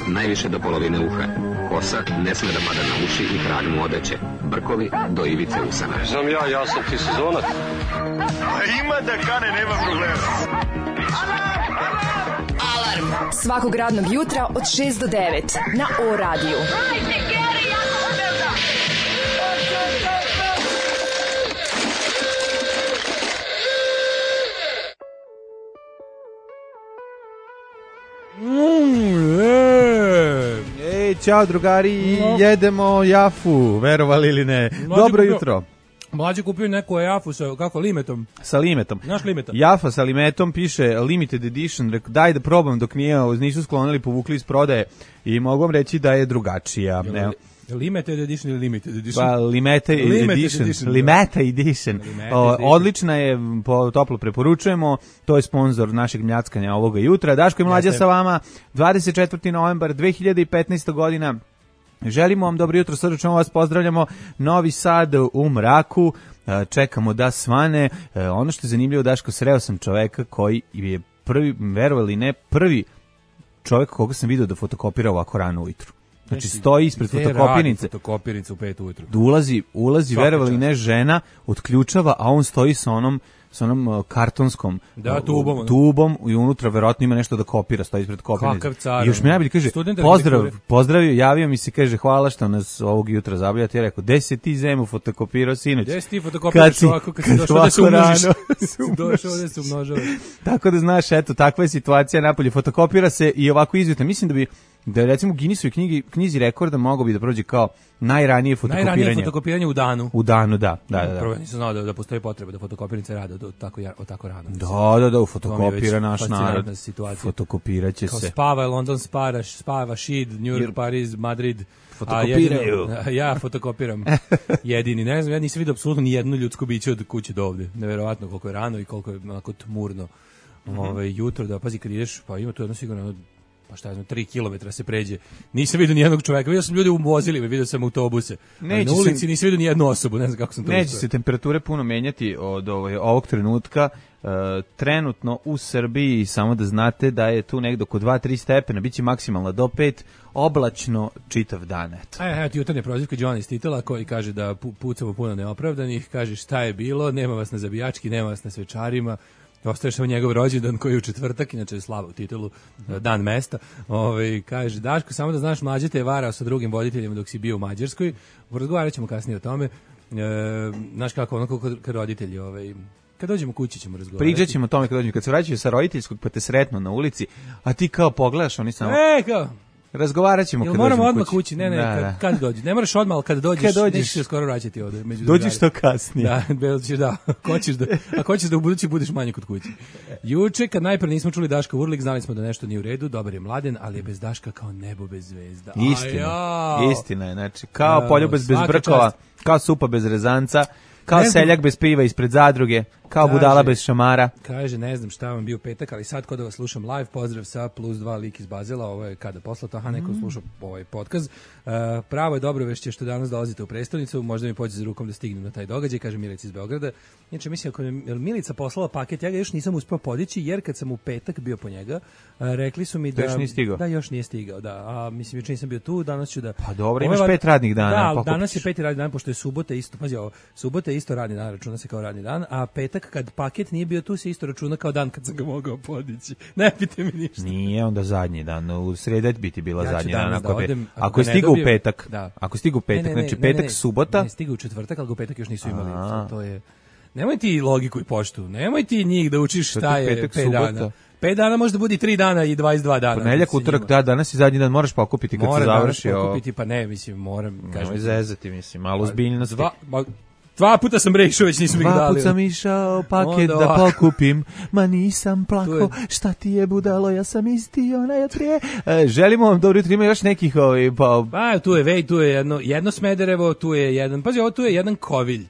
najviše do polovine uha. Kosa ne sme da pada na uši i kralj mu odeće. Brkovi do ivice usana. Znam ja sam ti sezonac. A ima da kane, nema problema. Alarm svakog radnog jutra od 6 do 9 na O-radiju. Hajde, Geri, jako se velda! Ćao drugari, jedemo jafu, verovali ili ne. Dobro jutro. Mlađe kupio neku jafu sa, kako, limetom? Sa limetom. Naš limeta. Jafa sa limetom, piše limited edition, rekao daj da probam dok nisu sklonili, povukli iz prodaje i mogu vam reći da je drugačija. Limited edition ili limited edition? Pa, limited edition. Odlična je, toplo preporučujemo, to je sponzor našeg mljackanja ovoga jutra. Daško i Mlađa sa vama, 24. novembar 2015. godina. Želimo vam dobro jutro, srdačno vas pozdravljamo. Novi Sad u mraku, čekamo da svane. Ono što je zanimljivo, Daško, sreo sam čoveka koji je prvi, verovali ne, prvi čovek koga sam vidio da fotokopira ovako rano ujutru. Znači stoji ispred fotokopirnice. Fotokopirnice u 5 ujutru. Ulazi, verovali ne, žena, otključava, a on stoji sa onom kartonskom tubom i unutra verovatno ima nešto da kopira, stoji ispred kopirnice. I još mi najbolje kaže, pozdravio, javio mi se, kaže, hvala što nas ovog jutra zabavljate. Ja rekao, gde si ti zemu fotokopirao sinoć? Gde si ti fotokopiraš ovako kad si došao da se umnožiš? Došao da se umnožavaš. Tako da znaš, eto, takva je situacija napolje. Fotokopira se i ovako izvjetno. Mislim da je recimo u Guinnessovoj knjizi rekorda mogao bi da prođe kao najranije fotokopiranje. Najranije fotokopiranje u danu. U danu, da. Prvo nisam znao da postoji potreba da fotokopirnice rade tako rano. Da, fotokopira naš narod. Fotokopiraće se. Kao spava London, spava Šid, New York, Pariz, Madrid. Fotokopiraju. Ja fotokopiram. Jedini, ne znam, ja nisam vidio apsolutno ni jedno ljudsko biće od kuće do ovde. Neverovatno koliko je rano i koliko je onako tmurno jutro. Da, pazi, kad ideš, pa ima tu jedno sigurno, pa šta je, 3 kilometra se pređe. Nisam vidio ni jednog čoveka, vidio sam ljude u vozilima, vidio sam autobuse. Na ulici nisam vidio ni jednu osobu, ne znam kako sam to. Neće se temperature puno menjati od ovog trenutka. Trenutno u Srbiji, samo da znate da je tu negdje oko 2-3 stepena, bit će maksimalno do 5, oblačno čitav dan. Evo ti jutarnje prozivka Johnny iz Titela koji kaže da pucamo puno neopravdanih, kaže šta je bilo, nema vas na zabijački, nema vas na svečarima. Ostaješ samo njegov rođendan koji je u četvrtak, inače je slava u titulu, dan mesta. Kaže, Daško, samo da znaš, Mlađe te je varao sa drugim voditeljima dok si bio u Mađarskoj. Razgovarat ćemo kasnije o tome. Znaš kako, onako kad roditelji, kad dođemo kući ćemo razgovarati. Pričat ćemo o tome kad se vraćaju sa roditeljskog pa te sretnu na ulici, a ti kao pogledaš, oni samo... kao... Razgovarat ćemo kad dođemo moramo odmah kući, kad dođi. Ne moraš odmah, ali kad dođeš, nećeš se skoro vraćati ovde. Dođiš to kasnije. Da, hoćeš da u budući budeš manje kod kuće. Juče, kad najpre nismo čuli Daška Urlik, znali smo da nešto nije u redu, dobar je Mladen, ali je bez Daška kao nebo bez zvezda. Istina je, znači, kao poljubez bez brkova, kao supa bez rezanca, kao seljak bez piva ispred zadruge, kao budala bez šamara. Kaže, ne znam šta vam bio petak, ali sad kod da vas slušam live, pozdrav sa +2 lik iz Bazela, ovo je kada poslato, neko sluša ovaj podcast. Pravo je dobro vešće što danas dolazite u prestonicu, možda mi pođe za rukom da stignem na taj događaj, kaže Milica iz Beograda. Inače, mislim, ako je Milica poslala paket, ja ga još nisam uspeo podići, jer kad sam u petak bio po njega, rekli su mi da... Još nije stigao? Da, još nije stigao, da. A mislim, juče nisam bio tu, danas ću da... Pa dobro, imaš 5 radnih dana. Da, danas je 5 radnih dana, pošto je subota isto, pazi ovo, subota je isto radni dan, računa se kao radni dan, a petak kad paket nije bio tu se isto računa kao dan kad sam ga mogao podići. Ne pite mi ništa. Nije onda zadnji dan, u sredu biti bila zadnji dan. Ako je stigao u petak, znači petak, subota. Ne, stigao u četvrtak, ali u petak još nisu imali. To je... Nemoj ti logiku i poštu, nemoj ti njih da učiš šta je 5 dana. 5 dana može da bude 3 dana i 22 dana. Ponedjeljak, utorak, danas i zadnji dan moraš pokupiti kad se završi. Moram pokupiti, pa ne, mislim, moram. Nemoj zezati, mislim, malo ozbiljnosti. 2 puta sam rešao, već nisam ih dali. 2 puta sam išao paket da pokupim, ma nisam plako, šta ti je budalo, ja sam isti onaj od prije. Želimo vam dobro jutro, ima još nekih tu je jedno Smederevo, tu je jedan, pazi, ovo tu je jedan Kovilj.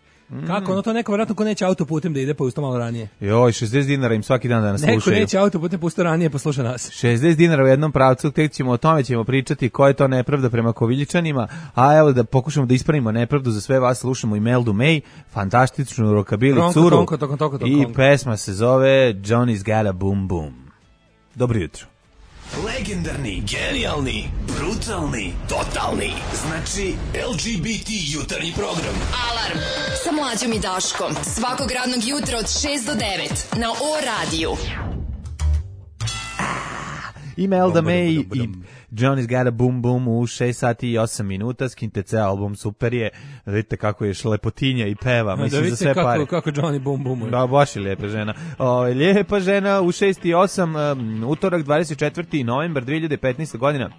Kako, ono to neko vjerojatno ko neće autoputem da ide pa usto malo ranije. Joj, 60 dinara im svaki dan da nas slušaju. Neko neće autoputem pa usto ranije pa sluša nas. 60 dinara u jednom pravcu, o tome ćemo pričati, koja je to nepravda prema Koviljičanima, a evo da pokušamo da ispravimo nepravdu za sve vas, slušamo i Meldu May, fantastičnu rokabili curu i pesma se zove Johnny's Got a Boom Boom. Dobro jutro. Legendarni, genijalni, brutalni, totalni. Znači LGBT jutarnji program. Alarm sa Mlađom i Daškom. Svakog radnog jutra od 6 do 9 na O-radiju. Imelda May i Johnny's Got a Boom Boom u 6 sati i 8 minuta. Skinite ceo album, super je. Vidite kako je šlepotinja i peva. Mislim, da vidite za sve pare. kako Johnny Boom Boom. Da, baš je lijepa žena. Lijepa žena u 6 i 8, utorak 24. novembar 2015. godina.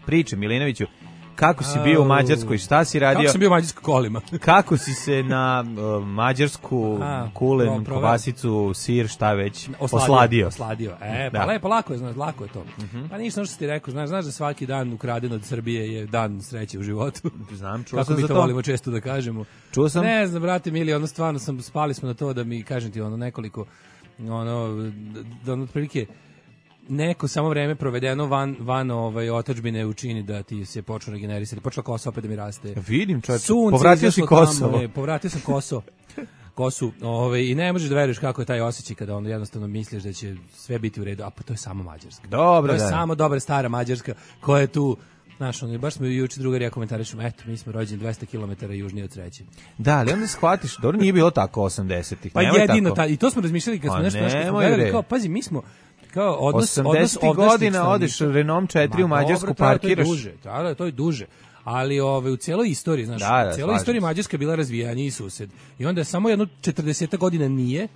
Priče Milinoviću. Kako si bio u Mađarskoj, šta si radio? Kako sam bio u Mađarskoj kolima? Kako si se na mađarsku kulen, kobasicu, sir, šta već, osladio? Pa lepo, lako je to. Pa ništa, što si ti rekao, znaš da svaki dan ukraden od Srbije je dan sreće u životu. Znam, čuo kako sam za to. Kako mi to volimo često da kažemo. Čuo sam. Ne znam, brate mili, stvarno spali smo na to da mi, kažem ti, nekoliko, da otprilike, neko samo vreme provedeno van otadžbine učini da ti se počne regenerisati. Počela kosa opet da mi raste. Vidim, čovječe, povratio si Kosovo. Povratio sam kosu. I ne možeš da veruješ kako je taj osjećaj kada jednostavno misliš da će sve biti u redu, a pa to je samo Mađarska. Dobro, to je samo dobra stara Mađarska koja je tu. Znaš, baš smo juče drugarija komentarišemo, eto, mi smo rođeni 200 km južnije od sreće. Da, ali onda shvatiš, dobro, nije bilo tako 80-ih. Pa jedino, i to smo razmišljali kad smo nešto gledali, kao, pazi, mi smo, kao odnos 80 godina odeš Renault 4 u Mađarsku, parkiraš. To je duže. Ali u cijeloj istoriji, znaš, u cijeloj istoriji Mađarska je bila razvijaniji sused. I onda je samo jedno 40 godina nije,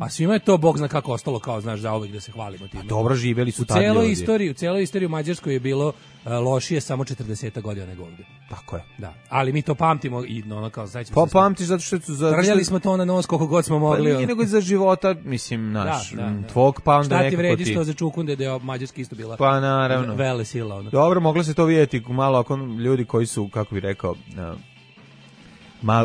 a svima je to Bog zna kako ostalo, kao, znaš, zauvek da se hvalimo time. Dobro živjeli su tad ljudi. U cijeloj istoriji u Mađarskoj je bilo lošije samo 40 godina nego ovdje. Tako je. Da. Ali mi to pamtimo i kao znači pa pamtiš zato što su trljali smo to na nos koliko god smo mogli. Pa nije nego za života, mislim, naš tvog pa onda nekako ti. Šta ti vredi što za čukunde da je Mađarska isto bila? Pa naravno. Vele sila. Dobro, moglo se to vidjeti malo ako ljudi koji su, kako bih rekao,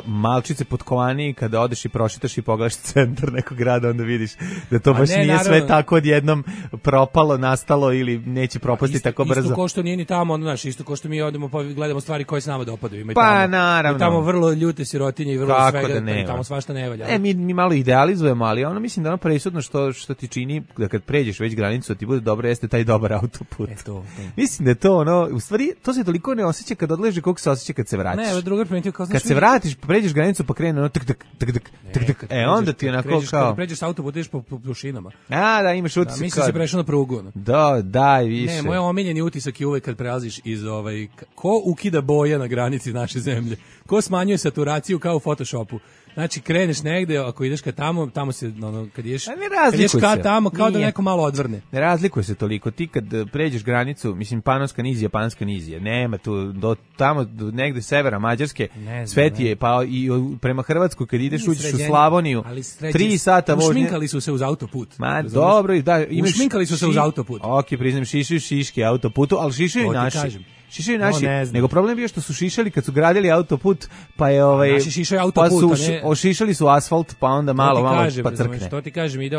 malčice potkovaniji, kada odeš i prošetaš i pogledaš centar nekog grada, onda vidiš da to baš nije naravno sve tako odjednom propalo, nastalo ili neće propasti tako brzo. Isto ko što nije ni tamo, znaš, isto ko što mi odemo pa gledamo stvari koje se nama dopadaju. Pa naravno. I tamo vrlo ljute sirotinje i vrlo kako svega, da tamo svašta ne valja. Mi malo idealizujemo, ali mislim da presudno što ti čini da kad pređeš već granicu, ti bude dobro, jeste taj dobar autoput. To. Mislim da je to u stvari, to se toliko ne osjeća kad odleže koliko se osjeća kad se vratiš. Ne, drugar primetio kao kad se vratiš, pređeš granicu pa krene tak. Onda ti onako kao kad pređeš autoput ideš po pušinama. Da, imaš utisak. Mislim se prešao na prugu. Da, više. Ne, moj omiljeni utisak je uvek kad prelaziš iz ko ukida boje na granici naše zemlje. Ko smanjuje saturaciju kao u Photoshopu. Znači kreneš negde, ako ideš ka tamo se kad ideš ka tamo kao da neko malo odvrne. Ne razlikuje se toliko. Ti kad pređeš granicu, mislim Panonska nizija, Panska nizija, nema tu do tamo negde severa Mađarske, sve ti je pa i prema Hrvatskoj kad ideš uđeš u Slavoniju, 3 sata vožnje. Ušminkali su se uz autoput. Dobro, da, ušminkali su se uz autoput. Okej, priznam, šišaju šiške autoputu, ali šišaju naši. Šišaju naši, nego problem je bio što su šišali kad su gradili autoput, pa je naši šišaju autoput, pa su ošišali su asfalt, pa onda malo pa crkne. Što ti kažem, ide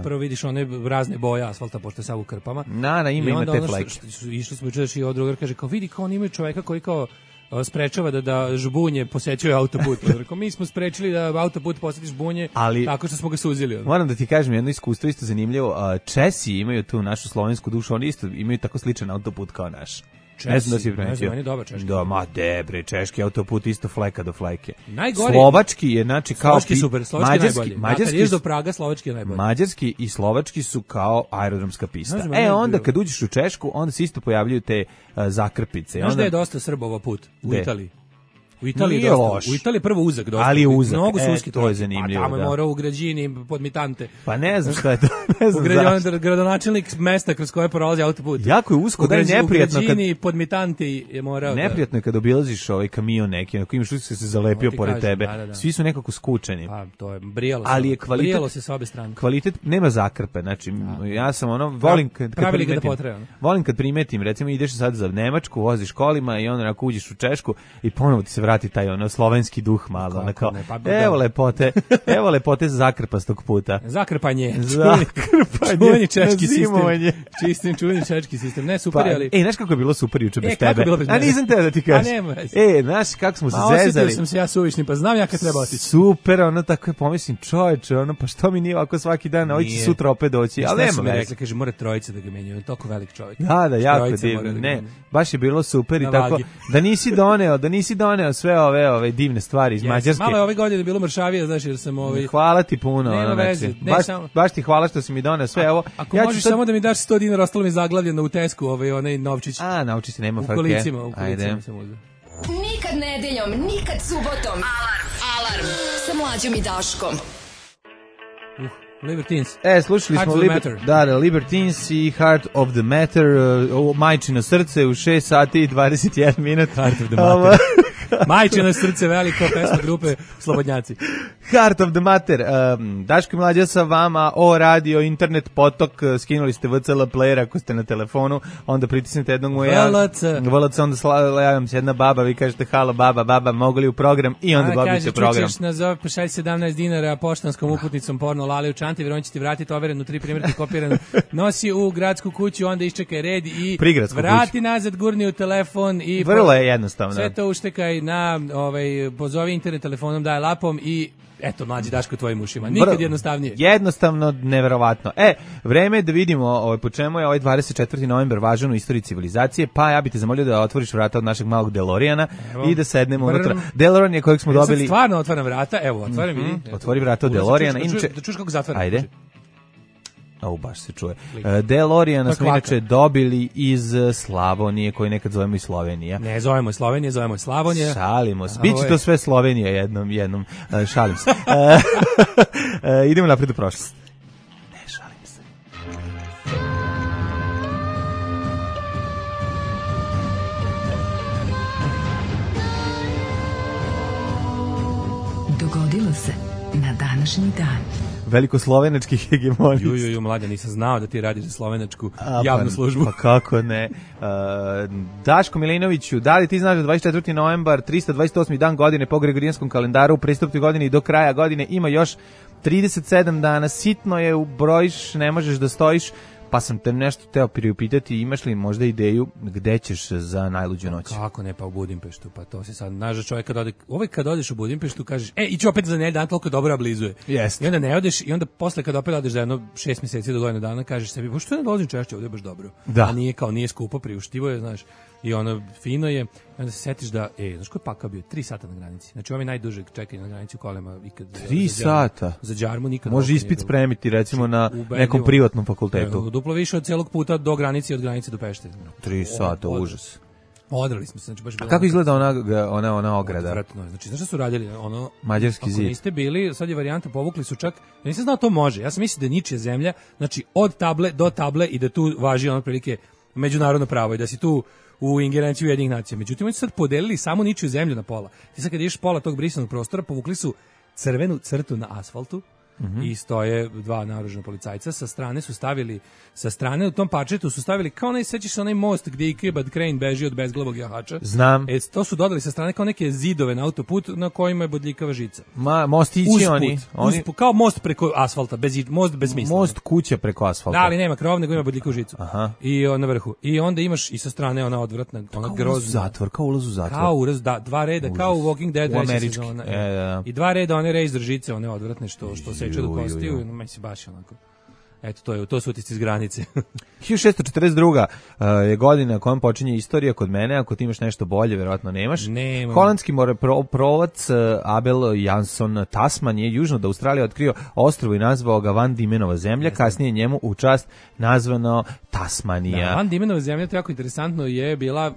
prvo vidiš one razne boje asfalta pošto je sav u krpama. Ima te fleke. Išli smo juče i drugar kaže kao vidi kao oni imaju čoveka koji kao sprečava da žbunje posećuju autoput. Rekao, mi smo sprečili da autoput poseti žbunje tako što smo ga suzili. Moram da ti kažem jedno iskustvo isto zanimljivo. Česi imaju tu našu slovensku dušu, oni isto imaju tako sličan autoput kao naš. Ne znam da si primetio. On je dobar češki. Da, ma debre, češki autoput isto fleka do fleke. Najgori. Slovački je, znači, kao... Slovački super, slovački najbolji. Mađarski je do Praga, slovački je najbolji. Mađarski i slovački su kao aerodromska pista. Onda kad uđeš u Češku, onda se isto pojavljuju te zakrpice. Znaš da je dosta Srbova put u Italiji? U Italiji nije loš. U Italiji prvo uzak dosta. Ali je uzak. Mnogo su uski to je zanimljivo. Tamo je morao u građini podmitante. Pa ne znam šta je to. Ne znam gradonačelnik mesta kroz koje prolazi autoput. Jako je usko, da je neprijatno. U građini podmitanti je morao. Neprijatno je kad obilaziš ovaj kamion neki, ako imaš utisak se zalepio pored tebe. Svi su nekako skučeni. Pa to je brijalo. Ali je kvalitet. Brijalo se sa obe strane. Kvalitet nema zakrpe, znači ja sam volim kad primetim, recimo ideš sad za Nemačku, voziš kolima i onda uđeš u Češku i ponovo ti se vrati vrati taj ono slovenski duh malo, ono kao, ne, pa, evo lepote zakrpastog puta. Zakrpanje. Čuveni češki sistem. Čuveni češki sistem. Ne, super, ali... Znaš kako je bilo super juče bez tebe? A nisam te da ti kažem. Znaš kako smo se zezali. Osjetio sam se ja suvišni, pa znam ja kad treba otići. Super, ono tako je pomislim, čoveče, ono, pa što mi nije ovako svaki dan, a će sutra opet doći, ali nema veze. Rekla, kaže, mora trojica da ga menjaju, on je toliko velik čovjek. Da, jako divno, ne, baš je bilo super i tako, da nisi doneo sve ove divne stvari iz Mađarske. Malo je ove godine bilo mršavije, znaš, jer sam Hvala ti puno. Nema veze. Baš ti hvala što si mi doneo sve ovo. Ako možeš samo da mi daš 100 dinara, ostalo mi zaglavljeno u Tesku, onaj novčić. Novčić nema frke. U kolicima sam uzeo. Nikad nedeljom, nikad subotom. Alarm sa Mlađom i Daškom. Libertines. Slušali smo Libertines i Heart of the Matter, Majčino srce u 6 sati i 21 minut. Heart of the Matter. Majčino srce, veliko pesma grupe Slobodnjaci. Heart of the Matter. Daško i Mlađa sa vama, radio, internet, potok, skinuli ste VCL player ako ste na telefonu, onda pritisnete jednog moja. VLC, onda javim se jedna baba, vi kažete halo baba, mogu li u program i onda dobijete program. Čućeš nazove, pošalj 17 dinara poštanskom uputnicom porno Lale u čanti, vjerujem će ti vratiti overenu 3 primjerke kopiranu, nosi u gradsku kuću, onda iščekaj red i vrati nazad, gurni u telefon i vrlo je jednostavno. Sve to uštekaj na pozovi internet telefonom, daj lapom i eto, Mlađi Daško tvojim ušima. Nikad jednostavnije. Jednostavno, neverovatno. Vreme je da vidimo po čemu je ovaj 24. novembar važan u istoriji civilizacije, pa ja bih te zamolio da otvoriš vrata od našeg malog DeLoreana i da sednemo unutra. DeLorean je kojeg smo dobili... Ja stvarno otvaram vrata, evo, otvaram, vidi. Otvori vrata od DeLoreana. Da čuš kako zatvaram. Ajde. Baš se čuje. DeLoreana smo inače dobili iz Slavonije, koju nekad zovemo i Slovenija. Ne zovemo Slovenije, zovemo Slavonije. Šalimo se. Biće to sve Slovenija jednom. Šalim se. Idemo napred u prošlost. Ne, šalim se. Dogodilo se na današnji dan. Velikoslovenački hegemonist. Mlađa, nisam znao da ti radiš za slovenačku javnu službu. Pa kako ne. Daško Milinoviću, da li ti znaš da 24. novembar, 328. dan godine po Gregorijanskom kalendaru, u pristupnoj godini i do kraja godine ima još 37 dana, sitno je, ubrojiš, ne možeš da stojiš, pa sam te nešto teo priupitati, imaš li možda ideju gde ćeš za najluđu noć? Kako ne, pa u Budimpeštu, pa to se sad, znaš, čovjek kad odeš u Budimpeštu, kažeš, iću opet za dan, toliko dobro ablizuje. Jest. I onda ne odeš, i onda posle kad opet odeš za jedno 6 mjeseci do godinu dana, kažeš sebi, što ne dolazim češće, ovdje je baš dobro. Da. A nije skupo, priuštivo je, znaš, i ono fino je, onda se setiš da, znaš koji pakao bio, 3 sata na granici. Znači ovaj najdužeg čekanje na granici u kolima ikad. 3 sata? Za džarmu nikad. Može ispit spremiti recimo na nekom privatnom fakultetu. Duplo više od celog puta do granice i od granice do Pešte. 3 sata, užas. Odrali smo se, znači baš bilo. A kako izgleda ona ograda? Odvratno, znači znaš šta su radili? Mađarski zid. Ako niste bili, sad je varijanta, povukli su čak, ja nisam znao to može, ja sam mislio da je ničija zemlja, znači od table do table i da tu važi prilike međunarodno pravo i da si tu u ingerenciji Ujedinjenih nacija. Međutim, oni su sad podelili samo ničiju zemlju na pola. Ti sad kad ideš pola tog brisanog prostora, povukli su crvenu crtu na asfaltu i stoje 2 naoružana policajca. Sa strane u tom parčetu su stavili, kao sećaš se onaj most gdje Ikebad Crane beži od bezglavog jahača. Znam. To su dodali sa strane kao neke zidove na autoput na kojima je bodljikava žica. Mostići oni. Kao most preko asfalta, most bez smisla. Most kuća preko asfalta. Da, ali nema krov, nego ima bodljikavu žicu. Aha. I na vrhu. I onda imaš i sa strane ona odvratna, ona grozna. Zatvor, kao ulaz u zatvor. Kao ulaz, da, 2 reda, kao u Walking Dead. U američki. I 2 reda one razor žice, one odvratne što seče do kostiju. Meni se baš onako. Eto, to su utisci iz granice. 1642. Je godina kojom počinje istorija kod mene, ako ti imaš nešto bolje, verovatno nemaš. Nema. Holandski moreplovac Abel Jansson Tasman je južno od Australije otkrio ostrvo i nazvao ga Van Diemenova zemlja, kasnije njemu u čast nazvano Tasmanija. Da, Van Diemenova zemlja, to jako interesantno je bila,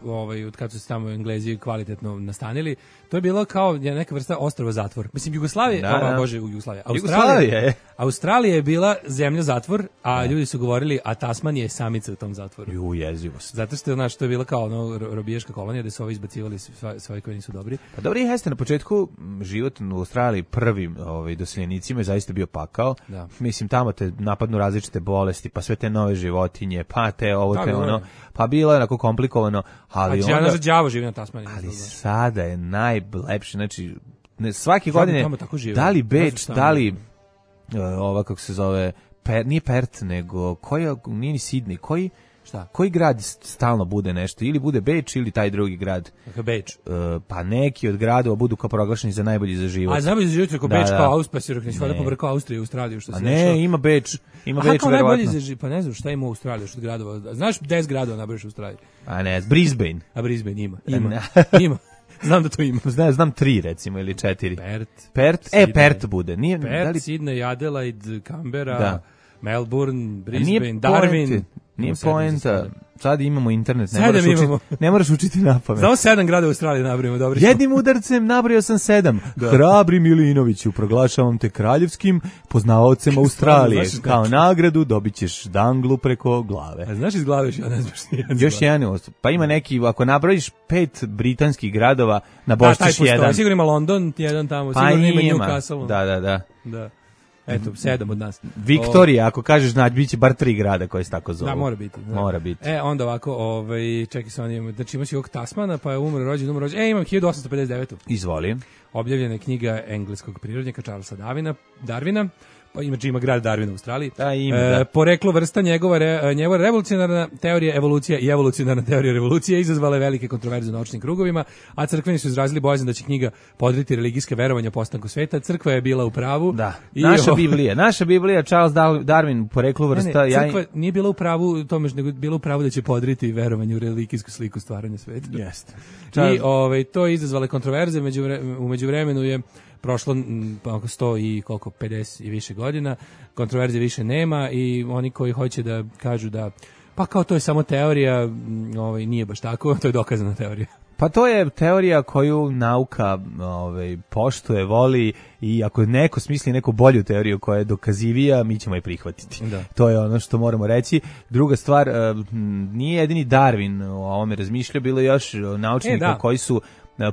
od kad su se tamo Englezi kvalitetno nastanili, to je bilo kao neka vrsta ostrva zatvor. Mislim, Jugoslavija je. Jugoslavija je bila zemlja zatvor, zatvor, a ljudi su govorili, a Tasmanija je samica u tom zatvoru. Ju, jezivost. Zato što to je bila kao robijaška kolonija gde su ovi izbacivali svoji koji nisu dobri. Pa dobro, jeste na početku život u Australiji prvim doseljenicima je zaista bio pakao. Da. Mislim, tamo te napadnu različite bolesti, pa sve te nove životinje, pa te ovo, te ono. Pa bilo je onako komplikovano, ali onda... A đavo živi na Tasmaniji. Ali sada je najlepše, znači, svake godine, da li Beč, da li ova, kako se zove, nije Perth, nego, nije ni Sidney, koji grad stalno bude nešto, ili bude Beč ili taj drugi grad? Beč. Pa neki od gradova budu kao proglašeni za najbolji za život. A najbolji za život je kao Beč, kao Auspasir, ne svada pobrkao Austriju i Australiju, što se ne, našao. ima Beč, kao najbolji za život, pa ne znam šta ima u Australiji, što od gradova. Znaš 10 gradova nabraš u Australiji? A ne, Brisbane. A Brisbane ima. Znam da to ima. Znam 3 recimo ili 4. Perth, Perth bude. Nije, Perth, Sydney, Adelaide, Canberra, Melbourne, Brisbane, Darwin. Nije poenta. Sad imamo internet, ne moraš učiti na pamet. Samo 7 grada u Australiji nabrojimo, dobro. Jednim udarcem nabrojao sam 7. Hrabri Milinoviću, proglašavam te kraljevskim poznavaocem Australije. Kao nagradu dobit ćeš danglu preko glave. A znaš iz glave ja ne znaš nijedan. Još jedan, pa ima neki, ako nabrojiš 5 britanskih gradova, nabošćeš jedan. Sigurno ima London, jedan tamo, pa sigurno ima Newcastle. Da. Eto, 7 od nas. Viktorija, ako kažeš, biće bar 3 grada koje se tako zovu. Da, mora biti. Da. Mora biti. Onda ovako, čekaj se, znači imaš i ovog Tasmana, pa je umro rođen. Imam 1859. Izvoli. Objavljena je knjiga engleskog prirodnjaka Charlesa Darwina, pa ima grad Darwin u Australiji. Poreklo vrsta njegova revolucionarna teorija evolucija i evolucionarna teorija revolucije izazvala je velike kontroverze u naučnim krugovima, a crkveni su izrazili bojazan da će knjiga podriti religijske verovanja o postanku sveta. Crkva je bila u pravu. Da. Naša Biblija, Charles Darwin, poreklo vrsta... Crkva nije bila u pravu tome, nego bila u pravu da će podriti verovanje u religijsku sliku stvaranja sveta. Jeste. I to je izazvale kontroverze, u međuvremenu je prošlo oko 100 i 50 i više godina, kontroverze više nema i oni koji hoće da kažu da pa kao to je samo teorija, nije baš tako, to je dokazana teorija. Pa to je teorija koju nauka poštuje, voli i ako neko smisli neku bolju teoriju koja je dokazivija, mi ćemo je prihvatiti. Da. To je ono što moramo reći. Druga stvar, nije jedini Darwin o ovome razmišljao, bilo je još naučnika koji su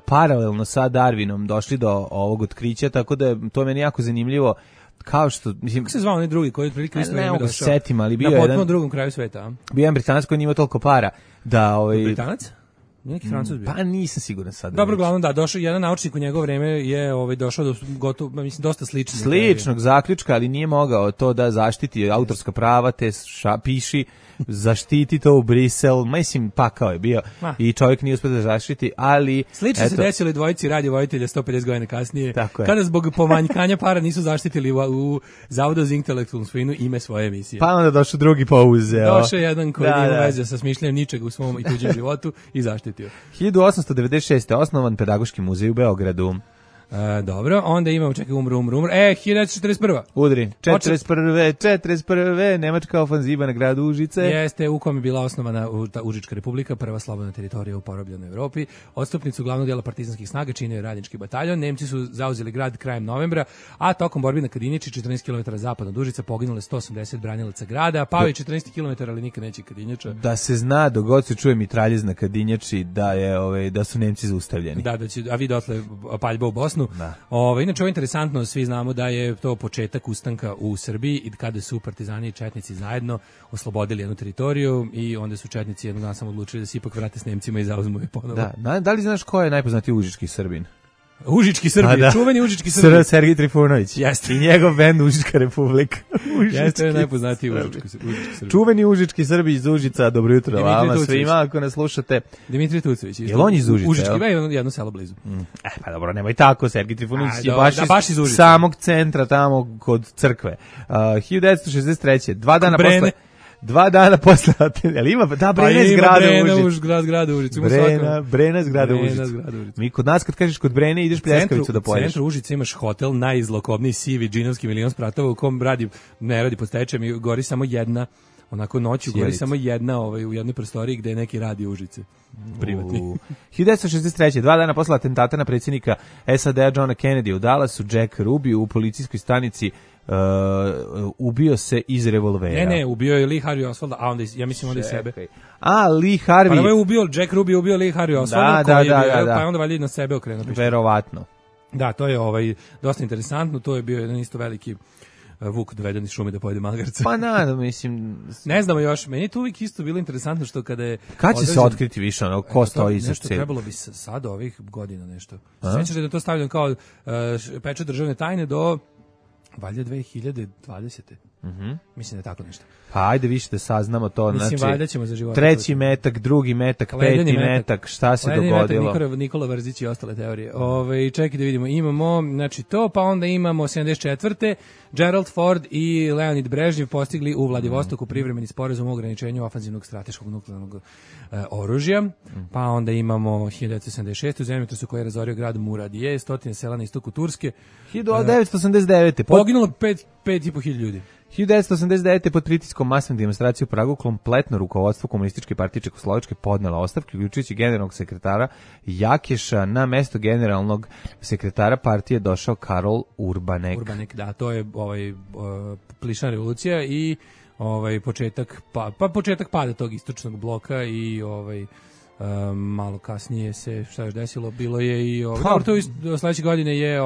paralelno sa Darwinom došli do ovog otkrića, tako da je to meni jako zanimljivo. Kao što, mislim, kako se zvao onaj drugi koji je prilike isto vreme došao? Setim, ali bio na potpuno jedan drugom kraju sveta, a? Bio jedan Britanac koji nije imao toliko para da Britanac? Neki Francuz bio. Pa nisam siguran sad. Dobro, glavno da, došao jedan naučnik u njegovo vreme je došao do gotovo, mislim, dosta sličnog zaključka, ali nije mogao to da zaštiti autorska prava, te piši, zaštiti to u Brisel, mislim, pakao je bio i čovjek nije uspio da zaštiti, ali... Slično se desilo i dvojici radio-vojitelja 150 godina kasnije, kada zbog pomanjkanja para nisu zaštitili u Zavodu za intelektualnu svojinu ime svoje emisije. Pa onda došao drugi pouzeo. Došao jedan koji nije veze sa smišljanjem ničega u svom i tuđem životu i zaštitio. 1896. osnovan Pedagoški muzej u Beogradu. Dobro, onda imamo, umro. 1941. Udri, 41. Nemačka ofanziva na grad Užice. Jeste, u kom je bila osnovana Užička republika, prva slobodna teritorija u porobljenoj Evropi. Odstupnicu glavnog dijela partizanskih snaga činio je radnički bataljon. Nemci su zauzeli grad krajem novembra, a tokom borbi na Kadinjači, 14 km zapadno od Užica, poginule 180 branilaca grada, pao je 14 km, ali nikad neće Kadinjača. Da se zna, dogod se čuje mitraljez na Kadinjači, da su Nemci zaustavljeni. A vi dotle paljba u Bosnu. Inače, ovo je interesantno, svi znamo da je to početak ustanka u Srbiji i kada su partizani i četnici zajedno oslobodili jednu teritoriju i onda su četnici jednog dana samo odlučili da se ipak vrate s Nemcima i zauzmu je ponovo. Da li znaš ko je najpoznatiji užički Srbin? Užički Srbin, čuveni Užički Srbin. Sergij Trifunović. Jeste. I njegov bend Užička republika. Jeste, najpoznatiji Užički Srbin. Čuveni Užički Srbi iz Užica, dobro jutro vama svima ako nas slušate. Dimitri Tucović. Jel on iz Užica? Užički, jedno selo blizu. Pa dobro, nemoj tako, Sergij Trifunović je baš iz Užica. Samog centra tamo kod crkve. 1963. 2 dana posle, ali ima, Brena iz grada Užice. Brena iz grada Užice. Mi kod nas kad kažeš kod Brene ideš pljeskavicu da pojedeš. U centru Užice imaš hotel najzlokobniji sivi džinovski milion spratova u kom ne radi pod stečajem i gori samo jedna, onako noću gori samo jedna u jednoj prostoriji gde je neki radi Užice. Privatni. 1963. 2 dana posle atentata na predsjednika SAD-a Johna Kennedy u Dallasu, Jack Ruby u policijskoj stanici ubio se iz revolvera. Ne, ubio je Lee Harvey Oswalda, a onda ja mislim onda i sebe. A Lee Harvey. Pa je ubio Jack Ruby, ubio Lee Harvey Oswalda, da. Pa je onda valjda na sebe okrenuo. Verovatno. Da, to je dosta interesantno, to je bio jedan isto veliki vuk doveden iz šume da pojede magarca. Pa mislim... Ne znamo još, meni je to uvijek isto bilo interesantno što kada je... Kad će se otkriti više ono, ko stoji iza nešto trebalo bi sad ovih godina nešto. Sjećate da to stavljeno kao pečat državne tajne do valjda 2020. Mislim da je tako nešto. Pa ajde više da saznamo to. Mislim, valjda ćemo za života. Treći metak, drugi metak, peti metak, šta se dogodilo? Metak, Nikola Vrzić i ostale teorije. Čekaj da vidimo, imamo, znači to, pa onda imamo 74. Gerald Ford i Leonid Brežnjev postigli u Vladivostoku privremeni sporazum o ograničenju ofanzivnog strateškog nuklearnog oružja. Pa onda imamo 1976. u zemljotresu koji je razorio grad Muradije, 100 sela na istoku Turske. 1989. Poginulo 5.500 ljudi. 1989. pod pritiskom masne demonstracije u Pragu kompletno rukovodstvo Komunističke partije Čekoslovačke podnela ostavku, uključujući generalnog sekretara Jakeša. Na mesto generalnog sekretara partije došao Karol Urbanek. Urbanek, da, to je plišna revolucija i početak pada tog istočnog bloka i malo kasnije se šta je desilo, bilo je i sledeće godine je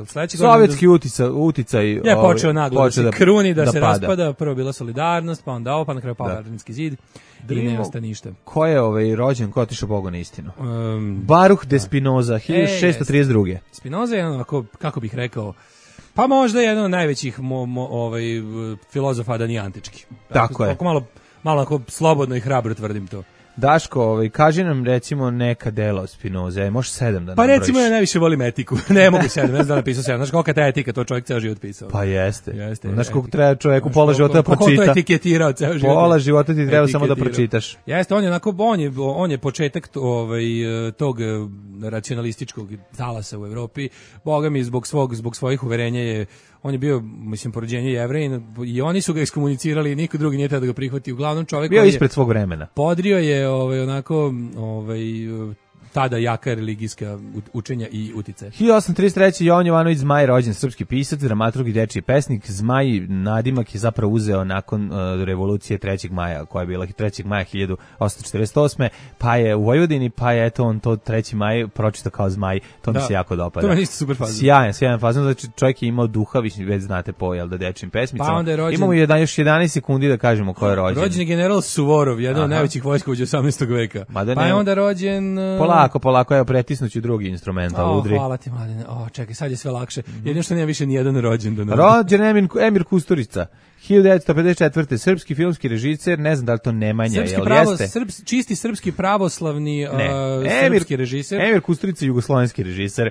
sledeće sovjetski uticaj je počeo naglo da se kruni, da se raspada. Prvo bila Solidarnost, pa onda ovo, pa na kraju pao Berlinski zid i ne osta ništa. Ko je rođen, ko je otišao Bogu na istinu? Baruch de Spinoza, 1632. Spinoza je kako bih rekao, pa možda jedan od najvećih filozofa, da nije antički. Tako je. Malo ako slobodno i hrabro tvrdim to. Daško, kaži nam recimo neka dela Spinoza, možeš 7 da nabrojiš. Pa recimo ja najviše volim etiku, ne mogu 7, ne znam da napisao 7, znaš kolika ta etika, to čovjek ceo život pisao. Pa jeste. Znaš koliko treba čovjeku pola života da pročita. Ko to etiketirao ceo život. Pola života ti treba samo da pročitaš. Jeste, on je početak tog racionalističkog talasa u Evropi, boga mi zbog svojih uverenja on je bio, mislim, porođenje Jevrejin i oni su ga iskomunicirali i niko drugi nije tada da ga prihvati. Uglavnom čovjek bio ispred svog vremena. Podrio je tada jaka religijska učenja i uticaje. 1833. Jovan Jovanović Zmaj, rođen, srpski pisac, dramaturg i dečiji pesnik. Zmaj nadimak je zapravo uzeo nakon revolucije 3. maja, koja je bila 3. maja 1848. Pa je u Vojvodini, pa je on to 3. maj pročitao kao Zmaj. To mi se jako dopada. To je isto super fazon. Sjajan fazon, znači čovjek je imao duha, već znate po dečijim pesmicama. Pa onda je rođen... Imamo još 11 sekundi da kažemo ko je rođen. Rođen je general Suvorov, jedan od najvećih vojskovođa 18. veka. Pa je onda rođen... Polako, evo pretisnuću drugi instrumental, udri. Hvala ti, mladine. Čekaj, sad je sve lakše. Jedino što nema više ni jedan rođendan. Rođen Emir Kusturica, 1954. Srpski filmski režiser, ne znam da li to Nemanja, jeste? Čisti srpski pravoslavni srpski režiser. Emir Kusturica, jugoslovenski režiser,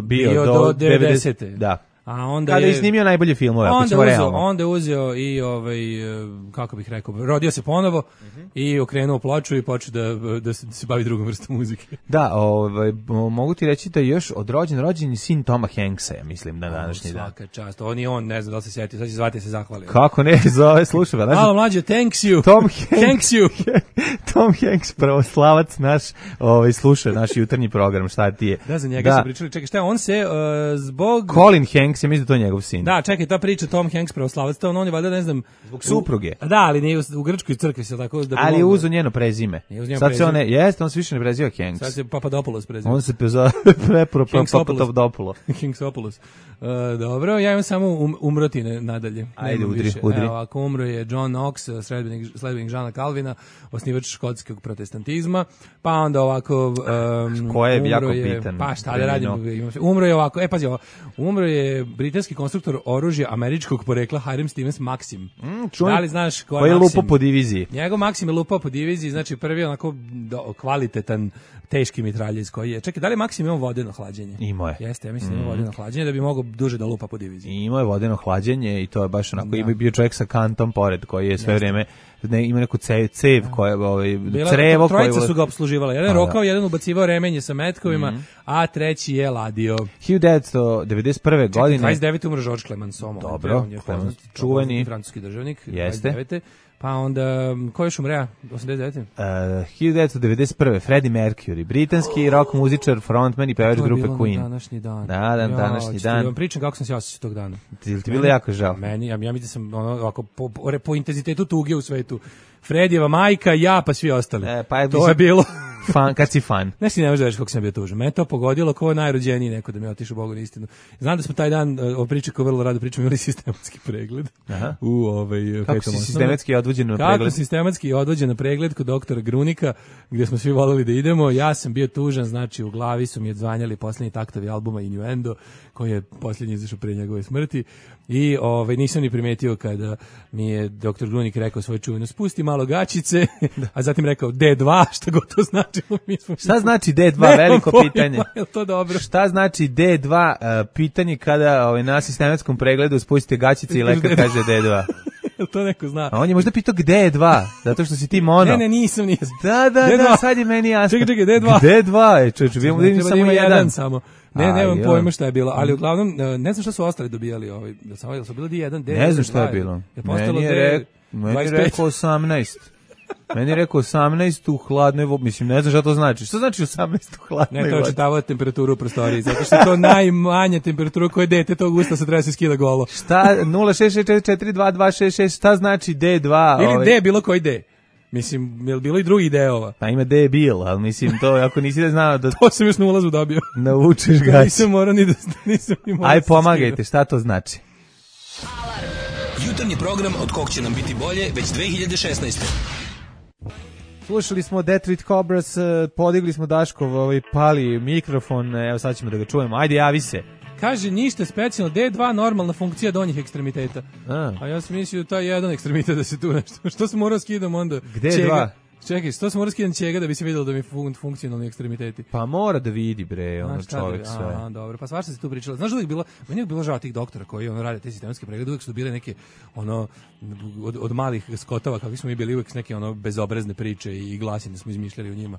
bio do 90. Da. A onda kada je snimio najbolje filmove, onda je uzeo i kako bih rekao, rodio se ponovo i okrenuo ploču i počeo da se bavi drugom vrstom muzike. Da, mogu ti reći da je još rođen sin Toma Hanksa, ja mislim, na današnji dan. Svaka čast, on ne znam da li se sjetio, sad će zvati se zahvalio. Kako ne, zove, slušaj ga. Malo mlađe, thanks you. Tom Hanks, pravoslavac naš, sluša naš jutarnji program, šta ti je. Da, za njega se pričali, čekaj, šta on se zbog... Colin Hanks, ja mislim da to je njegov sin. Da, čekaj, ta priča Tom Hanks pravoslavac, on je valjda, ne znam... Zbog supruge. Da, ali nije u grčkoj crkvi se tako... Ali je uzo njeno prezime. Sad se on se više ne preziva Hanks. Sad se Papadopoulos preziva. On se zove Papadopoulos. Hankopoulos. Dobro, ja imam samo umrotine nadalje. Ajde, udri. Evo, ako umro je John Knox, sledbenik Žana Kalvina, osnivač škotskog protestantizma, pa onda ovako... Ko je jako bitan? Pa šta da radim? Umro je ovako, pazi ovo, umro je britanski konstruktor oružja američkog porekla Hiram Stevens Maxim. Da li znaš ko je Maxim? Lupao po diviziji. Njegov Maxim je lupao po diviziji, znači prvi onako kvalitetan teški mitraljez koji je. Čekaj, da li Maxim imao vodeno hlađenje? Imao je. Jeste, ja mislim imao vodeno hlađenje da bi mogao duže da lupa po diviziji. Imao je vodeno hlađenje i to je baš onako, i bio čovjek sa kantom pored koji je sve vrijeme ima neku cev koja crevo koje... Trojica su ga opsluživala. Jedan rokao, jedan ubacivao remenje sa metkovima, a treći je ladio. 1991. godine... 29. umro Georges Clemenceau. Dobro, čuveni francuski državnik. Jeste. 29. Pa onda, ko još umre? 89. 1991. Freddie Mercury, britanski rock muzičar, frontman i pevač grupe Queen. Današnji dan. Današnji dan. Vam pričam kako sam se osjećao tog dana. Ti bilo jako žao? Meni, ja mislim da sam ovako, po intenzitetu tuge u svetu. Fredijeva majka, ja, pa svi ostali. To je bilo... Kad si fan. Ne možeš da veš kako sam bio tužan. Me to pogodilo kao najrođeniji neko da mi je otišao Bogu na istinu. Znam da smo taj dan, o priči ko vrlo rado pričamo, imali sistematski pregled. Aha. Kako si sistematski odvođen na pregled? Kako sistematski odvođen na pregled kod doktora Grunika, gdje smo svi voleli da idemo. Ja sam bio tužan, znači u glavi su mi odzvanjali posljednji taktovi albuma Innuendo, koji je posljednji izašao prije njegove smrti. I nisam ni primetio kada mi je doktor Grunik rekao svoje čuveno, spusti malo gačice, a zatim rekao D2, šta god to znači. Šta znači D2, veliko pitanje. Je to dobro? Šta znači D2, pitanje kada na sistematskom pregledu spustite gačice i lekar kaže D2. To neko zna. A on je možda pitao gde je 2, zato što si ti mono. Ne, nisam. Da, sad je meni jasno. Čekaj, D2. D2 je, čovječe, bio mu da samo jedan. Samo. Nemam pojma šta je bilo, ali uglavnom, ne znam šta su ostali dobijali, jel su bilo D1, D2. Ne znam šta je bilo. Meni je rekao 18. Meni je rekao 18 u hladnoj vodi, mislim, ne znam šta to znači. Šta znači 18 u hladnoj vodi? Ne, to čitavao temperaturu u prostoriji, zato što je to najmanja temperatura koje dete tog usta se treba se skida golo. Šta, 066442266, šta znači D2? Ili D, bilo koji D. Mislim, je li bilo i drugih D-ova? Pa ima D bil, ali mislim, to ako nisi da znao da... To sam još na ulazu dobio. Naučiš gaći. Nisam morao ni da... Aj, pomagajte, šta to znači? Jutarnji program od kog će nam biti bolje već 2016. Slušali smo Detroit Cobras, podigli smo Daškov pali mikrofon, evo sad ćemo da ga čujemo. Ajde, javi se. Kaže, ništa specijalno, D2 normalna funkcija donjih ekstremiteta. A ja sam mislio taj jedan ekstremitet da se tu nešto. Što sam morao skidam onda? Gde čega? Čekaj, što sam morao skidam čega da bi se vidjelo da mi funkcionalni ekstremiteti? Pa mora da vidi, bre, čovjek sve. Dobro, pa svašta se tu pričalo. Znaš da uvijek bilo, meni je bilo žao tih doktora koji rade te sistematske preglede, uvijek su bile neke, od malih skotova, kakvi smo mi bili, uvijek neke bezobrazne priče i glasine smo izmišljali u njima.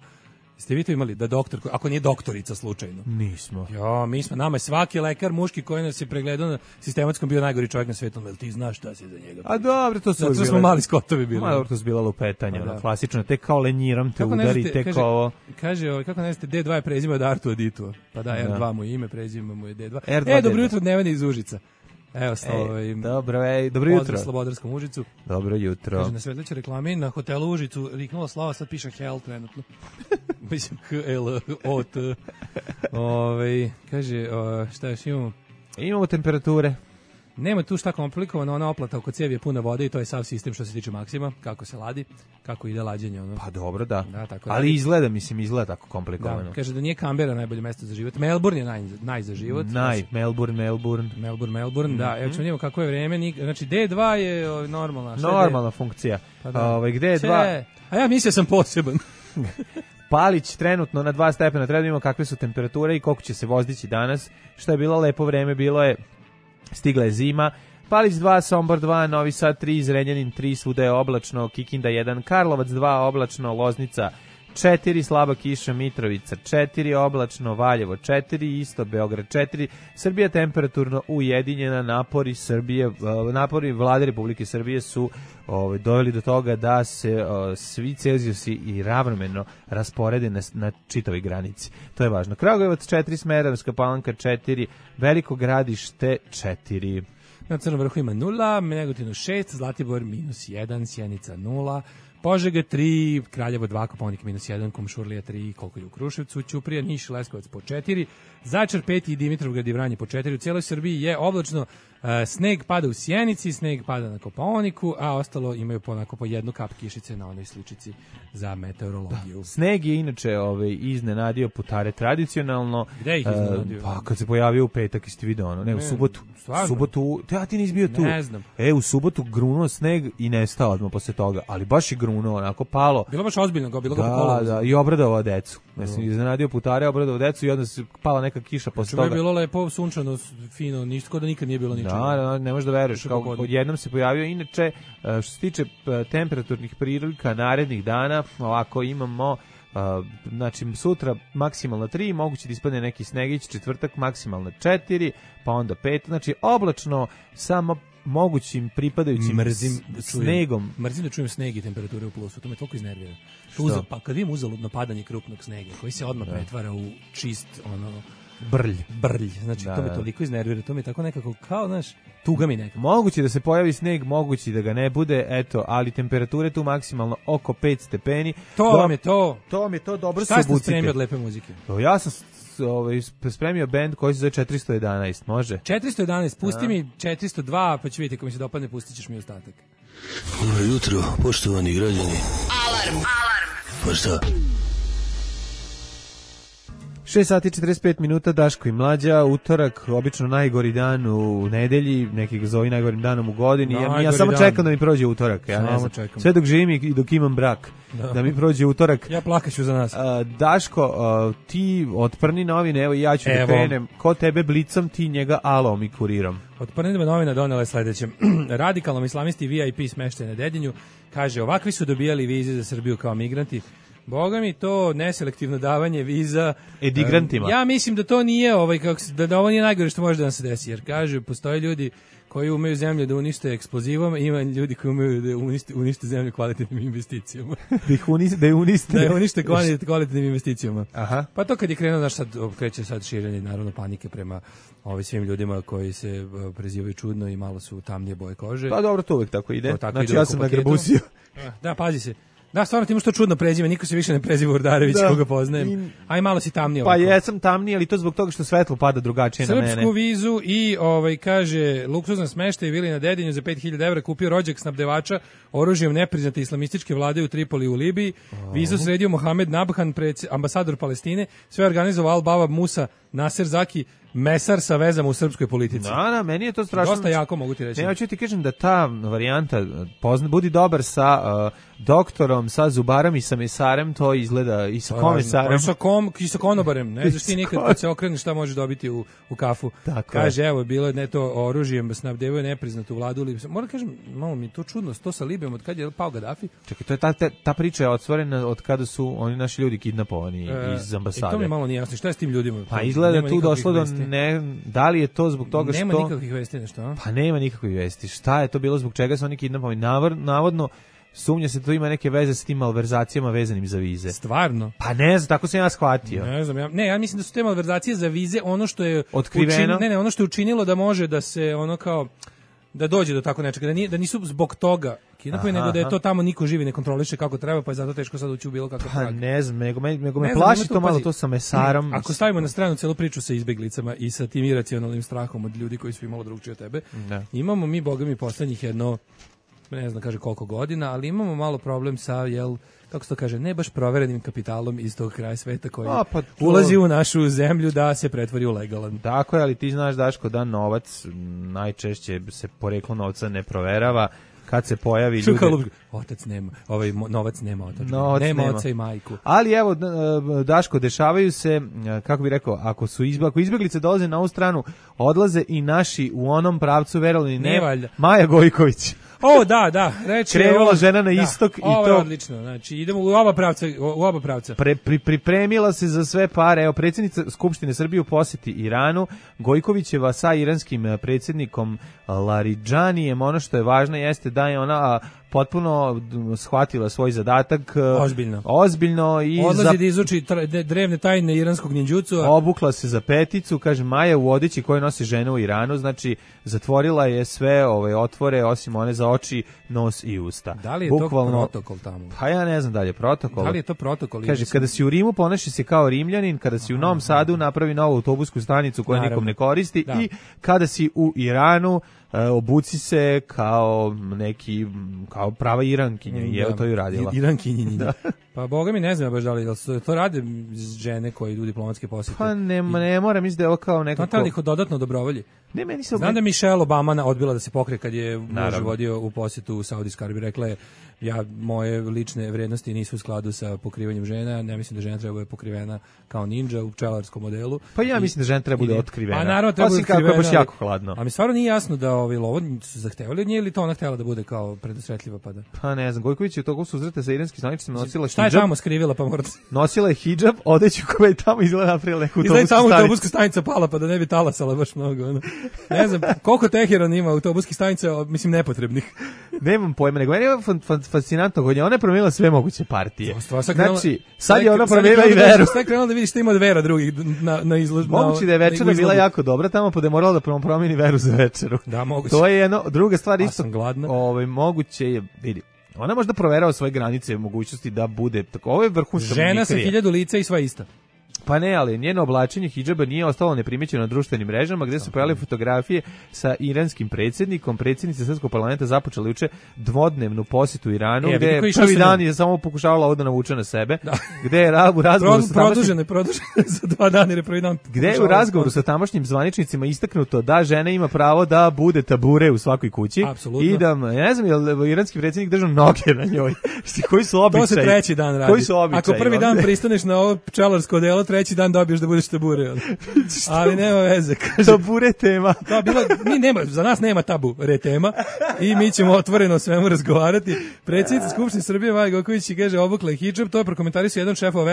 Ste vi to imali da doktor, ako nije doktorica slučajno? Nismo. Jo, nama je svaki lekar muški koji nas je pregledao na sistematskom bio najgori čovjek na svijetu, jel ti znaš šta si za njega? A dobro, to su zato smo mali skotovi bili. Dobro, to su bila lupetanja, klasično, tek kao lenjiram te udari, tek kao ovo. Kaže, kako ne znate, D2 je prezime od Artu Aditua, pa da, R2 mu je ime, prezime mu je D2. Dobro jutro, Neveni iz Užica. Evo, dobro jutro. Pozdrav Slobodarskom Užicu. Dobro jutro. Kaže, na svetleće reklame na hotelu Užicu riknula Slava, sad piše Hell trenutno. Mislim, H-L-O-T. Kaže, šta još imamo? Imamo temperature. Nema tu šta komplikovano, ona oplata oko cijevi je puna vode i to je sav sistem što se tiče Maksima, kako se ladi, kako ide lađenje. Pa dobro, da. Tako ali izgleda tako komplikovano. Da, kaže da nije Canberra najbolje mesto za život. Melbourne je naj za život. Melbourne, da. Evo ćemo vidjeti kako je vreme. Znači D2 je normalna. Normalna funkcija. Pa gde je 2? A ja mislio sam poseban. Palić trenutno na 2 stepena, treba da imamo kakve su temperature i koliko će se vozdići danas. Što je bilo lepo vreme, stigla je zima. Palić 2, Sombor 2, Novi Sad 3, Zrenjanin 3, svuda je oblačno, Kikinda 1, Karlovac 2, oblačno, Loznica 4, slaba kiša, Mitrovica 4, oblačno, Valjevo 4, isto Beograd 4, Srbija temperaturno ujedinjena, napori Vlade Republike Srbije su doveli do toga da se svi Celzijusi i ravnomerno rasporede na čitavoj granici. To je važno. Kragujevac 4, Smederevska Palanka 4, Veliko Gradište 4. Na Crnom Vrhu ima 0, Negotinu 6, Zlatibor -1, Sjenica 0, Požega 3, Kraljevo 2, Kopaonik -1, Kumšurlija 3, koliko je u Kruševcu, Ćuprija, Niš, Leskovac po 4, Zaječar 5 i Dimitrovgrad i Vranje po 4. U cijeloj Srbiji je oblačno, sneg pada u Sjenici, sneg pada na Kopaoniku, a ostalo imaju po jednu kap kišice na onoj sličici za meteorologiju. Da. Sneg je inače iznenadio putare tradicionalno. Gde ih iznenadio? Pa kad se pojavio u petak, jeste vidio ne, u subotu. Stvarno? Subotu, ti nisi bio tu. Ne znam. U subotu grunuo sneg i nestao odmah posle toga, ali baš je grunuo, onako palo. Bilo baš ozbiljno, bilo ga po kolovozu. Da, i obradovao decu. Mislim, iznenadio putare, obradovao decu i onda se pala neka kiša posle toga. Je bilo lepo, sunčano, fino, ništa, da nikad nije bilo ničega. Da, ne možeš da veruješ, kao odjednom se pojavio. Inače, što se tiče temperaturnih prilika narednih dana, ovako imamo, znači sutra maksimalno 3, moguće da ispadne neki snegić, četvrtak maksimalno 4, pa onda 5, znači oblačno samo mogućim pripadajućim snegom. Mrzim da čujem sneg i temperature u plusu, to me toliko iznervira. Pa kad vidim uzaludno padanje krupnog snega, koji se odmah pretvara u čist, brlj. Znači, to me toliko iznervira, to mi je tako nekako, kao, znaš, tuga mi nekako. Moguće da se pojavi sneg, moguće da ga ne bude, eto, ali temperature tu maksimalno oko 5 stepeni. To vam je to, dobro se obucite. Šta ste spremio od lepe muzike? Ja sam spremio bend koji se zove 411, može? 411, pusti mi 402, pa ću vidjeti ako mi se dopadne, pustit ćeš mi ostatak. Dobro jutro, poštovani građani. Alarm. Pa šta? 6 sati 45 minuta, Daško i Mlađa, utorak, obično najgori dan u nedelji, neki ga zove najgorim danom u godini. Ja samo čekam da mi prođe utorak, ja ne znam. Sve dok živim i dok imam brak, da mi prođe utorak. Ja plakaću za nas. Daško, ti otprni novine, evo ja ću da krenem. Ko tebe blicam, ti njega alom i kurirom. Otprni novina donela je sledeće. Radikalnom islamisti VIP smeštaj na Dedinju, kaže, ovakvi su dobijali vize za Srbiju kao migranti. Boga mi, to neselektivno davanje viza edigrantima. Ja mislim da to nije da ovo nije najgore što može da nam se desi, jer kaže, postoje ljudi koji umeju zemlju da unište eksplozivom, ima ljudi koji umeju da unište zemlju kvalitetnim investicijama. Da je unište kvalitetnim investicijama. Aha. Pa to kad je krenuo, kreće sad širenje naravno panike prema svim ljudima koji se prezivaju čudno i malo su tamnije boje kože. Pa dobro, to uvek tako ide. Znači ja sam nagrabusio. Da, pazi se. Da, stvarno ti imaš to čudno prezime, niko se više ne preziva Urdarević, koga poznajem. Aj malo si tamniji. Pa jesam tamniji, ali to zbog toga što svetlo pada drugačije na mene. Srpsku vizu i kaže luksuzna smeštaj vili na Dedinju za 5.000 evra kupio rođak snabdevača oružjem nepriznate islamističke vlade u Tripoli u Libiji. Vizu sredio Mohamed Nabhan, ambasador Palestine, sve organizovao Al-Baba Musa Nasser Zaki, mesar sa vezama u srpskoj politici. Da, meni je to strašno. Dosta jako, mogu ti reći. Ne, ja ću ti kažem da ta varijanta budi dobar sa doktorom, sa zubarom i sa mesarem, to izgleda i sa komesarem. I sa konobarem. Ne znaš ti nikad kad se okreneš šta možeš dobiti u kafu. Kaže, evo, bilo je to oružjem, snabdevaju nepriznatu vladu. Moram kažem, malo mi to čudno, to sa Libijom, od kad je pao Gaddafi. Čekaj, to je ta priča je otvorena od kada su oni naši ljudi kidnapovani iz ambasade. To mi malo nije jasno. Šta je s tim ljudima? Pa izgleda tu došlo do da li je to zbog toga što... Nema nikakvih vesti nešto, Pa nema nikakvih vesti. Šta je to bilo, zbog čega su oni kidnapovani? Navodno, sumnja se to ima neke veze s tim malverzacijama vezanim za vize. Stvarno? Pa ne znam, tako sam ja shvatio. Ne znam, ja mislim da su te malverzacije za vize ono što je... Otkriveno? Ono što je učinilo da može da se da dođe do tako nečega, da nisu zbog toga kidnapovani, nego da je to tamo niko živi ne kontroliše kako treba, pa je zato teško sad ući u bilo kakav trag. Pa ne znam, nego me plaši to malo to sa mesarom. Ako stavimo na stranu celu priču sa izbeglicama i sa tim iracionalnim strahom od ljudi koji su imalo drugčije od tebe, imamo mi, boga mi, poslednjih ne znam kaže koliko godina, ali imamo malo problem sa, kako se to kaže, ne baš proverenim kapitalom iz tog kraja sveta koji ulazi u našu zemlju da se pretvori u legalan. Tako je, ali ti znaš, Daško, da novac najčešće se poreklo novca ne proverava. Kad se pojavi ljudi... Otac nema, novac nema otac. Nema oca i majku. Ali evo, Daško, dešavaju se, kako bih rekao, ako izbeglice dolaze na ovu stranu, odlaze i naši u onom pravcu, verovali ne, Maja Gojković. Da, reći krenula žena na istok i ovo to je odlično. Znači idemo u oba pravca. Pripremila se za sve pare. Evo, predsjednica Skupštine Srbije u posjeti Iranu, Gojkovićeva sa iranskim predsjednikom Laridžanijem. Ono što je važno jeste da je ona potpuno shvatila svoj zadatak ozbiljno i odlazi da izuči drevne tajne iranskog ninđucua. Obukla se za peticu, kaže Maja, u odeći koje nosi žene u Iranu, znači zatvorila je sve otvore osim one za oči, nos i usta. Da li je to protokol tamo? Pa ja ne znam da li je protokol. Da li je to protokol? Kaže, kada si u Rimu ponaši se kao Rimljanin, kada si u Novom Sadu napravi novu autobusku stanicu koju nikom ne koristi i kada si u Iranu obuci se kao prava Irankinja i evo to ju radila. Irankinja. Pa boga mi ne znam baš da li to rade žene koji idu diplomatske posjete. Pa ne mora, mislim da je ovo kao nekako... To ih dodatno dobrovolji. Znam da Michelle Obama odbila da se pokrije kad je muž vodio u posjetu u Saudijskoj Arabiji. Rekla je, moje lične vrednosti nisu u skladu sa pokrivanjem žena, ne mislim da žena treba bude pokrivena kao ninja u pčelarskom modelu. Pa ja mislim da žena treba bude otkrivena. A naravno treba bude otkrivena. Kako je baš jako hladno. A mi stvarno nije jasno da lovo su zahtevali od nje ili to ona htjela da bude kao predosvetljiva pada. Pa ne znam, Gojković je u toku susreta sa iranskim zvaničnicima nosila Šta je tamo skrivila, pa morate? Nosila je hidžab, odeću koja je tamo izgleda napravila neku autobusku stanicu. Izgleda tamo autobuska stanica pala, pa da ne bi talasala baš mnogo. Ono. Ne znam, koliko Teheran ima autobuskih stanica, mislim, nepotrebnih. Nemam pojma, nego meni je fascinantno kod nje. Ona je promijenila sve moguće partije. Znači, sad je ona promijenila i veru. Sad je krenula da vidiš šta ima od vera drugih na izložbu. Moguće da je večera bila jako dobra tamo, pa da je morala da promijeni veru za večeru. Da, moguće. To je jedno, druga stvar isto. Sam gladna. Moguće je, vidi, ona možda proverava svoje granice i mogućnosti da bude tako. Ovo je vrhunska žena sa 1000 lica i sva ista. Pa ne, ali njeno oblačenje hidžaba nije ostalo neprimećeno na društvenim mrežama, gde su pojavile fotografije sa iranskim predsjednikom. Predsjednica Srpskog parlamenta započela juče dvodnevnu posjetu Iranu, gde je prvi dan je samo pokušavala ovo da navuče na sebe. Da. Gde je u razgovoru sa produžene za 2 dana jer prvi dan. Gde je u razgovoru sa tamošnjim zvaničnicima istaknuto da žena ima pravo da bude tabure u svakoj kući. Apsolutno. I da, ja ne znam, je iranski predsjednik držao noge na njoj. Koji su običaji? To se treći dan radi. Koji su običaji? Ako prvi dan pristaneš na ovo pčelarsko delo, treći dan dobiješ da budeš tabure. Ali nema veze. Kaže, tabure tema. Da, za nas nema tabu tema i mi ćemo otvoreno o svemu razgovarati. Predsjednica Skupštine Srbije Maja Gojković kaže obukla je hidžab, to je prokomentarisao jedan šefova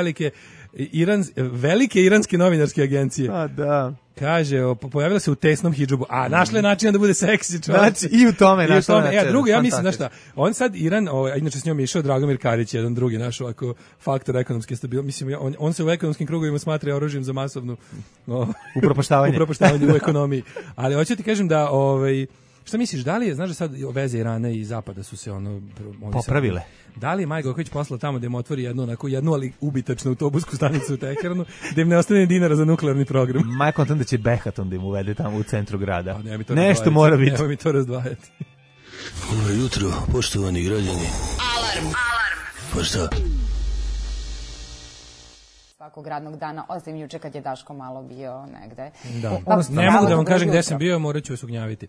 velike iranske novinarske agencije. A da. Kaže, pojavila se u tesnom hidžabu, a našla je način da bude seksi čovjek. Znači, i u tome našla način. Drugo, ja mislim, znaš šta, on sad Iran, inače s njom je išao Dragomir Karić, jedan drugi naš ovako faktor ekonomske stabilnosti. Mislim, on se u ekonomskim krugovima smatra oružjem za masovnu upropaštavanje u ekonomiji. Ali hoću ti kažem da, šta misliš, da li je, znaš da sad veze Irana i Zapada su se popravile? Da li je Maja Gojković poslala tamo da im otvori jednu ali ubitačnu autobusku stanicu u Teheranu, da im ne ostane dinara za nuklearni program? Maja kontam da će Behaton da im uvede tamo u centru grada. Nešto mora biti. Nema mi to razdvajati. Dobro jutro, poštovani građani. Alarm! Pa šta? Svakog radnog dana, osim juče kad je Daško malo bio negde. Da. Ne mogu da vam kažem gde sam bio, morat ću vas ugnjaviti.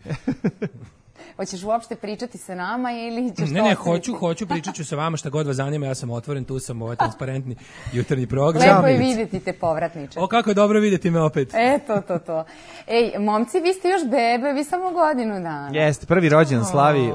Hoćeš uopšte pričati sa nama ili ćeš Ne, hoću, pričat ću sa vama šta god vas zanima, ja sam otvoren, tu sam, ovo je transparentni jutarnji program. Lepo je vidjeti te povratniče. O, kako je dobro vidjeti me opet. To. Ej, momci, vi ste još bebe, vi samo godinu dana. Jeste, prvi rođendan slavi,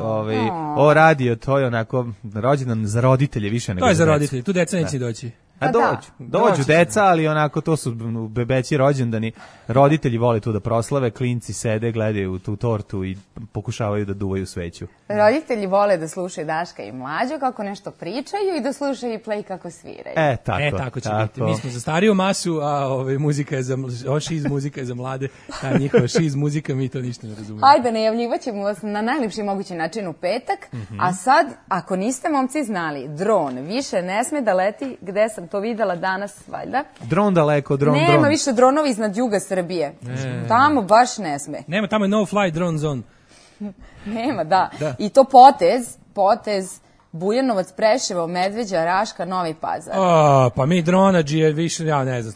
ovo radio, to je onako rođendan za roditelje više nego za decu. To je za roditelje, tu deca neće doći. A dođu deca, ali onako to su bebeći rođendani. Roditelji vole tu da proslave, klinci sede, gledaju tu tortu i pokušavaju da duvaju sveću. Roditelji vole da slušaju Daška i Mlađu kako nešto pričaju i da slušaju i Play kako sviraju. Tako će biti. Mi smo za stariju masu, a muzika je šiz muzika je za mlade. Ta njihova šiz muzika, mi to ništa ne razumijemo. Ajde, najavljivaćemo vas na najlepši mogući način u petak. A sad, ako niste momci znali, dron više ne sme da leti, gde sam to videla danas, valjda. Dron daleko, dron. Nema više dronovi iznad juga Srbije. Tamo baš ne sme. Nema, tamo je no fly drone zone. Nema, da. I to potez Bujanovac, Preševo, Medveđa, Raška, Novi Pazar. Pa mi dronađije više, ja ne znam.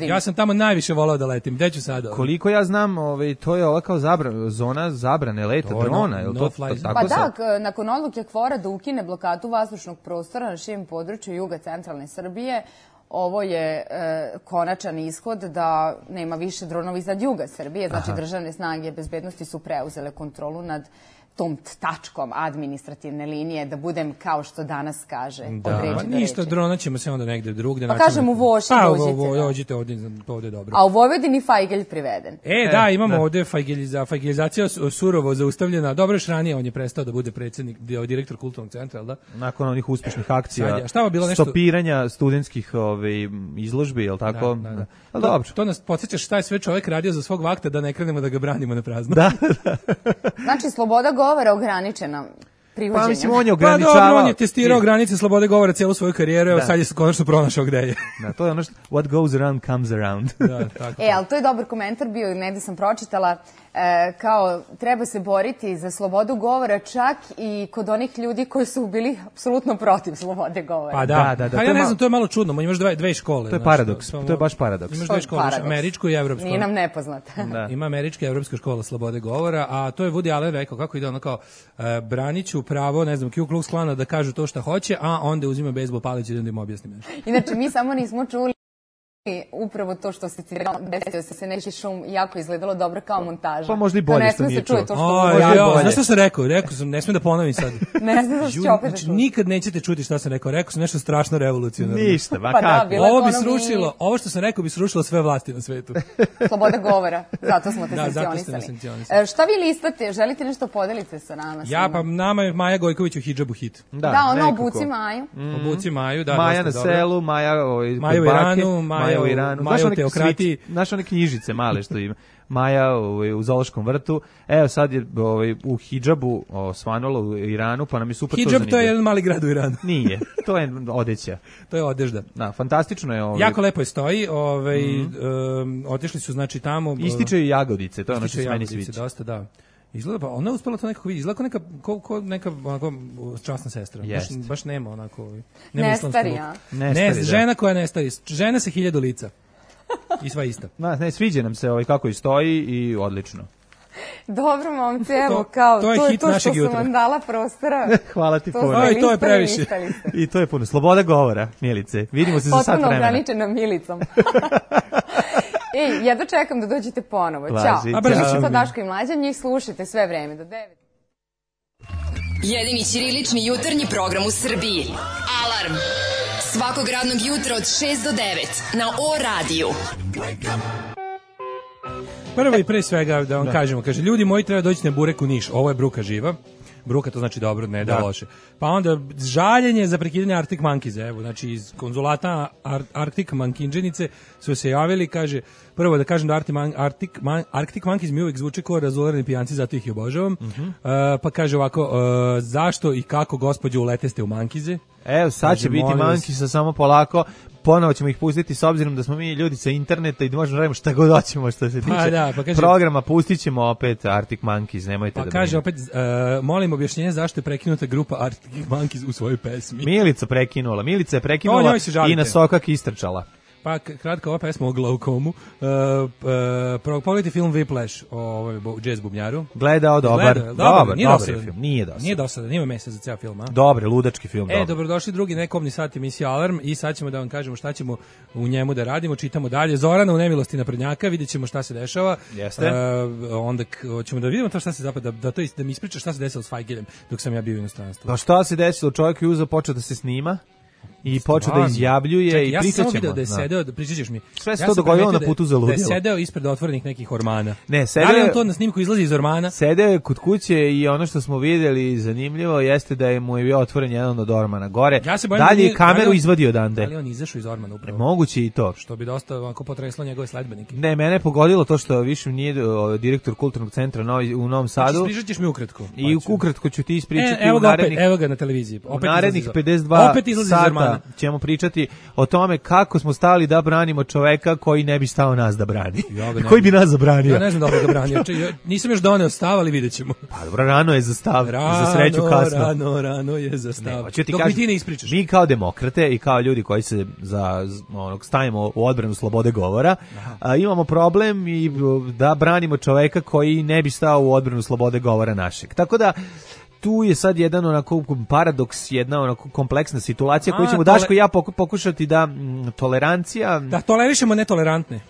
Ja sam tamo najviše volao da letim. Gde ću sada? Koliko ja znam, to je ova kao zona zabrane leta drona. Pa da, nakon odluke KFOR-a da ukine blokadu vazdušnog prostora na širom području juga centralne Srbije, ovo je konačan ishod da nema više dronova iznad juga Srbije. Znači, državne snage bezbednosti su preuzele kontrolu nad tom tačkom administrativne linije, da budem kao što danas kaže. Da, ništa, drona ćemo se onda negde drugde. Pa kažem u Voši dođite. Dođite ovdje, ovdje je dobro. A u Vojvodini Fajgelj priveden. Da, imamo ovdje Fajgeljizacija surovo zaustavljena. Dobro, još ranije on je prestao da bude predsjednik, direktor kulturnog centra, da? Nakon onih uspješnih akcija, stopiranja studentskih izložbi, je li tako? Da. Dobro. To nas podsjeća šta je sve čovjek radio za svog vakta, da ne krenemo da ga branimo na prazno. Da. Znači, sloboda govora ograničena privođenjem. Pa mislim, on je ograničavao. On je testirao granice slobode govora cijelu svoju karijeru, evo sad je konačno pronašao gde je. Da, to je ono što what goes around comes around. Ali to je dobar komentar bio, negdje sam pročitala, kao treba se boriti za slobodu govora čak i kod onih ljudi koji su bili apsolutno protiv slobode govora. Pa da. Pa ja ne znam, to je malo čudno, imaš dve škole. To je paradoks, to je baš paradoks. Imaš dve škole, američku i evropsku. Nije nam nepoznata. Ima američka i evropska škola slobode govora, a to je Woody Allen rekao, kako ide ono kao, branit ću pravo, ne znam, Ku Klux Klana da kažu to šta hoće, a onda uzima bejzbol palić i da im objasnim. Inače, mi samo nismo čuli upravo to što se citirala, desio se neki šum i jako izgledalo dobro kao montaža. Pa možda i bolje što nije čuo. Znaš što sam rekao? Rekao sam, ne smijem da ponovim sad. Ne znam da ću opet da čuti. Nikad nećete čuti šta sam rekao. Rekao sam nešto strašno revolucionarno. Ništa, ba Pa kako? da, Ovo bi srušilo, ovo što sam rekao bi srušilo sve vlasti na svetu. Sloboda govora, zato smo te Da, zato ste me sankcionisali. sankcionisali. Šta vi listate? Želite nešto podelite sa nama? Ja, pa nama je Maja Gojković u hidžabu hit. Da, ono nekako. obuci Maju. Obuci Maju, da, Maja na dosta dobro. selu, Maja Maja u Iranu, Maja u Iranu. Maja u teokratiji. Znaš one knjižice male što ima? Maja u zoološkom vrtu. Evo sad je u hidžabu osvanulo u Iranu, pa nam je super to Hidžab zanimljivo. to je jedan mali grad u Iranu. Nije, to je odeća. To je odežda. Da, fantastično je. Jako lepo je stoji, otišli su znači tamo. Ističe i jagodice, to je ono što se meni Jagodice, sviđa. dosta, da. Izgleda pa ona je uspela to nekako vidjeti. Izgleda kao neka onako časna sestra. Baš nema onako. Nema Ne islamskog. stari, a? Ne, Žena koja ne stari. Žena sa 1000 lica. I sva ista. Ne, sviđa nam se kako i stoji i odlično. Dobro, momci, evo, kao, to je to je hit to što našeg sam jutra. vam dala prostora. Hvala ti puno. Aj, to je previše. I to je puno. Sloboda govora, Milice. Vidimo se za sat Potpuno vremena. ograničena Milicom. Ej, jedno čekam da dođete ponovo. Važi, Ćao. ćao. Brzo su to Daško i Mlađa, njih slušajte sve vreme do 9. Jedini ćirilični jutarnji program u Srbiji. Alarm. Svakog radnog jutra od 6 do 9 na O radiju. Prvo i pre svega da vam kažemo, kaže, ljudi moji treba doći na burek u Niš, ovo je bruka živa, bruka to znači dobro, ne da loše. Pa onda žaljenje za prekidanje Arctic Monkeys, evo, znači iz konzulata Arctic Monkinđenice su se javili, kaže, prvo da kažem da Arctic Monkeys mi uvijek zvuče kao razularni pijanci, zato ih i obožavam, pa kaže ovako, zašto i kako gospođo uleteste u Mankize? Evo, sad će biti Mankisa, samo polako. Ponovo ćemo ih pustiti s obzirom da smo mi ljudi sa interneta i da možemo radimo šta god hoćemo što se tiče programa. Pustit ćemo opet Arctic Monkeys, nemojte da kaže opet, molim objašnjenje zašto je prekinuta grupa Arctic Monkeys u svojoj pesmi. Milica je prekinula i na sokak istrčala. Pa kratka ova pesma o glaukomu. Pogledajte film Whiplash o jazz bubnjaru. Gledao, dobar film. Nije dosadan, nema mesa za ceo film. Dobre, ludački film. Dobrodošli drugi nekomni sat emisije Alarm i sad ćemo da vam kažemo šta ćemo u njemu da radimo. Čitamo dalje. Zorana u nemilosti naprednjaka, vidjet ćemo šta se dešava. Jeste. Onda ćemo da vidimo to šta se zapravo, da mi ispriča šta se desilo s Fajgeljem dok sam ja bio u inostranstvu. Pa šta se desilo? Čovjek je uzeo, počeo da se snima i počeo da izjavljuje i pričat ćemo. Ja sam video da je sedeo, pričat ćeš mi. Sve se to dogodilo na putu za ludilo. Da je sedeo ispred otvorenih nekih ormana. Ne, da li on to na snimku izlazi iz ormana? Sedeo je kod kuće i ono što smo vidjeli zanimljivo jeste da je mu je bio otvoren jedan od ormana gore. Dalje je kameru izvadio odande. Da li on izašao iz ormana upravo? Moguće i to. Što bi dosta ovako potreslo njegove sledbenike. Ne, mene je pogodilo to što više nije direktor kulturnog centra u Novom Sadu. Znači, pričat ćeš mi ukratko. I ukratko ću ti ispričati evo ga na televiziji. U narednih 52 sata ćemo pričati o tome kako smo stali da branimo čoveka koji ne bi stao nas da brani. Koji bi nas zabranio? Ja ne znam da ga branio. Nisam još doneo stav, ali vidjet ćemo. Pa dobro, rano je za stav, za sreću kasno. Rano je za stav. Dok mi ti ne ispričaš. Mi kao demokrate i kao ljudi koji se stavimo u odbranu slobode govora, imamo problem i da branimo čoveka koji ne bi stao u odbranu slobode govora našeg. Tako da tu je sad jedan onako paradoks, jedna onako kompleksna situacija koju ćemo Daško i ja pokušati da tolerancija... Da tolerišemo netolerantne.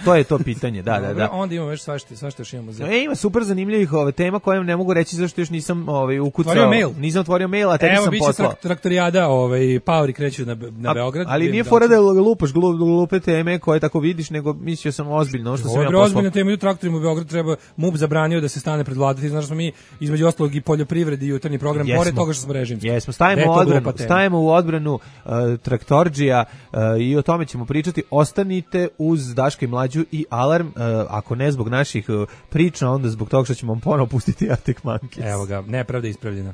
To je to pitanje, da. Onda imamo još svašta još imamo. Ima super zanimljivih tema koje ne mogu reći zašto još nisam ukucao. Nisam otvorio mail, a tebi sam poslao. Evo, biće traktorijada, paori kreću na Beograd. Ali nije fora da lupaš glupe teme koje tako vidiš, nego mislio sam ozbiljno što sam ja poslao. Ozbiljno teme, u traktorima u Beogradu treba, MUP zabranio da se stane pred vladati, znaš smo mi između ostalog i poljoprivredi i jutarnji program, pored toga što smo režimski. Jesmo, stavimo u odbranu traktorđija i o tome ćemo pričati. Ostanite uz Daška i Mlađu i Alarm, ako ne zbog naših priča, onda zbog toga što ćemo vam ponovo pustiti Arctic Monkeys. Evo ga, nepravda ispravljena.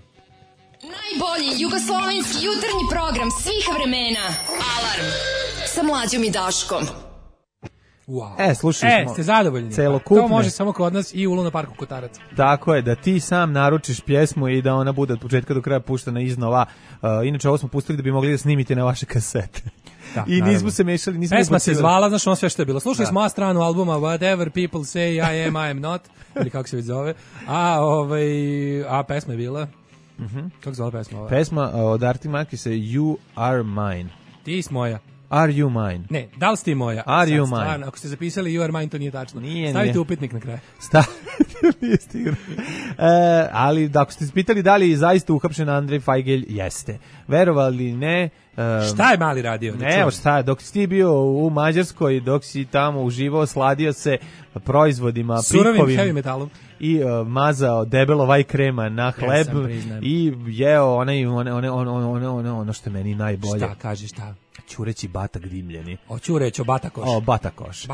Najbolji jugoslovenski jutarnji program svih vremena. Alarm sa Mlađom i Daškom. Wow. Slušali smo. Ste zadovoljni? Celokupne. To može samo kod nas i u Luna parku Kotarac. Tako je, da ti sam naručiš pjesmu i da ona bude od početka do kraja puštena iznova. Inače, ovo smo pustili da bi mogli da snimite na vaše kasete. Da, i nismo se mešali, pesma se zvala, znaš ono sve što je bilo. Slušali smo stranu albuma Whatever People Say I Am Not, ili kako se već zove. A pesma je bila? Kako zvala pesma? Pesma od Arctic Monkeys je You Are Mine. Ti si moja. Are you mine? Ne, da li si ti moja? Are you Sad, mine? Stvarno, ako ste zapisali you are mine, to nije tačno. Nije. Stavite upitnik na kraju. Nije stigao. Ali ako ste pitali da li je zaista uhapšen Andrej Fajgelj, jeste. Verovali ne. Šta je mali radio? Ne, šta, dok si ti bio u Mađarskoj, dok si tamo uživao, sladio se proizvodima surovim prikovim heavy metalom i mazao debelo vaj krema na hleb i jeo ono što je meni najbolje. Šta kažeš, šta? Ćureći batak dimljeni. Hoću reći o Batakoš. O, Batakoš.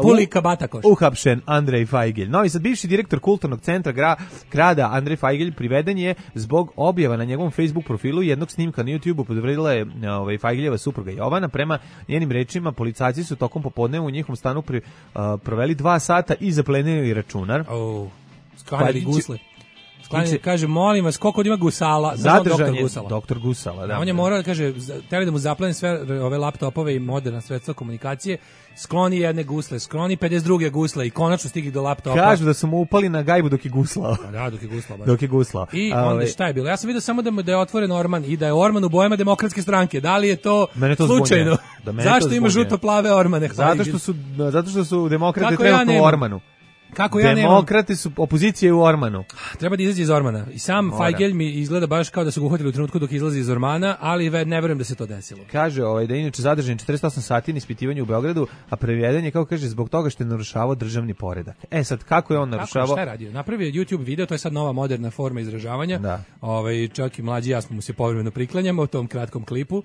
Pulika Batakoš. Uhapšen Andrej Fajgelj. Novi Sad, bivši direktor kulturnog centra grada Andrej Fajgelj priveden je zbog objava na njegovom Facebook profilu jednog snimka na YouTubeu. Podvredila je Fajgeljeva supruga Jovana. Prema njenim rečima, policajci su tokom popodneva u njihovom stanu proveli 2 sata i zaplenili računar. Sklanjali gusle. Kaže, molim vas, koliko ima gusala? Zadržan je doktor Gusala. Da, on je morao, kaže, teli da mu zapleni sve ove laptopove i moderna sredstva komunikacije, skloni jedne gusle, skloni 52 gusle i konačno stigli do laptopa. Kažu da su mu upali na gajbu dok je guslao. Da, dok je guslao. Dok je guslao. I onda šta je bilo? Ja sam vidio samo da je otvoren orman i da je orman u bojama Demokratske stranke. Da li je to slučajno? Zašto ima žuto-plave ormane? Zato što su demokrate trenutno u ormanu. Kako ja Demokrati su opozicije u ormanu. Treba da izađe iz ormana. I sam Fajgelj mi izgleda baš kao da su ga uhvatili u trenutku dok izlazi iz ormana, ali ne verujem da se to desilo. Kaže da je inače zadržan 48 sati na ispitivanju u Beogradu, a preveden je, kako kaže, zbog toga što je narušavao državni poredak. Sad, kako je on narušavao? Šta je radio? Napravio YouTube video, to je sad nova moderna forma izražavanja. Da. Čak i mlađi ja smo mu se povremeno priklanjamo u tom kratkom klipu.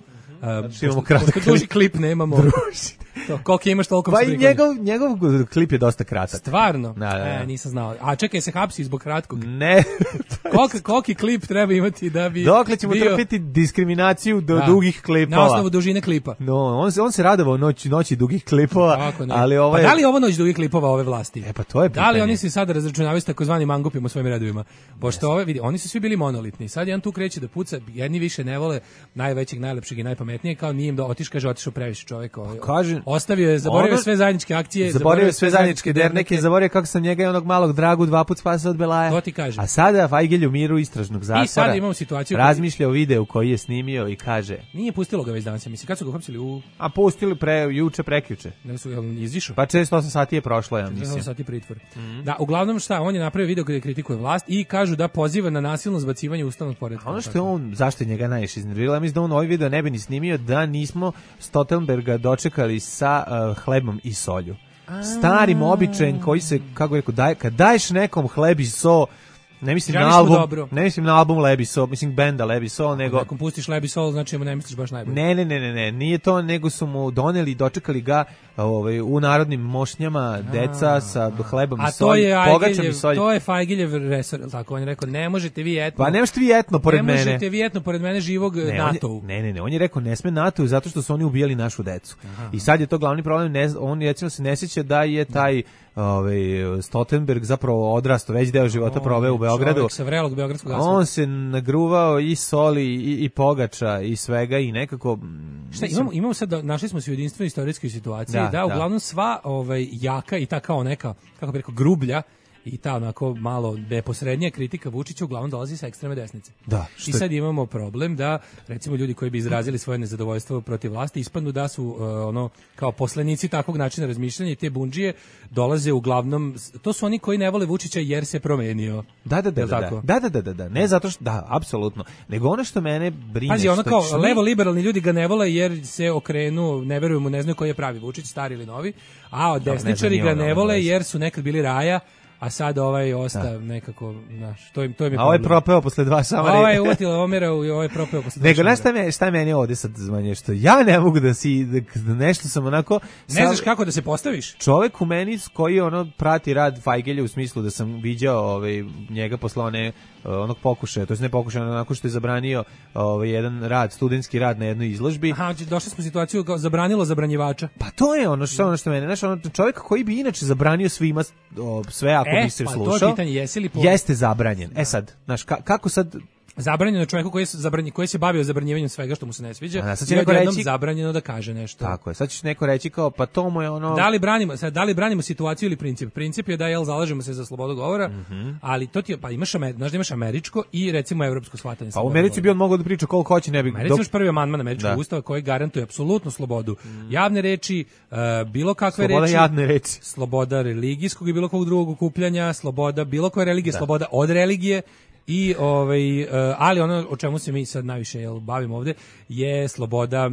Imamo kratak duži klip nemamo. Koliko imaš, toliko pa i njegov klip je dosta kratak. Stvarno? Nisam znao. A čekaj, se hapsi zbog kratkog? Ne. Koliki klip treba imati da bi dokle ćemo trpiti diskriminaciju do dugih klipova? Na osnovu dužine klipa. No, on se radovao noći dugih klipova, ali ovo je... Pa da li je ovo noć dugih klipova ove vlasti? Pa to je pitanje. Da li oni se sada razračunavaju s takozvanim mangupima u svojim redovima? Pošto oni su svi bili monolitni. Sad jedan tu kreće da puca, jedni više ne vole najvećeg, najlepšeg i najpametnijeg, kao nije im da otišao previše čovjek. Ostavio je, zaboravio sve zajedničke akcije, zaboravio sve zajedničke derneke, zaboravio kako sam njega i onog malog Dragu 2 puta spasao od Belaja. To ti kažem. A sada Fajgelj u miru istražnog zatvora. I sada imamo situaciju. Razmišlja o videu koji je snimio i kaže. Nije pustilo ga već danas, mislim, kad su ga uhapsili u... A pustili juče, prekjuče. Ne su, izišao? Pa 48 sati je prošlo, ja mislim. 48 sati pritvor. Da, uglavnom šta, on je napravio video gdje kritikuje vlast i kažu da poziva na nasilno zbacivanje ustavnog poretka. Ono što je on, zašto je njega najviše iznerviralo, ja mislim da on ovaj video ne bi ni snimio da nismo Stoltenberga dočekali sa hlebom i solju. Starim običajem koji se, kako rekao, kad daješ nekom hleb i so, ne mislim na album Leb i Sol, mislim benda Leb i Sol, nego... Ako pustiš Leb i Sol, znači ne misliš baš najbolje. Ne, nije to, nego su mu doneli i dočekali ga u narodnim mošnjama, deca sa hlebom i solj, pogačom i solj. To je Fajgeljev resor, tako on je rekao, ne možete vi etno... Pa ne možete vi etno pored mene. Ne možete vi etno pored mene živog NATO-u. Ne, on je rekao, ne sme NATO-u zato što su oni ubijali našu decu. I sad je to glavni problem, on recimo se ne sjeća da je taj Stoltenberg zapravo odrastao, već deo života proveo u Beogradu. Čovjek sa vrelog beogradskog asfalta. On se nagruvao i soli i pogača i svega i nekako... Šta, imamo sad, našli smo se u jedinstvenoj istorijskoj situaciji, da uglavnom sva jaka i ta kao neka, kako bi rekao, grublja i ta onako malo neposrednija kritika Vučića uglavnom dolazi sa ekstremne desnice. Da. I sad imamo problem da, recimo, ljudi koji bi izrazili svoje nezadovoljstvo protiv vlasti ispadnu da su kao poslanici takvog načina razmišljanja i te bundžije dolaze uglavnom, to su oni koji ne vole Vučića jer se promenio. Da. Ne zato što, da, apsolutno. Nego ono što mene brine... Pazi, ono kao levo-liberalni ljudi ga ne vole jer se okrenu, ne veruju mu, ne znaju koji je pravi Vučić, stari ili novi, a desničari ga ne vole jer su nekad bili raja, a sad ostav nekako, znaš, to im je problem. A ovaj propeo posle 2 samari. Ovaj je uvatila Omeru i ovaj propeo posle 2 Nego, znaš šta je meni ovdje sad zvanje, što ja ne mogu da nešto sam onako... Ne znaš kako da se postaviš? Čovek u meni koji prati rad Fajgelja u smislu da sam viđao njega posle onog pokušaja, to je ne pokušaja, onako što je zabranio jedan rad, studentski rad na jednoj izložbi. Aha, došli smo u situaciju kao zabranilo zabranjivača. Pa to je ono što mene, znaš, čovjek koji bi inače zabranio svima sve ako bi se slušao, to pitanje, jeste zabranjen. Sad, znaš, kako sad zabranjeno čovjeku koji se bavio zabranjivanjem svega što mu se ne sviđa. A sad će neko reći zabranjeno da kaže nešto. Tako je. Sad će neko reći kao pa to mu je ono. Da li branimo situaciju ili princip? Princip je da zalažemo se za slobodu govora, ali to ti je, pa imaš američko i recimo evropsko shvatanje. Pa u Americi bi on mogao da priča koliko hoće, ne bi. Americi imaš prvi amandman američkog ustava koji garantuje apsolutnu slobodu javne reči, bilo kakve sloboda reči. Javne reči. Sloboda religijskog i bilo kog drugog okupljanja, sloboda bilo koje religije, sloboda od religije. I ali ono o čemu se mi sad najviše bavimo ovde je sloboda,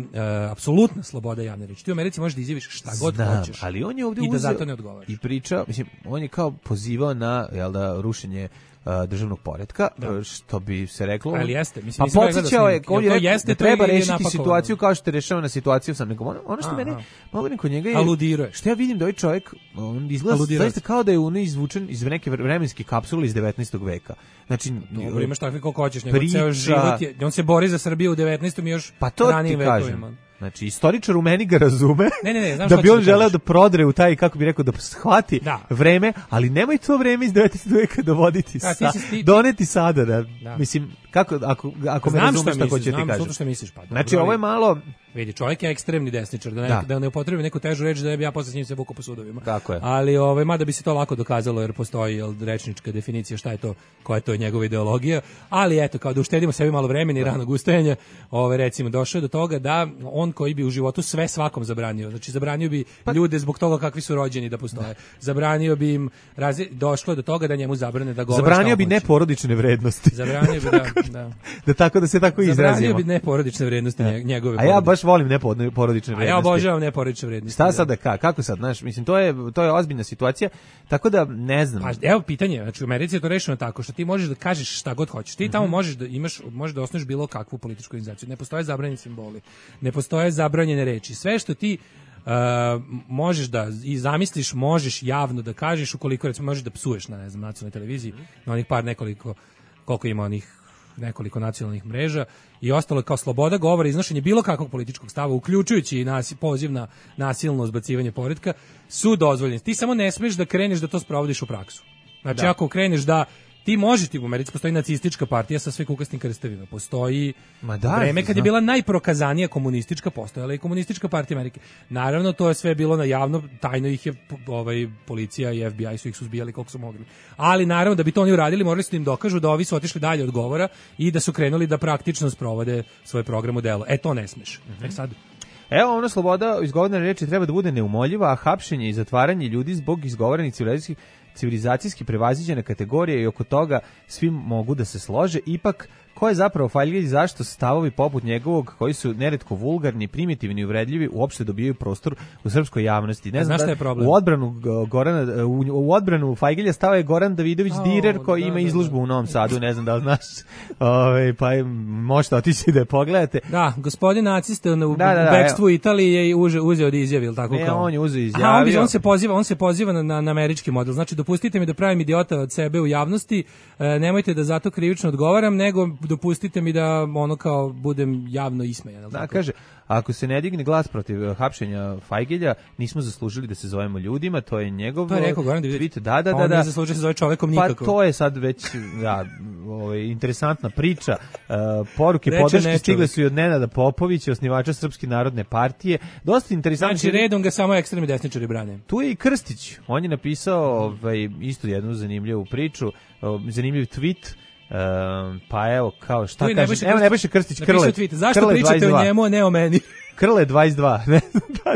apsolutna sloboda javne reči. Ti u Americi možeš da izjaviš šta god hoćeš. Ali on je ovde i da zato ne odgovaraš. I priča, mislim, on je kao pozivao na rušenje državnog poretka, što bi se reklo. Ali jeste, mislim, pa podsjećao je, on je rekao da treba rešiti situaciju kao što je rešava na situaciju sam nego ono što mene malo kod njega je aludiruje. Što ja vidim da ovaj čovjek on izgleda zaista kao da je izvučen iz neke vremenske kapsule iz 19. veka. Znači, dobro, imaš takvi koliko hoćeš, nego ceo život je, on se bori za Srbiju u 19. i još ranijim vekovima. Znači, istoričar u meni ga razume, znam da bi on želeo da prodre u taj, kako bi rekao, da shvati vreme, ali nemoj to vreme iz 19. veka dovoditi doneti sada, da. Mislim, kako, ako me razumeš šta hoće ti kažem. Znam što misliš, pa. Znači, ovo je malo. Vidi, čovjek je ekstremni desničar, da ne upotrebi neku težu reč, da bi ja posle s njim se vukao po sudovima. Tako je. Ali mada bi se to lako dokazalo, jer postoji rečnička definicija šta je to, koja je to njegova ideologija, ali eto, kao da uštedimo sebi malo vremena i ranog ustajanja, recimo, došao do toga da on koji bi u životu sve svakom zabranio, znači zabranio bi ljude zbog toga kakvi su rođeni da postoje, zabranio bi im, došlo do toga da njemu zabrane da govore. Zabranio bi neporodične vrednosti. Zabranio bi, da tako da se tako izrazimo. Zabranio bi neporodične vrednosti njegove. A ja baš volim neporodične vrednosti. A ja obožavam neporodične vrednosti. Šta sad kako sad, znaš, mislim, to je ozbiljna situacija, tako da ne znam. Pa evo pitanje, znači u Americi je to rešeno tako što ti možeš da kažeš šta god hoćeš. Ti tamo možeš da osnuješ bilo kakvu političku organizaciju. Ne postoje zabranjeni simboli, ne postoje zabranjene reči. Sve što ti možeš da i zamisliš, možeš javno da kažeš, ukoliko recimo možeš da psuješ na nacionalnoj televiziji, na onih koliko ima onih nekoliko nacionalnih mreža i ostalo kao sloboda govora, iznošenje bilo kakvog političkog stava, uključujući i poziv na nasilno zbacivanje poretka, su dozvoljeni. Ti samo ne smiješ da kreneš da to sprovodiš u praksu. Znači, ako kreneš da ti možeš, u Americi postoji nacistička partija sa sve kukastim krstavima, postoji vreme kad je bila najprokazanija komunistička, postojala i komunistička partija Amerike. Naravno, to je sve bilo na javno, tajno ih je policija i FBI su ih suzbijali koliko su mogli. Ali naravno, da bi to oni uradili, morali su im dokažu da ovi su otišli dalje od govora i da su krenuli da praktično sprovode svoj program u delo. To ne smeš. Sad evo, ona sloboda izgovorene reči treba da bude neumoljiva, a hapšenje i zatvaranje ljudi zbog izgovorenih civilizacijski prevaziđene kategorije i oko toga svi mogu da se slože. Ipak, ko je zapravo Fajljić i zašto stavovi poput njegovog, koji su neretko vulgarni, primitivni i uvredljivi, uopšte dobijaju prostor u srpskoj javnosti? Ne znam, šta je problem? U odbranu Fajgilja stao je Goran Davidović Direr, koji ima izložbu u Novom Sadu, ne znam da li znaš, pa možete otići da je pogledate. Da, gospodin nacista u bekstvu Italije je uzeo da izjavi, ili tako kao? Ne, on je uzeo izjavio. On se poziva na američki model. Znači, dopustite mi da pravim idiota od sebe u javnosti, nemojte da zato krivično odgovaram, nego dopustite mi da kao budem javno ismejan. Da, kaže, ako se ne digne glas protiv hapšenja Fajgelja, nismo zaslužili da se zovemo ljudima, to je njegov tweet. Da. On ne zaslužuje se zove čovekom nikako. Pa to je sad već interesantna priča. Poruke podrške stigle su i od Nenada Popovića, osnivača Srpske narodne partije. Dosta interesantno. Znači, redom ga samo ekstremni desničari brane. Tu je i Krstić. On je napisao isto jednu zanimljivu priču, zanimljiv tweet. Pa evo, kao šta kaže, evo Nebojša Krstić, Krle, zašto pričate o njemu, a ne o meni? Krle 22.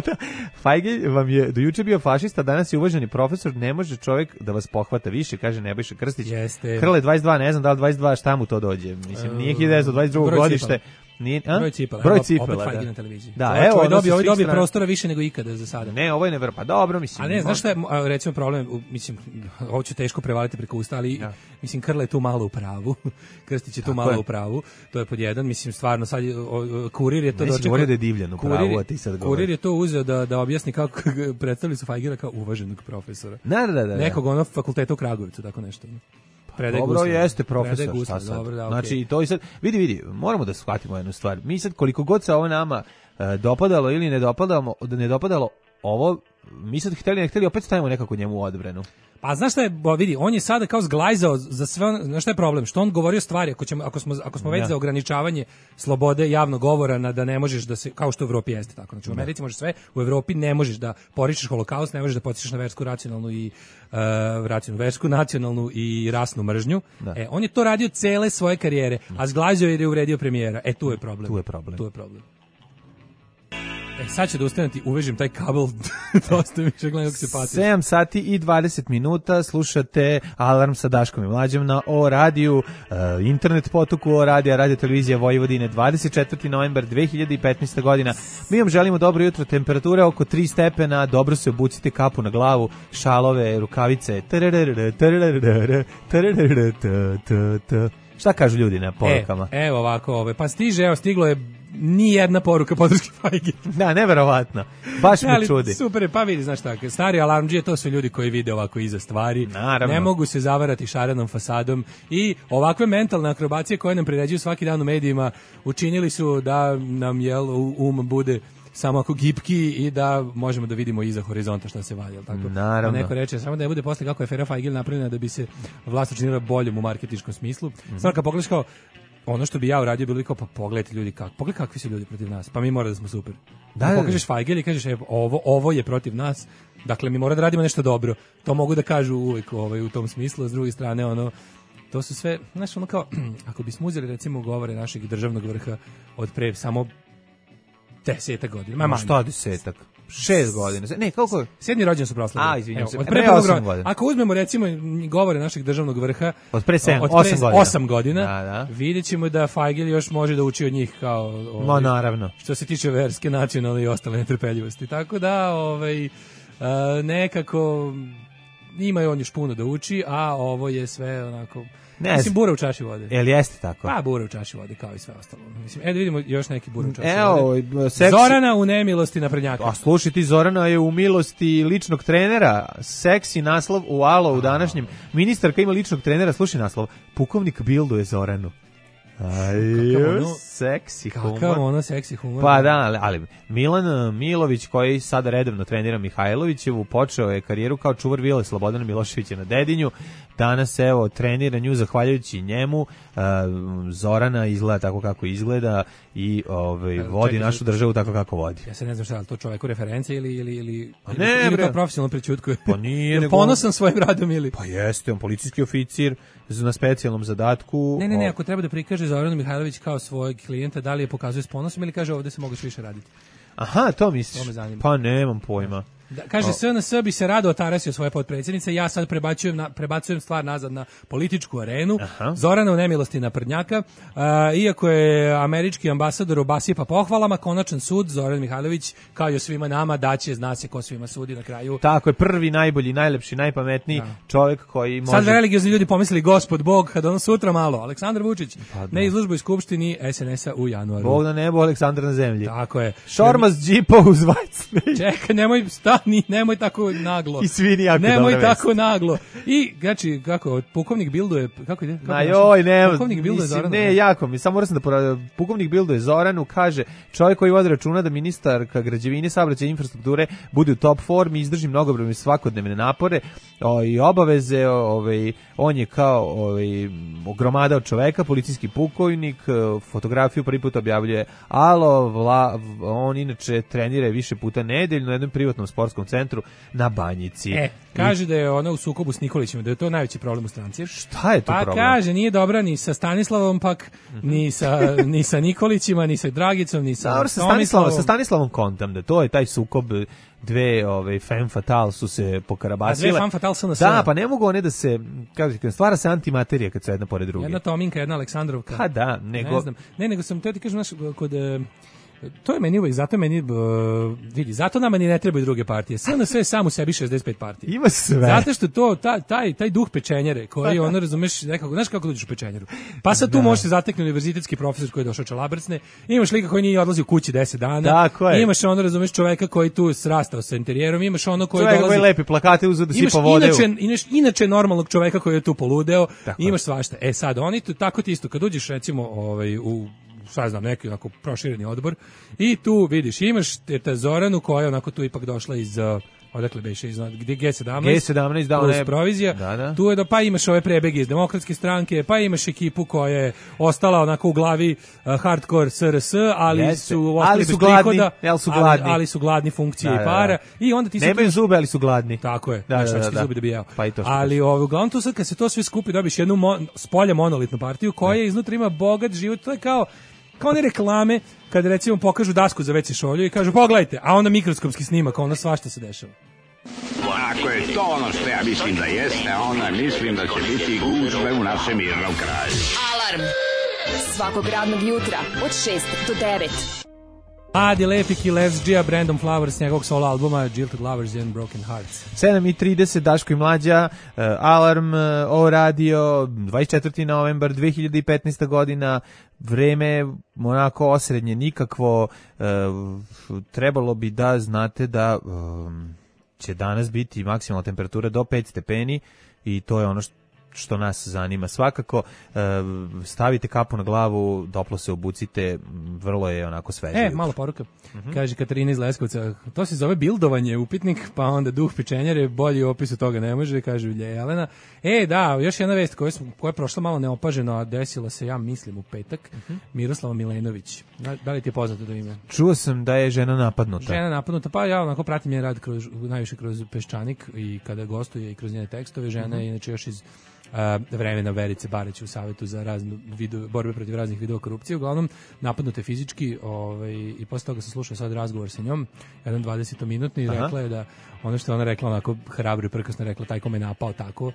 Da. Fajgelj vam je do juče bio fašista, danas je uvaženi profesor, ne može čovjek da vas pohvata više, kaže Nebojša Krstić. Jeste. Krle 22, ne znam da li 22, šta mu to dođe? Mislim, nije 1922. godište. Broj cipela. Opet Fajgelj na televiziji. Da, evo, ovaj dobio prostora više nego ikada za sada. Ne, ovo je nevrlo, pa dobro, mislim. A ne, znaš šta je, recimo problem, mislim, ovo ću teško prevaliti preko usta, ali mislim, Krle je tu malo u pravu. Krstić je tu malo u pravu. To je pod jedan, mislim, stvarno sad Kurir je to dočekao. Da je divljan u pravu, a ti sad govoriš. Kurir je to uzeo da objasni kako predstavili su Fajgela kao uvaženog profesora. Da. Nekog fakulteta u Kragujevcu, tako nešto. Dobro, jeste profesor, šta sad? Dobro, znači, to i sad, vidi, moramo da shvatimo jednu stvar. Mi sad, koliko god se ovo nama dopadalo ili ne dopadalo ovo, mi sad hteli opet stavimo nekako njemu u odbranu. Pa znaš šta je, vidi, on je sada kao zglajzao za sve, znaš šta je problem? Što on govorio stvari, ako smo već za ograničavanje slobode javnog govora, da ne možeš da se, kao što u Evropi jeste tako, znači u Americi možeš sve, u Evropi ne možeš da poričeš holokaust, ne možeš da podsjećaš na versku, nacionalnu i rasnu mržnju. On je to radio cele svoje karijere, a zglajzao je uvredio premijera. Tu je problem. Sad ću da ustanem ti uvežem taj kabel, dosta mi gledam kako se pati. 7 sati i 20 minuta, slušate Alarm sa Daškom i Mlađom na O radiju, internet potoku O radija, radio televizija Vojvodine, 24. novembar 2015. godina. Mi vam želimo dobro jutro, temperature oko 3 stepena, dobro se obucite, kapu na glavu, šalove, rukavice. Šta kažu ljudi na porukama? Evo ovako, pa stiglo je ni jedna poruka podrške Fajgi. Da, neverovatno. Baš me čudi. Super, pa vidi, znaš tako, stari alarmdžije, to su ljudi koji vide ovako iza stvari. Naravno. Ne mogu se zavarati šarenom fasadom i ovakve mentalne akrobacije koje nam priređuju svaki dan u medijima učinili su da nam bude samo ako gipki i da možemo da vidimo iza horizonta šta se valja, tako. Naravno. A neko reče samo da ne bude posle kako je afera Fajgil napravljena da bi se vlast učinila boljom u marketinškom smislu. Stvarno kad pogledaš kao ono što bi ja uradio bilo kao, pa pogledajte ljudi pogledaj kakvi su ljudi protiv nas, pa mi mora da smo super. Da pokažeš Fajgil i kažeš ovo je protiv nas, dakle mi mora da radimo nešto dobro. To mogu da kažu uvijek u tom smislu, s druge strane to su sve, znaš, kao ako bismo uzeli recimo govore našeg državnog vrha od pre samo 10 godina. Ma šta 10? 6 godina. Ne, koliko je? 7. rođendan su proslavili. Izvinjam se. Od pre 8 godina. Ako uzmemo recimo govore našeg državnog vrha od pre 8 godina, vidjet ćemo da Fajgil još može da uči od njih kao naravno. Što se tiče verske, nacionalne i ostale netrpeljivosti. Tako da nekako ima on još puno da uči, a ovo je sve onako. Mislim, bura u čaši vode. Jel jeste tako? Pa, bura u čaši vode, kao i sve ostalo. Mislim, da vidimo još neki bura u čaši vode. Zorana u nemilosti naprednjaka. A slušaj ti, Zorana je u milosti ličnog trenera. Seksi naslov u Alo u današnjem. Ministarka ima ličnog trenera, slušaj naslov. Pukovnik bilduje Zoranu. Seksi humor. Kakav ono seksi humor. Pa da, ali Milan Milović, koji sada redovno trenira Mihajlovićevu, počeo je karijeru kao čuvar vile Slobodana Miloševića na Dedinju. Danas trenira nju zahvaljujući njemu. Zorana izgleda tako kako izgleda i vodi našu državu tako kako vodi. Ja se ne znam šta, ali to čoveku referencije ili to profesionalno prećutkuje. Pa nije. Ponosan svojim radom ili? Pa jeste, on policijski oficir na specijalnom zadatku. Ne, ako treba da prikaže Zoranu Mihajlović kao svojeg klijenta, da li je pokazuje s ponosom ili kaže ovdje se mogu više raditi? Aha, to misliš? Pa nemam pojma. Da, kaže, SNS bi se rado otarasio svoje potpredsjednice, ja sad prebacujem stvar nazad na političku arenu. Zorana u nemilosti naprednjaka, iako je američki ambasador obasipa pohvalama, konačan sud, Zoran Mihajlović, kao i svima nama, daće, zna se ko svima sudi na kraju. Tako je, prvi, najbolji, najlepši, najpametniji čovjek koji može... Sad religiozni ljudi pomislili Gospod Bog, kad on sutra malo, Aleksandar Vučić, ne izložboj skupštini SNS-a u januaru. Bog na nebo, Aleksandar na zemlji. Tako je. Šormaz džipa uz White Čekaj, nemoj tako naglo. I svini jako nemoj tako naglo. I, znači, kako, pukovnik bilduje, kako ide? Pukovnik bilduje Zoranu. Ne, jako mi, samo moram da pukovnik bilduje Zoranu, kaže, čovjek koji vodi računa da ministarka građevine, saobraćaja i infrastrukture bude u top formi, izdrži mnogobrojne svakodnevne napore i obaveze, on je kao gromada od čoveka, policijski pukovnik, fotografiju prvi put objavljuje Alo, on inače trenira više puta nedeljno na jednom privatnom sportskom centru na Banjici. Kaže da je ona u sukobu s Nikolićem, da je to najveći problem u stranci. Šta je to problem? Pa kaže, nije dobra ni sa Stanislavom pak, ni sa Nikolićima, ni sa Dragicom, ni sa Tomislavom. Sa Stanislavom kontam, da to je taj sukob dve femme fatale su se pokarabasile. A dve femme fatale su na Da, pa ne mogu one da se, kako stvara se antimaterija kad su jedna pored druge. Jedna Tominka, jedna Aleksandrovka. Pa da, nego... Ne znam, nego sam teo ti kažem, kod... To je meni uvijek, zato meni, vidi, zato nama ni ne trebaju druge partije. SNS je sam u sebi 65 partija. Ima sve. Zato što to, taj duh pečenjere, koji ono, razumeš, nekako, znaš kako dođeš u pečenjeru? Pa sad tu možeš se zateknuti univerzitetski profesor koji je došao čalabrcne, imaš lika koji nije odlazi u kući 10 dana, tako je. Imaš ono, razumeš, čoveka koji tu srastao sa interijerom, imaš ono koji dolazi... Čoveka koji lepi plakate uzeo da sipa vode. Imaš inače normalnog čoveka koji je tu poludeo, imaš svašta. Sad, oni tu, tako ti isto, kad uđeš recimo u šta znam, neki onako prošireni odbor i tu vidiš, imaš ta Zoranu koja je onako tu ipak došla iz odakle beše gdje G17, G17 dao plus provizija, tu je pa imaš ove prebege iz Demokratske stranke, pa imaš ekipu koja je ostala onako u glavi hardcore SRS, ali su ostali bez prihoda, ali su gladni funkcije i para, i onda ti se nemaju zube, ali su gladni. Tako je, šački zubi da bi jeo. Pa ali uglavnom tu sad kad se to sve skupi dobiš jednu spolja monolitnu partiju koja iznutra ima bogat život, to je kao one reklame kada recimo pokažu dasku za WC šolju i kažu pogledajte, a onda mikroskopski snimak, onda svašta se dešava. Ako je to ono što ja mislim da jeste, onda mislim da će biti gužve u našem mirnom kraju. Alarm svakog radnog jutra od 6 do 9. Adi Lepik i Les Gia, Brandon Flowers, njegovog solo albuma Jilted Lovers and Broken Hearts. 7:30, Daško i Mlađa, Alarm, O radio, 24. novembar 2015. godina, vreme onako osrednje, nikakvo, trebalo bi da znate da će danas biti maksimalna temperatura do 5 stepeni i to je ono što nas zanima. Svakako stavite kapu na glavu, doplo se obucite, vrlo je onako sveže. Malo poruka. Kaže Katarina iz Leskovca, to se zove bildovanje, upitnik, pa onda duh pičenjare, bolji opis od toga ne može, kaže Jelena. Da, još jedna vest koja je prošla malo neopaženo, a desila se, ja mislim, u petak. Miroslava Milenović. Da li ti je poznato to ime? Čuo sam da je žena napadnuta. Pa ja onako pratim njen rad najviše kroz Peščanik i kada gostuje i kroz njene tekstove. Žena je inače još iz vremena Verice Bareć u Savetu za raznu borbe protiv raznih vidova korupcije. Uglavnom, napadnute fizički i posle toga sam slušao sad razgovor sa njom, jedan 20-minutni, i rekla je da ono što je ona rekla, onako hrabro i prkasno rekla, taj ko me napao tako,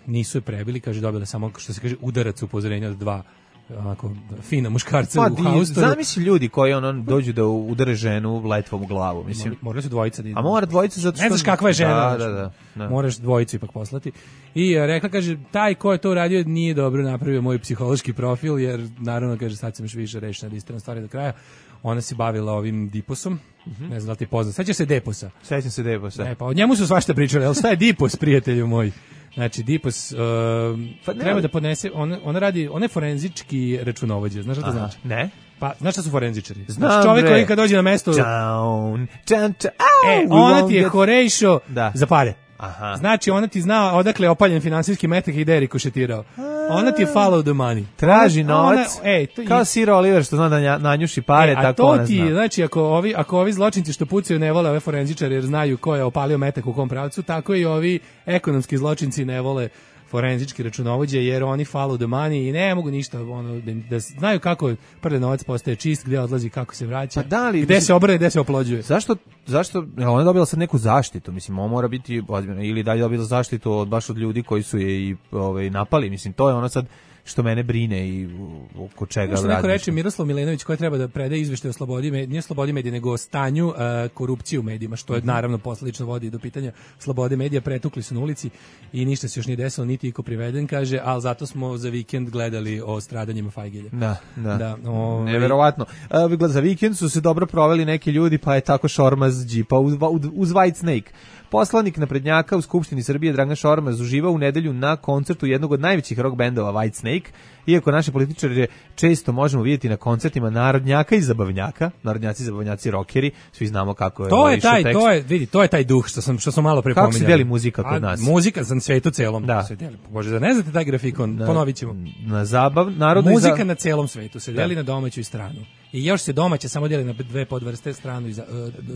nisu je prebili, kaže, dobila samo, što se kaže, udarac upozorenja od 2 onako fina muškarca u haustoru. Zamisli ljudi koji dođu da udare ženu letvom u glavu, mislim. Moraju se dvojica. A mora dvojica zato što... Ne znaš kakva je žena. Da. Moraš dvojicu ipak poslati. I rekla, kaže, taj ko je to uradio nije dobro napravio moj psihološki profil, jer naravno, kaže, sad sam još više rešena da istrajem stvari do kraja. Ona se bavila ovim Diposom. Ne znam da li ti poznat. Sećaš se Deposa? Sećam se Deposa. Pa o njemu su svašta pričali, ali šta je Dipos, prijatelju moj? Znači, Dipos treba da podnese, ona je forenzički računovođa, znaš šta to znači? Ne. Pa, znaš šta su forenzičari? Znači, čovjek koji kad dođe na mesto... Ona ti je horejšo za pare. Aha. Znači, ona ti zna odakle je opaljen finansijski metak i gde je rikošetirao. Ona ti je follow the money. Traži novac, kao Sir Oliver što zna da nanjuši pare, tako ona zna. A to ti, znači, ako ovi zločinci što pucaju ne vole ove forenzičare jer znaju ko je opalio metak u kom pravcu, tako i ovi ekonomski zločinci ne vole forenzički računovođe, jer oni follow the money i ne mogu ništa, da znaju kako prde novac postaje čist, gde odlazi, kako se vraća, gde se obrane, gde se oplođuje. Zašto? Ona je dobila sad neku zaštitu, mislim, on mora biti ozbiljno, ili dalje dobila zaštitu baš od ljudi koji su je i napali, mislim, to je ono sad što mene brine i oko čega radi. Neko reče Miroslav Milenović koji treba da predaje izveštaj o slobodi medija, nije slobodi medija, nego o stanju korupcije u medijima, što je naravno posledično vodi do pitanja slobode medija. Pretukli su na ulici i ništa se još nije desilo, niti iko priveden, kaže, ali zato smo za vikend gledali o stradanjima Fajgelja. Da. Neverovatno. Za vikend su se dobro proveli neki ljudi, pa je tako Šormaz džipa uz White Snake. Poslanik naprednjaka u Skupštini Srbije Dragan Šormaz uživao u nedelju na koncertu jednog od najvećih rock bendova White Snake, iako naše političare često možemo vidjeti na koncertima narodnjaka i zabavnjaka, narodnjaci i zabavnjaci rockeri, svi znamo kako je to je taj duh što sam malo prepominjali. Kako se deli muzika kod nas? Muzika za svetu celom se deli. Bože, da ne znate taj grafikon, ponovit ćemo. Muzika na celom svetu se deli na domaću i stranu. I još se domaće samo deli na dve podvrste, stranu i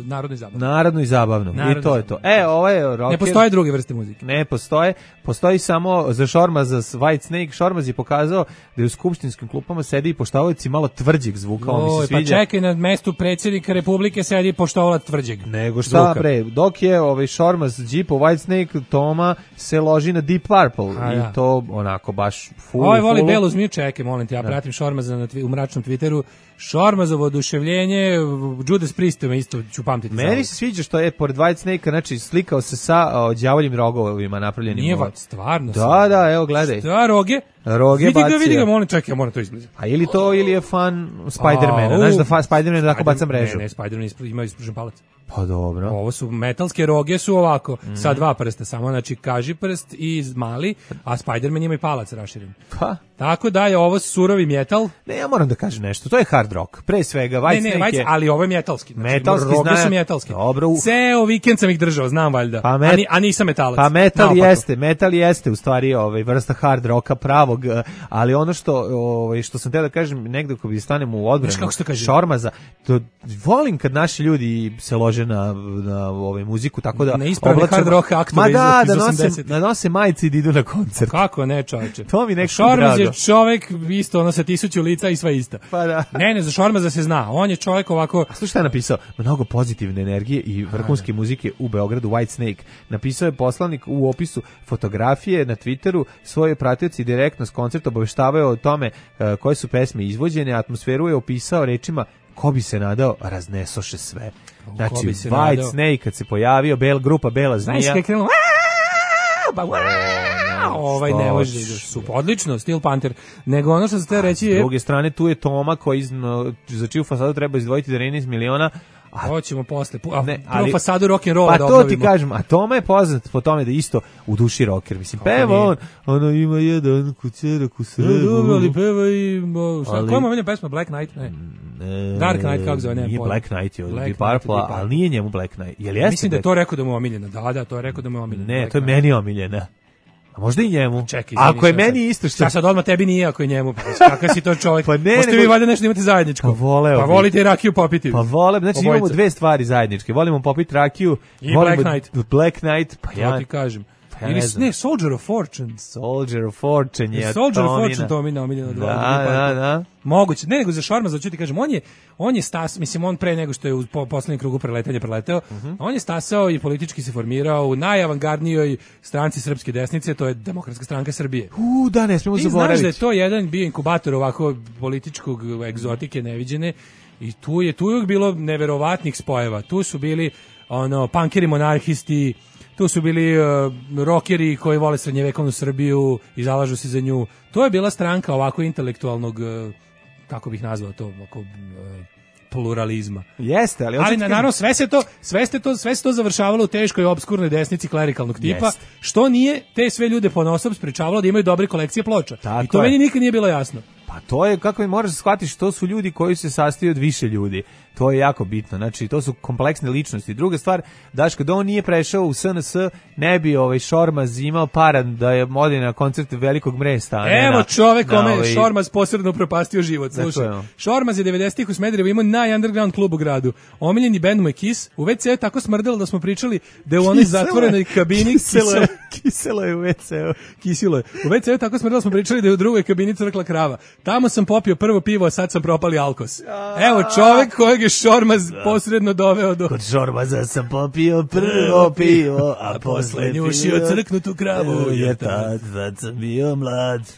narodnu i zabavnu. Narodnu i zabavnu. I to je to. Ovo je rocker. Ne postoje druge vrste muzike. Ne postoje. Postoji samo za Šormaza White Snake. Šormaz je pokazao da je u skupštinskim klupama sedi i poštovalac malo tvrđeg zvuka. Pa čekaj, na mestu predsjednika Republike sedi poštovalac tvrđeg. Nego šta bre, dok je Šormaz džipo White Snake, Toma se loži na Deep Purple. I to onako baš full. Voli belu zmiju, čekaj, molim te, ja pratim Šormaza u mračnom Twitteru. Šormazovo oduševljenje, Judas Priest me isto ću pamtiti. Meni se sviđa što je pored White Snake, znači slikao se sa đavoljim rogovima napravljenim. Nije stvarno. Da, evo gledaj. Šta roge? Roge bacio. Vidi ga, molim, čekaj, ja moram to izbliza. A ili to, ili je fan Spider-mana. Znaš da Spider-Man tako baca mrežu. Ne, Spider-Man ima ispružen palac. Pa dobro. Ovo su metalske roge su ovako, sa 2 prsta samo, znači kaži prst i mali, a Spider-Man ima i palac raširen. Pa. Tako da je ovo surovi metal. Ne, ja moram da kažem nešto, to je hard rock. rock, pre svega, Whitesnake je... ali ovo je metalski. Znači, metalski, roge su metalski. Dobro. Ceo vikend sam ih držao, znam valjda. A nisam metalac. Pa metal jeste u stvari vrsta hard rocka pravog, ali ono što sam teo da kažem, negde ko bi stanem u odbranu Šormaza, to volim kad naši ljudi se lože na muziku, tako da... Na ispravni hard rock aktove iz 80. Da nose majice i da idu na koncert. Kako ne, čovječe? To mi nekako Šormaz je čovek isto, sa 1000 lica i sva ista. Pa da. Ne, za Šormaza se zna. On je čovjek ovako... A slušaj šta je napisao? Mnogo pozitivne energije i vrhunske muzike u Beogradu, Whitesnake. Napisao je poslanik u opisu fotografije na Twitteru, svoje pratioci direktno s koncerta obaveštavaju o tome koje su pesme izvođene, atmosferu je opisao rečima ko bi se nadao, raznesoše sve. Znači, Whitesnake kad se pojavio, grupa Bela zmija... Znaš kad krenuo... ne može, odlično, Steel Panther, nego ono što se te reći je... S druge strane, tu je Toma koji za čiju fasadu treba izdvojiti 13 miliona. Hoćemo posle, prvo fasadu rock'n'rolla da obnovimo. Pa to ti kažem, a Toma je poznat po tome da isto u duši rocker, mislim, peva ono ima jedan kućerak u sredu. Dobro, ali peva i... Koja ima meni pesma, Black Knight? Ne. Dark Knight, kako zove, ne. Nije Black Knight, je od Deep Purple, ali nije njemu Black Knight. Mislim da je to rekao da mu je omiljena, da, to je rekao da mu je omiljena. Ne, to je meni omiljena. A možda i njemu. Čekaj, ako je meni isto što... Sad odmah tebi nije, ako je njemu. Kakav si to čovjek? Možete vi valjda nešto imate zajedničko. Pa volite i rakiju popiti. Pa volem, znači imamo dve stvari zajedničke. Volimo popiti rakiju. I Black Knight. Pa ja ti kažem. Ili ne, Soldier of Fortune. Soldier of Fortune je Soldier of Fortune, to mi je omiljeno. Da. Moguće. Ne, nego za Šormaza, ću ti kažem, on je stas, mislim, on pre nego što je u poslednjem krugu preleteo, on je stasao i politički se formirao u najavangardnijoj stranci srpske desnice, to je Demokratska stranka Srbije. Da, ne smemo zaboraviti. Ti znaš da je to jedan bio inkubator ovako političkog egzotike neviđene i tu je uvijek bilo neverovatnih spojeva. Tu su bili punkeri monarhisti, tu su bili rockeri koji vole srednjevekovnu Srbiju i zalažu se za nju. To je bila stranka ovako intelektualnog, kako bih nazvao to, pluralizma. Jeste, ali naravno sve se to završavalo u teškoj obskurnoj desnici klerikalnog tipa, što nije te sve ljude ponaosob sprečavalo da imaju dobre kolekcije ploča. I to meni nikad nije bilo jasno. Pa to je, kako mi moraš shvatiti, što su ljudi koji se sastoje od više ljudi. To je jako bitno. Znači, to su kompleksne ličnosti. Druga stvar, Daško, da on nije prešao u SNS, ne bi Šormaz imao para da je odi na koncert Velikog Mresta. Evo čovek kome Šormaz posredno propastio život. Slušaj, Šormaz je 90-ih u Smederevu imao najunderground klub u gradu. Omiljeni bend mu je Kiss. U WC je tako smrdelo da smo pričali da je u onoj zatvorenoj kabini Kiselo je u WC-u. Kisilo je. U WC je tako smrdelo da smo pričali da je u drugoj kabini crkla krava. Tamo sam popio prvo pivo, a sad sam propali alkos. Evo čovek kojeg je Šormaz posredno doveo do... Kod Šormaza sam popio prvo pivo, a posle njušio crknutu kravu, jer tad sam bio mlad.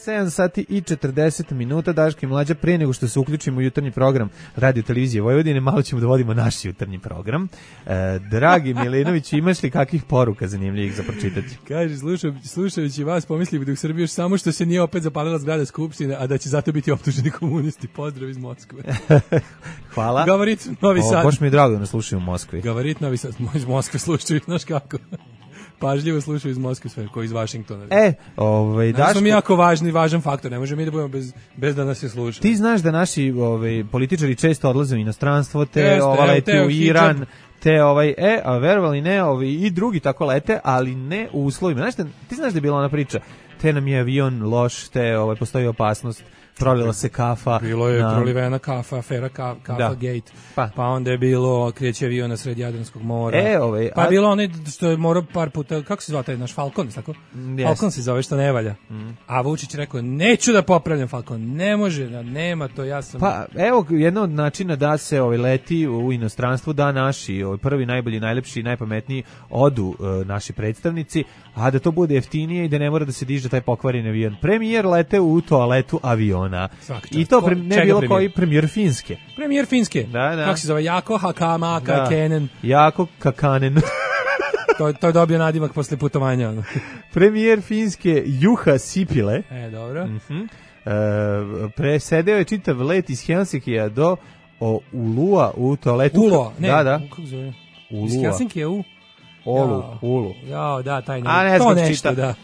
7 sati i 40 minuta, Daško i Mlađa, pre nego što se uključimo u jutarnji program Radio Televizije Vojvodine, malo ćemo da vodimo naš jutarnji program. Dragi Milinović, imaš li kakvih poruka zanimljivih za pročitati? Kaže, slušajući vas, pomislio da u Srbiji još samo što se nije opet zapalila zgrada Skupštine, a da će zato biti optuženi komunisti. Pozdrav iz Moskve. Hvala. Gavarit Novi Sad. Baš mi je drago da nas slušaju u Moskvi. Gavarit Novi Sad, iz Moskve slušaju, znaš kako. Pažljivo slušaju iz Moskve sve, koji iz Vašingtona. Daško... smo mi jako važan faktor, ne možemo mi da budemo bez da nas se slušaju. Ti znaš da naši političari često odlaze u inostranstvo, lete u Iran, a verovali ne, i drugi tako lete, ali ne u uslovima. Znaš, ti znaš da je bila ona priča, te nam je avion loš, postoji opasnost, prolila se kafa. Bilo je prolivena kafa, afera kafa gate, pa onda je bilo kreće avion na sred Jadranskog mora, pa je bilo onaj što je morao par puta, kako se zvao taj naš Falcon, tako? Falcon se zove što ne valja. A Vučić rekao, neću da popravljam Falcon, ne može, nema to, ja sam... Pa evo, jedna od načina da se leti u inostranstvu, da naši prvi, najbolji, najlepši, najpametniji odu naši predstavnici, a da to bude jeftinije i da ne mora da se diže taj pokvareni avion. Premijer lete u toaletu aviona. I to ne bilo koji premijer Finske. Premijer Finske. Da. Kako se zove? Jako Hakama Kakenen. Jako Kakanen. To je dobio nadimak posle putovanja. Premijer Finske Juha Sipile. Dobro. Presedeo je čitav let iz Helsinkija do Ulua u toaletu. Ulua, ne. Da. Kako zove? Ulua. Iz Helsinkija u... Ulu. Ja, da, taj ne. To nešto, da.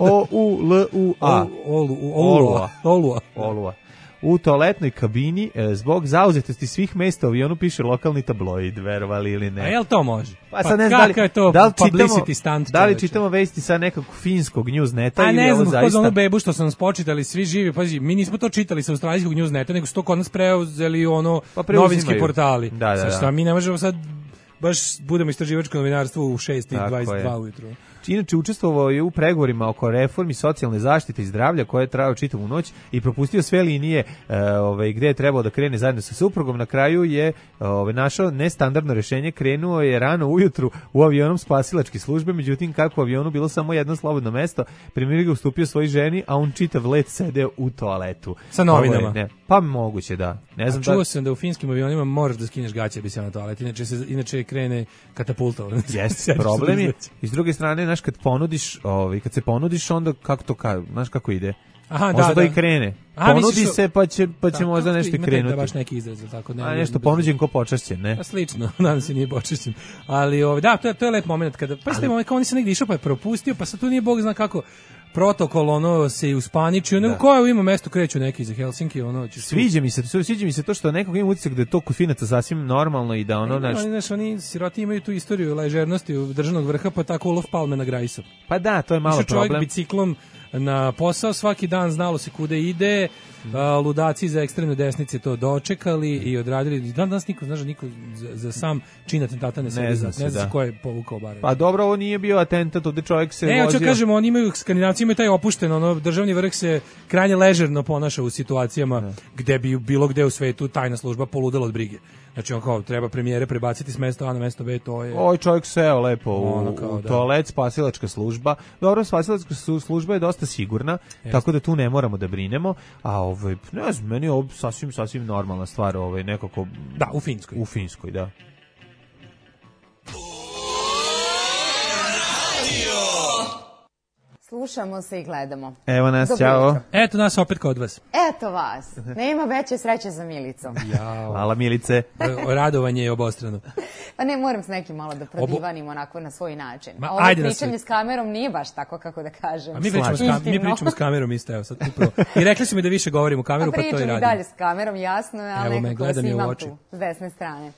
Olua. u toaletnoj kabini zbog zauzetosti svih mesta u avionu, piše lokalni tabloid, verovali ili ne. A jel to može? Pa sad ne znam je to publicity stunt? Da li čitamo vesti sa nekog finskog newsneta ili ne ovo znam, zaista? A ne znam, bebu što su nam spočitali svi živi, pazi, mi nismo to čitali sa australijskog newsneta, nego su to kod nas preuzeli novinski portali. Sad mi ne možemo sad baš budemo istraživačko novinarstvo u 6:22 ujutru. Inače, učestvovao je u pregovorima oko reformi socijalne zaštite i zdravlja koje je trajao čitavu noć i propustio sve linije gde je trebao da krene zajedno sa suprugom. Na kraju je našao nestandardno rešenje, krenuo je rano ujutru u avionom spasilačke službe, međutim kako u avionu bilo samo jedno slobodno mesto, premijer ga ustupio svojoj ženi, a on čitav let sedeo u toaletu. Sa novinama? Pa moguće, da. Ne znam, čuo sam da u finskim avionima moraš da skineš gaće bi se na toalet, inače krene katapulta. Jeste, problem je. I s druge strane, kad se ponudiš, onda kako to znaš kako ide? Aha, možda da i krene. Ponudi se, pa će možda nešto i krenuti. Da baš neki izraz, tako ne. A nešto ponuđen ko počašćen, ne? A slično, nadam se nije počašćen. Ali to je lep moment kada kao oni se negdje išao pa je propustio, pa sad tu nije bog zna kako protokol se i uspaničio, nego koje ima mesto kreću neki za Helsinki, Sviđa mi se to što nekog ima utisak da je to kod Finaca sasvim normalno i da oni siroti imaju tu istoriju ležernosti u državnog vrha, pa tako Olof Palme na Grajsu. Pa da, to je malo problem. Čovjek biciklom na posao, svaki dan znalo se kude ide, ludaci za ekstremne desnice to dočekali i odradili. I danas niko za sam čin atentata ne zna se ko je povukao barem. Pa dobro, ovo nije bio atentat, ovde čovjek se vozio. Hoću kažemo, oni imaju, Skandinavci imaju taj opušten, državni vrh se krajnje ležerno ponaša u situacijama gde bi bilo gde u svetu tajna služba poludela od brige. Znači treba premijere prebaciti s mesta A na mesto B, to je... Oj, čovjek seo lepo u toalet, spasilačka služba. Dobro, spasilačka služba je dosta sigurna, tako da tu ne moramo da brinemo, a ne znam, meni je ovo sasvim normalna stvar, nekako... Da, u Finskoj. U Finskoj, da. Slušamo se i gledamo. Evo nas, ćao. Eto nas opet kod vas. Eto vas. Nema veće sreće za Milicu. Hvala Milice. Radovanje je obostrano. Pa ne, moram s nekim malo da prodivanim onako na svoj način. Ovo pričanje s kamerom nije baš tako, kako da kažem. A mi pričamo s kamerom isto, evo sad upravo. I rekli su mi da više govorim u kameru, pa to i radim. Pričam i dalje s kamerom, jasno, ali nekako vas imam tu s desne strane.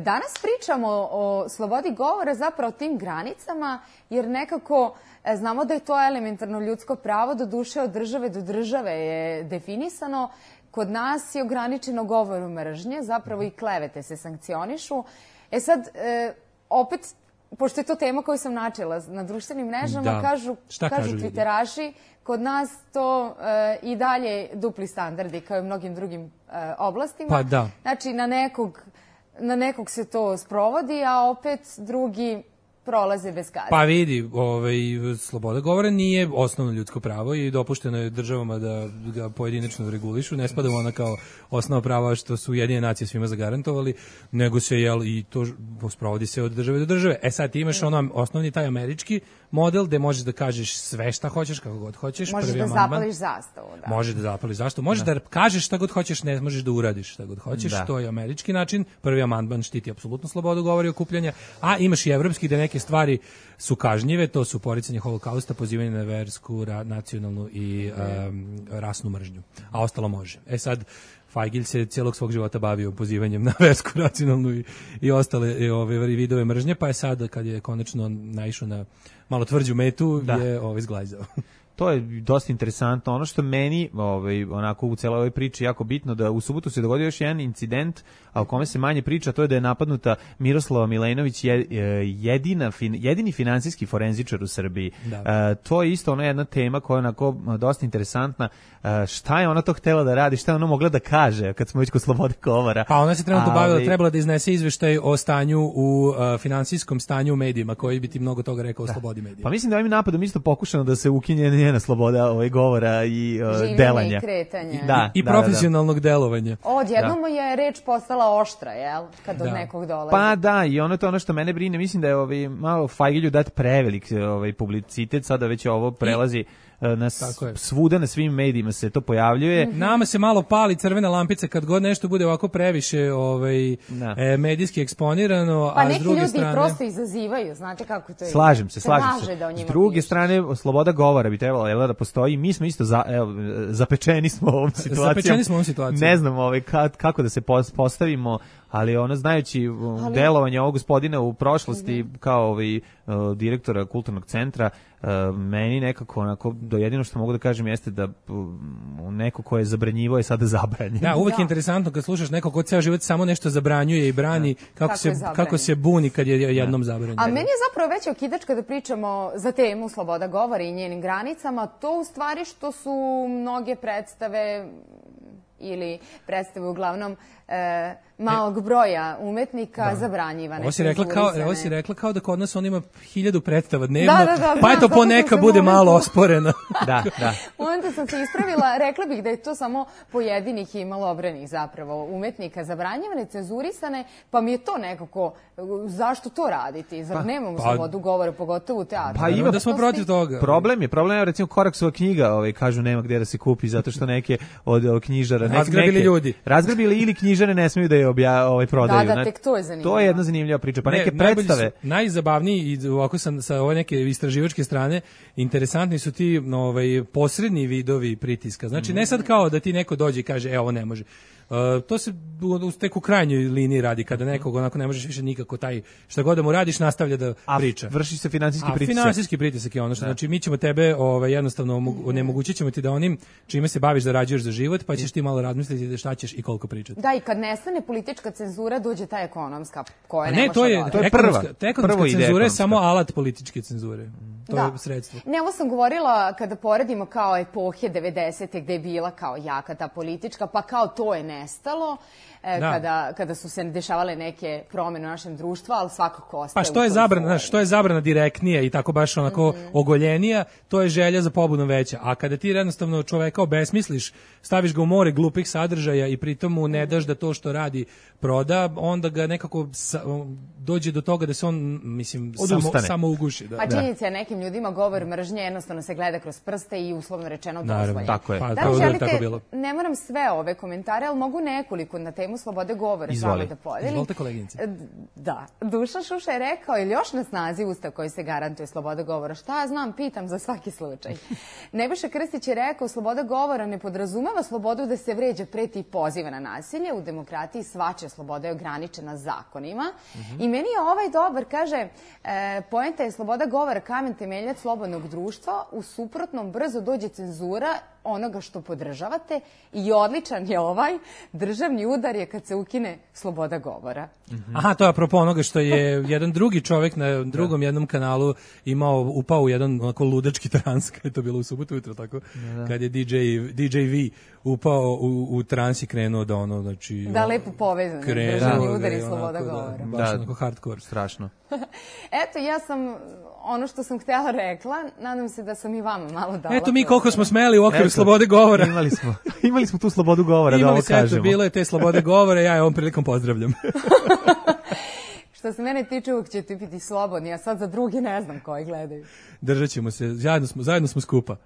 Danas pričamo o slobodi govora, zapravo o tim granicama, jer nekako znamo da je to elementarno ljudsko pravo, do duše od države do države je definisano. Kod nas je ograničeno govoru mržnje, zapravo i klevete se sankcionišu. Sad, opet, pošto je to tema koju sam načela na društvenim mrežama, kažu twitteraši, kod nas to i dalje dupli standardi kao i u mnogim drugim oblastima. Pa da. Znači, na nekog se to sprovodi, a opet drugi prolaze bez kazne. Pa vidi, sloboda govora nije osnovno ljudsko pravo i dopušteno je državama da ga pojedinačno regulišu. Ne spada ona kao osnova prava što su Ujedinjene nacije svima zagarantovali, nego se i to sprovodi se od države do države. Sad ti imaš osnovni taj američki model gde možeš da kažeš sve šta hoćeš, kako god hoćeš. Možeš da zapališ zastavu. Možeš da zapališ zastavu. Možeš da kažeš šta god hoćeš, ne možeš da uradiš šta god hoćeš. To je američki način. Prvi amandman štiti apsolutno slobodu govora i okupljanja, a imaš i evropski gde neke stvari su kažnjive, to su poricanje holokausta, pozivanje na versku, nacionalnu i rasnu mržnju. A ostalo može. Sad, Fajgilj se cijelog svog života bavio pozivanjem na versku, nacionalnu i ostale vidove mržnje, pa je sad, kad je konačno naišao na malo tvrđu metu, je zglajzao. To je dosta interesantno. Ono što meni onako u celoj ovoj priči jako bitno, da u subotu se dogodio još jedan incident, a o kome se manje priča, to je da je napadnuta Miroslava Milenović, jedini finansijski forenzičar u Srbiji. To je isto jedna tema koja je onako dosta interesantna. Šta je ona to htela da radi, šta je ona mogla da kaže kad smo već kod slobode govora? Pa ona se trenutno trebala da iznese izveštaj o stanju u finansijskom stanju u medijima, koji bi ti mnogo toga rekao o slobodi medija. Pa mislim da ovim napadom isto pokušano da se ukinje njena sloboda govora i delanja. I kretanja. I profesionalnog delovanja. Odjednom je reč postala oštra, jel? Kad od nekog dolazi. Pa da, i ono je to ono što mene brine. Mislim da je malo Fajgilju dat prevelik publicitet, sada već ovo prelazi svuda na svim medijima se to pojavljuje. Nama se malo pali crvena lampica kad god nešto bude ovako previše medijski eksponirano, pa a s druge strane... Pa neki ljudi prosto izazivaju, znate kako to je. Slažem se. Da S druge strane, sloboda govora bi trebala da postoji. Mi smo isto zapečeni smo ovom situacijom. Ne znam kako da se postavimo, ali znajući delovanje ovog gospodina u prošlosti kao direktora kulturnog centra, meni nekako onako, jedino što mogu da kažem jeste da neko ko je zabranjivao je sada zabranjen. Da, uvek je interesantno kad slušaš nekog ko ceo život samo nešto zabranjuje i brani, kako se buni kad je jednom zabranjen. A meni je zapravo veća okidač kada pričamo za temu sloboda govora i njenim granicama, to u stvari što su mnoge predstave ili predstave uglavnom malog broja umetnika zabranjivane. Ovo si rekla kao da kod nas on ima 1000 predstava dnevno, pa eto poneka bude malo osporena. Da. Onda sam se ispravila, rekla bih da je to samo pojedinih i malobrenih zapravo umetnika zabranjivane, cenzurisane, pa mi je to nekako, zašto to raditi? Zar nemamo slobodu govora, pogotovo u teatru? Pa ima da smo protiv toga. Problem je recimo Koraksova knjiga, kažu nema gdje da se kupi zato što neke od knjižara razgrabili ili knjižare ne smiju da je prodaju. Da, tek to je zanimljivo. To je jedna zanimljiva priča. Pa neke predstave. Najzabavniji i ovako sa ove neke istraživačke strane, interesantni su ti posredni vidovi pritiska. Znači ne sad kao da ti neko dođe i kaže ovo ne može. To se tek u krajnjoj liniji radi kada nekog onako ne možeš više nikako taj šta god da mu radiš nastavlja da priča. Vrši se finansijski pritisak. Finansijski pritisak je ono što znači mi ćemo tebe jednostavno onemogućit ćemo ti da onim čime se baviš zarađuješ za život, pa ćeš ti malo razmisliti da šta ćeš i koliko pričati. Da, i kad nestane politička cenzura dođe ta ekonomska koja ne može. To je ekonomska cenzura je samo alat političke cenzure. To je sredstvo. Ne, ovo sam govorila kada poredimo kao epohe 90. gde je bila kao jaka ta politička, pa kao to je nestalo, kada su se dešavale neke promjene u našem društvu, ali svakako ostaje. Pa što je zabrana direktnija i tako baš onako ogoljenija, to je želja za pobudom veća. A kada ti jednostavno čoveka obesmisliš, staviš ga u more glupih sadržaja i pritom mu ne daš da to što radi proda, onda ga nekako dođe do toga da se on, mislim, samo uguši. Pa činjenica je nekim ljudima govor mržnje jednostavno se gleda kroz prste i uslovno rečeno dozvoljen. Tako je. Da li želite, ne moram sve ove komentare, ali mogu nekoliko na temu slobode govora samo da podelim. Izvolite, koleginice. Da, Dušan Šuša je rekao, ili još na snazi ustav koji se garantuje sloboda govora. Šta ja znam, pitam za svaki slučaj. Nebojša Krstić je rekao, sloboda govora ne podrazumeva slobodu da se vređa, preti i poziva na nasilje. U demokratiji svačija sloboda je ograničena zakonima. I meni je dobar, kaže, poenta je sloboda govora kamen temeljac slobodnog društva, u suprotnom brzo dođe cenzura onoga što podržavate i odličan je državni udar je kad se ukine sloboda govora. Aha, to je apropo onoga što je jedan drugi čovjek na drugom jednom kanalu upao u jedan onako ludački trans, kad je to bilo u subotu jutro, tako, kad je DJ V upao u trans i krenuo da znači... Da, lepo povezano, državni udar i sloboda govora. Baš onako hardcore. Strašno. Eto, ja sam ono što sam htjela rekla, nadam se da sam i vama malo dala. Eto mi koliko smo smeli u okviru slobode govora. Imali smo tu slobodu govora, da ovo kažemo. Bilo je te slobode govora, ja je ovom prilikom pozdravljam. Što se mene tiče, uvijek ćete biti slobodni, a sad za drugi ne znam koji gledaju. Držat ćemo se, zajedno smo skupa.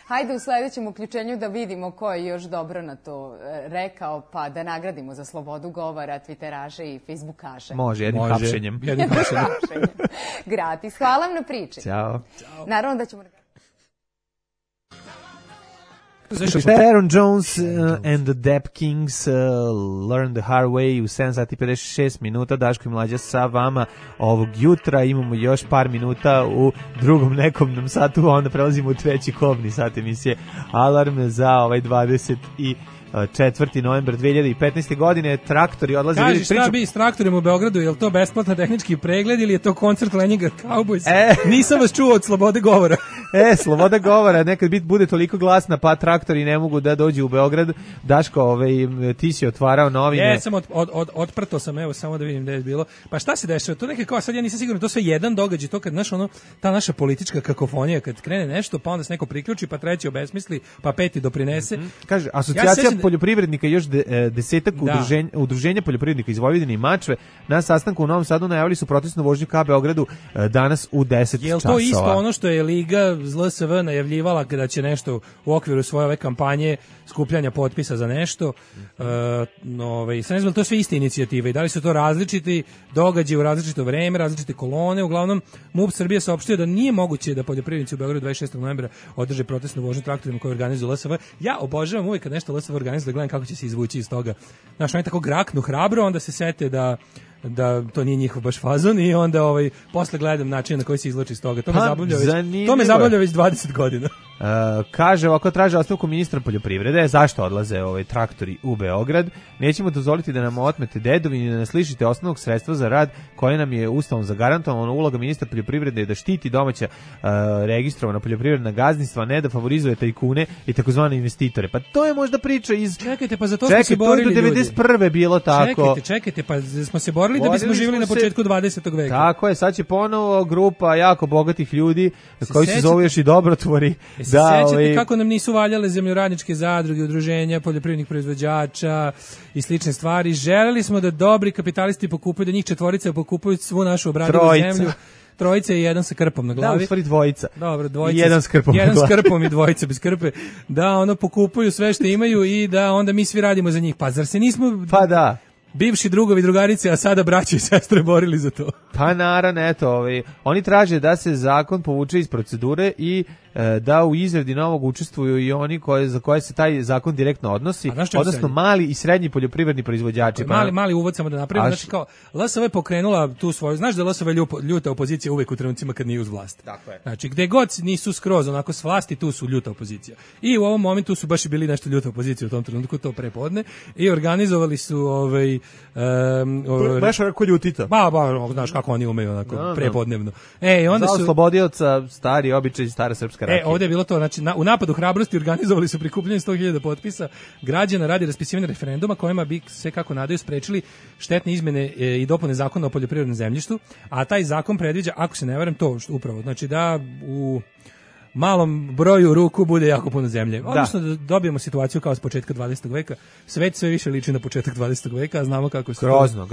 Hajde u sljedećem uključenju da vidimo ko je još dobro na to rekao, pa da nagradimo za slobodu govora twitteraše i facebookaše. Može, jednim hapšenjem. Gratis. Hvala vam na priči. Ćao. Naravno da ćemo... Aaron Jones and the Dap Kings Learn the Hard Way u 7 sati 56 minuta. Daško i Mlađa sa vama ovog jutra. Imamo još par minuta u drugom nekom nam satu, a onda prelazimo u treći kobni sat emisije Alarm za 4. novembar 2015. godine. Traktori odlaze... Kaži, šta bi s traktorima u Beogradu? Je li to besplatan tehnički pregled ili je to koncert Leningrad Cowboys? Nisam vas čuo od slobode govora. Sloboda govora nekad bude toliko glasna, pa traktori ne mogu da dođu u Beograd. Daško, ti si otvarao novine. Sam otprto sam, evo, samo da vidim gde je bilo. Pa šta se dešava? To neka kao, sad ja nisam siguran, to sve jedan događaj, to kad, ta naša politička kakofonija, kad krene nešto, pa onda se neko priključi, pa treći obesmisli, pa peti doprinese. Kaže, asocijacija poljoprivrednika, još 10 udruženja poljoprivrednika iz Vojvodine i Mačve na sastanku u Novom Sadu najavili su protestnu vožnju ka Beogradu danas u 10 časova. Je to isto ono što je Liga LSV najavljivala da će nešto u okviru svoje ove kampanje skupljanja potpisa za nešto. Sad ne znam, to sve iste inicijative i da li su to različiti događaji u različito vreme, različite kolone. Uglavnom, MUP Srbije saopštio da nije moguće da poljoprivrednici u Beogradu 26. novembra održe protestnu vožnju traktorima koju organizuju LSV. Ja obožavam uvijek kad nešto LSV organizuje da gledam kako će se izvući iz toga. Znaš, oni tako graknu hrabro, onda se sete da to nije njihov baš fazon i onda posle gledam način na koji se izlači iz toga. To me zabavlja već 20 godina. Kaže ovako, traže ostavku ministra poljoprivrede. Zašto odlaze traktori u Beograd? Nećemo dozvoliti da nam otmete dedovinu i da nas lišite osnovnog sredstva za rad koje nam je ustavom zagarantovano. Uloga ministra poljoprivrede je da štiti domaća registrovana poljoprivredna gazdinstva, ne da favorizuje tajkune i takozvane investitore. Pa to je možda priča iz... Čekajte, pa za to smo se borili ljudi. To je do 91. bilo tako. Čekajte, pa smo se borili da bismo živjeli na početku 20. veka. Tako je, sad će ponovo grupa jako bogatih ljudi koji se zove još i dobrotvori. Sećate kako nam nisu valjale zemljoradničke zadruge, udruženja poljoprivrednih proizvođača i slične stvari. Želeli smo da dobri kapitalisti pokupuju, da njih četvorica pokupuju svu našu obradivu zemlju. Trojica i jedan sa krpom na glavi. Da, u stvari dvojica. Dobro, dvojica. I jedan s krpom. Jedan s krpom i dvojica bez krpe. Da, pokupuju sve što imaju i da onda mi svi radimo za njih. Pa zar se nismo... Pa da. Bivši drugovi, drugarice, a sada braće i sestre borili za to. Pa naravno, eto, oni traže da se zakon povuče iz procedure i da u izradi novog učestvuju i oni za koje se taj zakon direktno odnosi, odnosno mali i srednji poljoprivredni proizvođači. Mali uvod samo da napravimo, znači kao LSV je pokrenula tu svoju, znaš da LSV ljuta opozicija uvek u trenucima kad nije uz vlast. Tako je. Znači gde god nisu skroz onako s vlasti, tu su ljuta opozicija. I u ovom momentu su baš i bili nešto ljuta opozicija u tom trenutku, to prepodne, i organizovali su baš ovako ljutita. Znaš kako oni umeju onako prepodnevno. Onda su oslobodioca, stari običaj, stara srpska rakija. Ovdje je bilo to, znači u napadu hrabrosti organizovali su prikupljanje 100.000 potpisa građana radi raspisivanja referenduma kojima bi se, kako nadaju, sprečili štetne izmene i dopune zakona o poljoprivrednom zemljištu, a taj zakon predviđa, ako se ne varam, to upravo, znači da u malom broju ruku bude jako puno zemlje. Odnosno da dobijemo situaciju kao s početka 20. veka. Svet sve više liči na početak 20. veka, a znamo kako se grozno.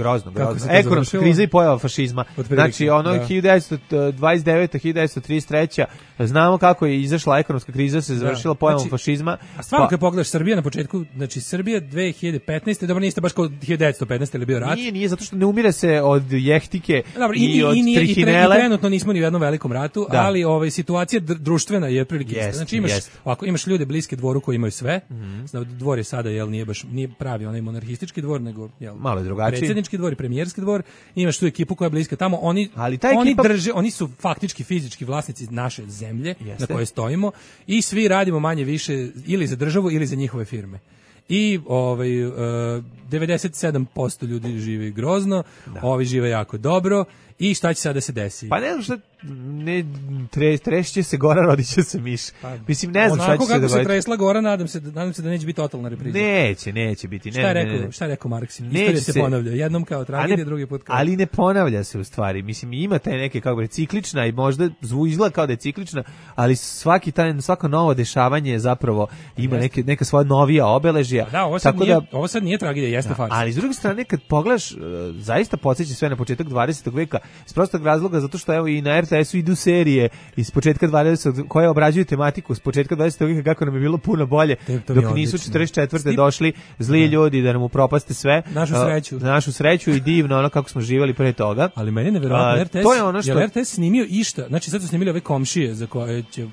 Ekonomska kriza i pojava fašizma. Znači 1929. 1933. znamo kako je izašla ekonomska kriza, se završila pojavom fašizma. A stvarno kad pogledaš Srbija na početku, znači Srbija 2015. dobro niste baš kao 1915. ili bio rat. Nije zato što ne umire se od jehtike i od trihinele. I trenutno nismo ni u jednom velikom ratu, ali situacija društvena je prilike. Znači imaš ljude bliske dvoru koji imaju sve. Dvor je sada nije pravi onaj monarhistički dvor, nego malo je drugačiji. Predsjednički dvor i premijerski dvor. Imaš tu ekipu koja je bliska tamo. Oni su faktički fizički vlasnici naše zemlje na kojoj stojimo i svi radimo manje više ili za državu ili za njihove firme. I 97% ljudi živi grozno, ovi žive jako dobro. I šta će sada da se desi? Pa ne znam šta, trešće se gora, rodit će se miš. Mislim, ne znam šta će se dogoditi. Onako kako se tresla gora, nadam se da neće biti totalna repriza. Neće biti. Šta je rekao Marks? Istorija se ponavlja. Jednom kao tragedija, drugi put kao... Ali ne ponavlja se u stvari. Mislim, ima taj neke, kako bi, ciklična i možda izgleda kao da je ciklična, ali svako novo dešavanje zapravo ima neka svoja novija obeležija. Ovo sad nije tragedija, jeste farsa. Ali s druge strane, kad pogledaš, zaista podsjeća sve na početak 20. veka, iz prostog razloga zato što evo i na RTS-u idu serije iz početka 20. koje obrađuju tematiku s početka 20. veka kako nam je bilo puno bolje dok nisu 44. došli zli ljudi da nam upropaste sve. Našu sreću i divno ono kako smo živjeli pre toga. Ali meni je neverovatno RTS snimio išta. Znači sad su snimili ove komšije za koje će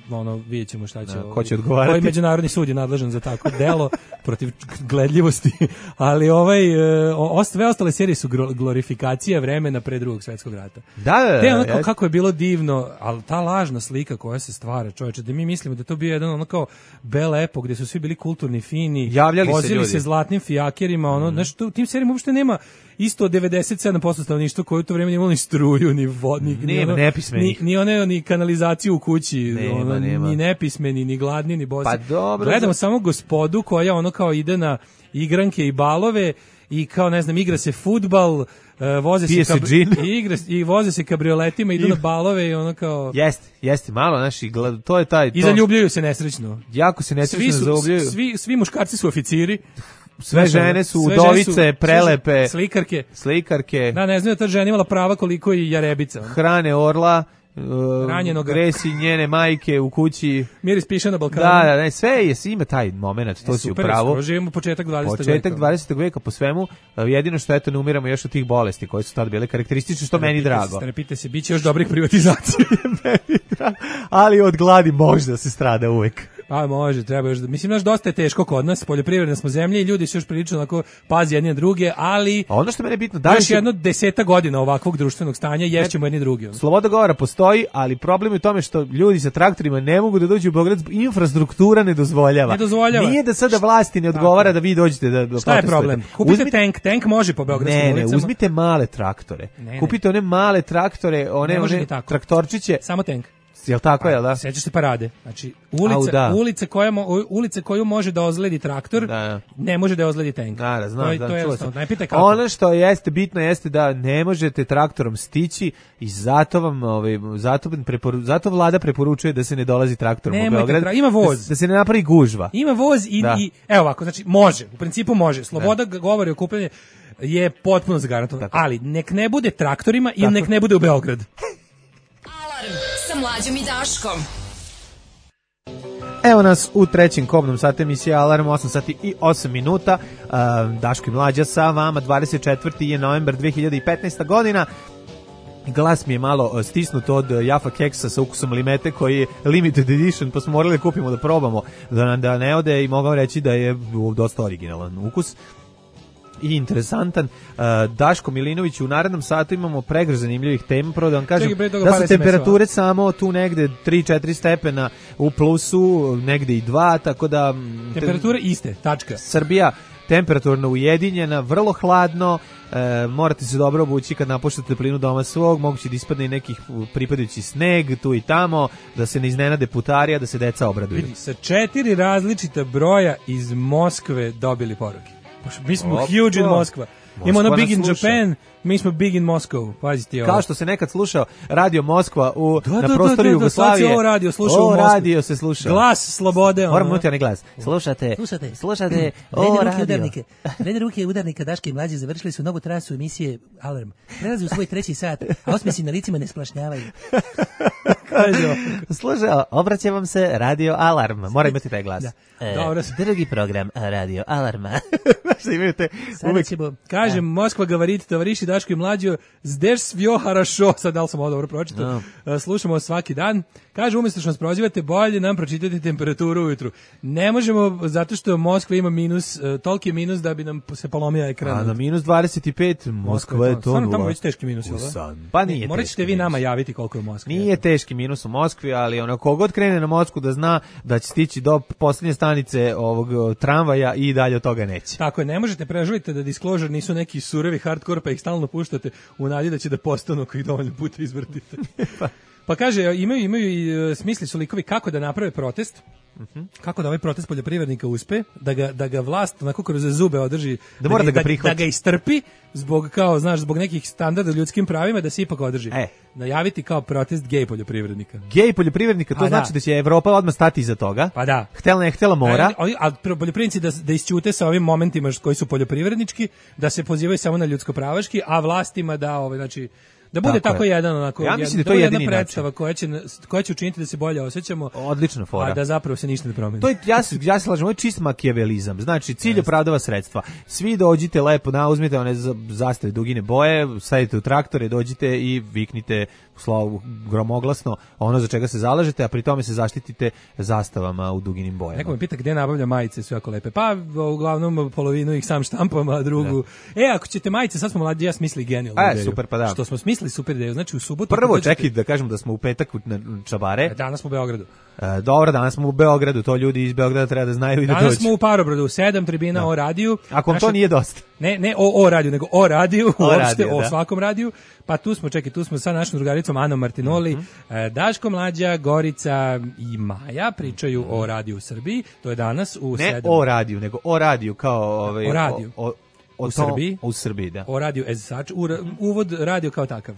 vidjet ćemo šta će. Ko će odgovarati? Koji međunarodni sud je nadležan za tako delo protiv gledljivosti. Ali sve ostale serije su glorifikacija vremena pre Drugog svjetskog rata. Kako je bilo divno, ali ta lažna slika koja se stvara, čovječe, da mi mislimo da to bio jedan kao bel epo gdje su svi bili kulturni, fini, vozili se zlatnim fijakerima, znači u tim serijama uopšte nema isto 97% stanovništva koji u to vrijeme nije imalo ni struju, ni vodnik, ni kanalizaciju u kući, ni nepismeni, ni gladni, ni bosi. Gledamo samo gospodu koja kao ide na igranke i balove i kao ne znam igra se fudbal, voze se kabrioletima, idu na balove i kao... Jeste, malo, to je taj... I zaljubljuju se nesrećno. Jako se nesrećno zaljubljuju. Svi muškarci su oficiri. Sve žene su udovice, prelepe. Slikarke. Da, ne znam da ta žena imala prava koliko i jarebica. Hrane orla Gresi njene majke u kući. Miris piše na Balkanu. Da, sve je, ima taj moment, to si u pravu. Super, živimo početak 20. veka. Početak 20. veka po svemu, jedino što eto ne umiramo još od tih bolesti koje su tad bile karakteristične, što meni drago. Strepite se, bit će još dobrih privatizacija. Ali od gladi možda se strada uvek. Pa može, treba još. Mislim, naš dosta je teško kod nas, poljoprivredna smo zemlje i ljudi su još prilično onako pazi jedni na druge, ali ono što mene je bitno, da još jedno 10 godina ovakvog društvenog stanja ješćemo jedni drugi. Sloboda govora postoji, ali problem je u tome što ljudi sa traktorima ne mogu da dođu u Beograd, infrastruktura ne dozvoljava. Nije da sada vlasti ne odgovara da vi dođete da protestujete. Šta je problem? Kupite tank može po beogradskim ulicama. Ne, uzmite male traktore. Kupite one male traktore, one traktorčiće. Samo tank. Jel tako je, da? Sećaš se parade. Znači, ulica koju može da ozledi traktor, ne može da ozledi tank. Znam. To je najpite kako. Ono što jeste bitno jeste da ne možete traktorom stići i zato vlada preporučuje da se ne dolazi traktorom u Beograd. Ima voz. Da se ne napravi gužva. Ima voz i evo ovako, znači može, u principu može. Sloboda govori o kupljenju je potpuno zagarantovana, ali nek ne bude traktorima i nek ne bude u Beograd. Sa Mlađom i Daškom. Evo nas u trećem kobnom satu emisije Alarm, 8 sati i 8 minuta. Daško i Mlađa sa vama, 24. je novembar 2015. godina. Glas mi je malo stisnut od Jaffa keksa sa ukusom limete koji je limited edition, pa smo morali da kupimo da probamo, da ne ode, i mogao reći da je dosta originalan ukus i interesantan. Daško Milinović, u narednom satu imamo pregrš zanimljivih tema. Prvo da vam kažem da su temperature samo tu negde 3-4 stepena u plusu, negde i 2, tako da temperature iste, tačka. Srbija temperaturno ujedinjena, vrlo hladno, morate se dobro obući kad napuštate toplinu doma svog, moguće da ispadne i nekih pripadajući sneg tu i tamo, da se ne iznenade putarija, da se deca obraduju. Vidi, sa 4 različita broja iz Moskve dobili poruke. Mi smo huge in Moskva. Imamo ono big in Japan, mi smo big in Moscow. Pazite ovo. Kao što se nekad slušao Radio Moskva na prostoru Jugoslavije. Ovo radio slušao u Moskvi. Radio se slušao. Glas slobode. Moramo imati onaj glas. Slušate. Vrede ruke udarnika Daške i Mlađe završili su novu trasu emisije Alarm. Prelazi u svoj 3. sat, a osmesi na licima ne splašnjavaju. Slušaj, obraća vam se Radio Alarm. Mora imati taj glas. Drugi program Radio Alarma. Uvijek kažem, Moskva gavarit, tovariši Daško i Mlađo, zdeš svjo harašo, sad da li sam ovo dobro pročitao, slušamo svaki dan. Kaže, umjesto što nas prozivate, bolje nam pročitati temperaturu ujutru. Ne možemo, zato što Moskva ima minus, toliki je minus da bi nam se polomio ekran. A na minus 25, Moskva je to stvarno tamo već teški minus, pa nije. Morat ćete vi nama javiti koliko je u Moskvi. Nije teški minus u Moskvi, ali ono, kogod krene na Moskvu da zna da će stići do posljednje stanice ovog tramvaja i dalje od toga neće. Tako je, ne možete preživite da Disclosure nisu neki surovi hardcore pa ih stalno puštate u nadi da će da postanu ako ih dovoljno puta izvrtite. Pa kaže, imaju i smisli su likovi kako da naprave protest, kako da ovaj protest poljoprivrednika uspe, da ga vlast onako kroz zube održi, da ga istrpi zbog, kao, znaš, zbog nekih standarda ljudskim pravima, da se ipak održi. Najaviti kao protest gej poljoprivrednika. Gej poljoprivrednika, to znači da će Evropa odmah stati iza toga. Pa da. Htela ne htela mora. A poljoprivrednici da isćute sa ovim momentima koji su poljoprivrednički, da se pozivaju samo na ljudsko-pravaški, a vlastima da, znači, da bude tako jedan onako, ja mislim da to je jedna predstava koja će učiniti da se bolje osjećamo. Odlična fora. A da zapravo se ništa ne promeni. To je, ja se slažem, ovo je čist makijavelizam. Znači, cilj opravdava sredstva. Svi dođite lepo, uzmite one zastave dugine boje, stavite u traktore, dođite i viknite gromoglasno ono za čega se zalažete, a pri tome se zaštitite zastavama u duginim bojama. Neko me pita gde nabavlja majice, sve jako lepe. Pa uglavnom polovinu ih sam štampam, a drugu. Ako ćete majice, sad smo mlađi, ja smisli genijalnu ideju. Super, pa da. Što smo smislili super ideju. Znači u subotu. Prvo čekaj da kažem da smo u petak na Čabare. Danas smo u Beogradu. Dobro, danas smo u Beogradu, to ljudi iz Beograda treba da znaju i da dođu. Danas smo u Parobradu, 7 tribina o radiju. Ako vam to nije dosta. Ne o radiju, nego o radiju, uopšte o svakom radiju. Pa tu smo sa našom drugaricom Anom Martinoli, Daško, Mlađa, Gorica i Maja pričaju o radiju u Srbiji. To je danas u 7. Ne o radiju, nego o radiju kao o radiju. u Srbiji. U Srbiji, da. O radiju as such, uvod radio kao takav.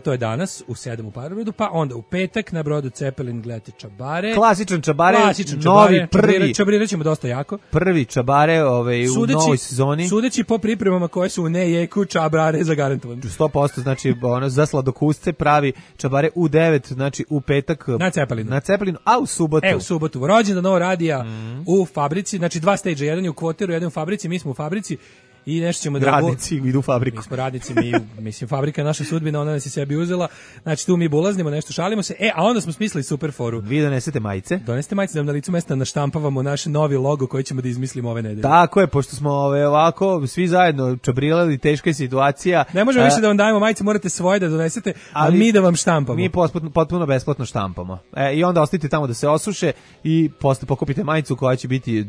To je danas u 7 u Parobrodu, pa onda u petak na brodu Cepelin gledate Čabare. Klasičan Čabare, novi prvi. Čabarirat ćemo dosta jako. Prvi Čabare u novoj sezoni. Sudeći po pripremama koje su u nejeku, Čabare zagarantovan. 100%, znači ono za sladokusce pravi Čabare u 9, znači u petak na Cepelinu, a u subotu. U subotu. Rođendan novog radija u fabrici, znači 2 stage, jedan je u Kvoteru, jedan u fabrici, mi smo u fabrici. I nešto ćemo da radnici idu u fabriku. Mi smo radnici, mislim fabrika je naša sudbina, ona nas je sebi uzela. Znači tu mi bulaznimo, nešto šalimo se. A onda smo smislili super foru. Vi donesete majice? Donesete majice da nam na licu mesta naštampavamo naš novi logo koji ćemo da izmislimo ove nedelje. Tako je, pošto smo ovako svi zajedno čabrilali, teška je situacija. Ne možemo više da vam dajemo majice, morate svoje da donesete, ali mi da vam štampamo. Mi potpuno besplatno štampamo. I onda ostavite tamo da se osuše i posle pokupite majicu koja će biti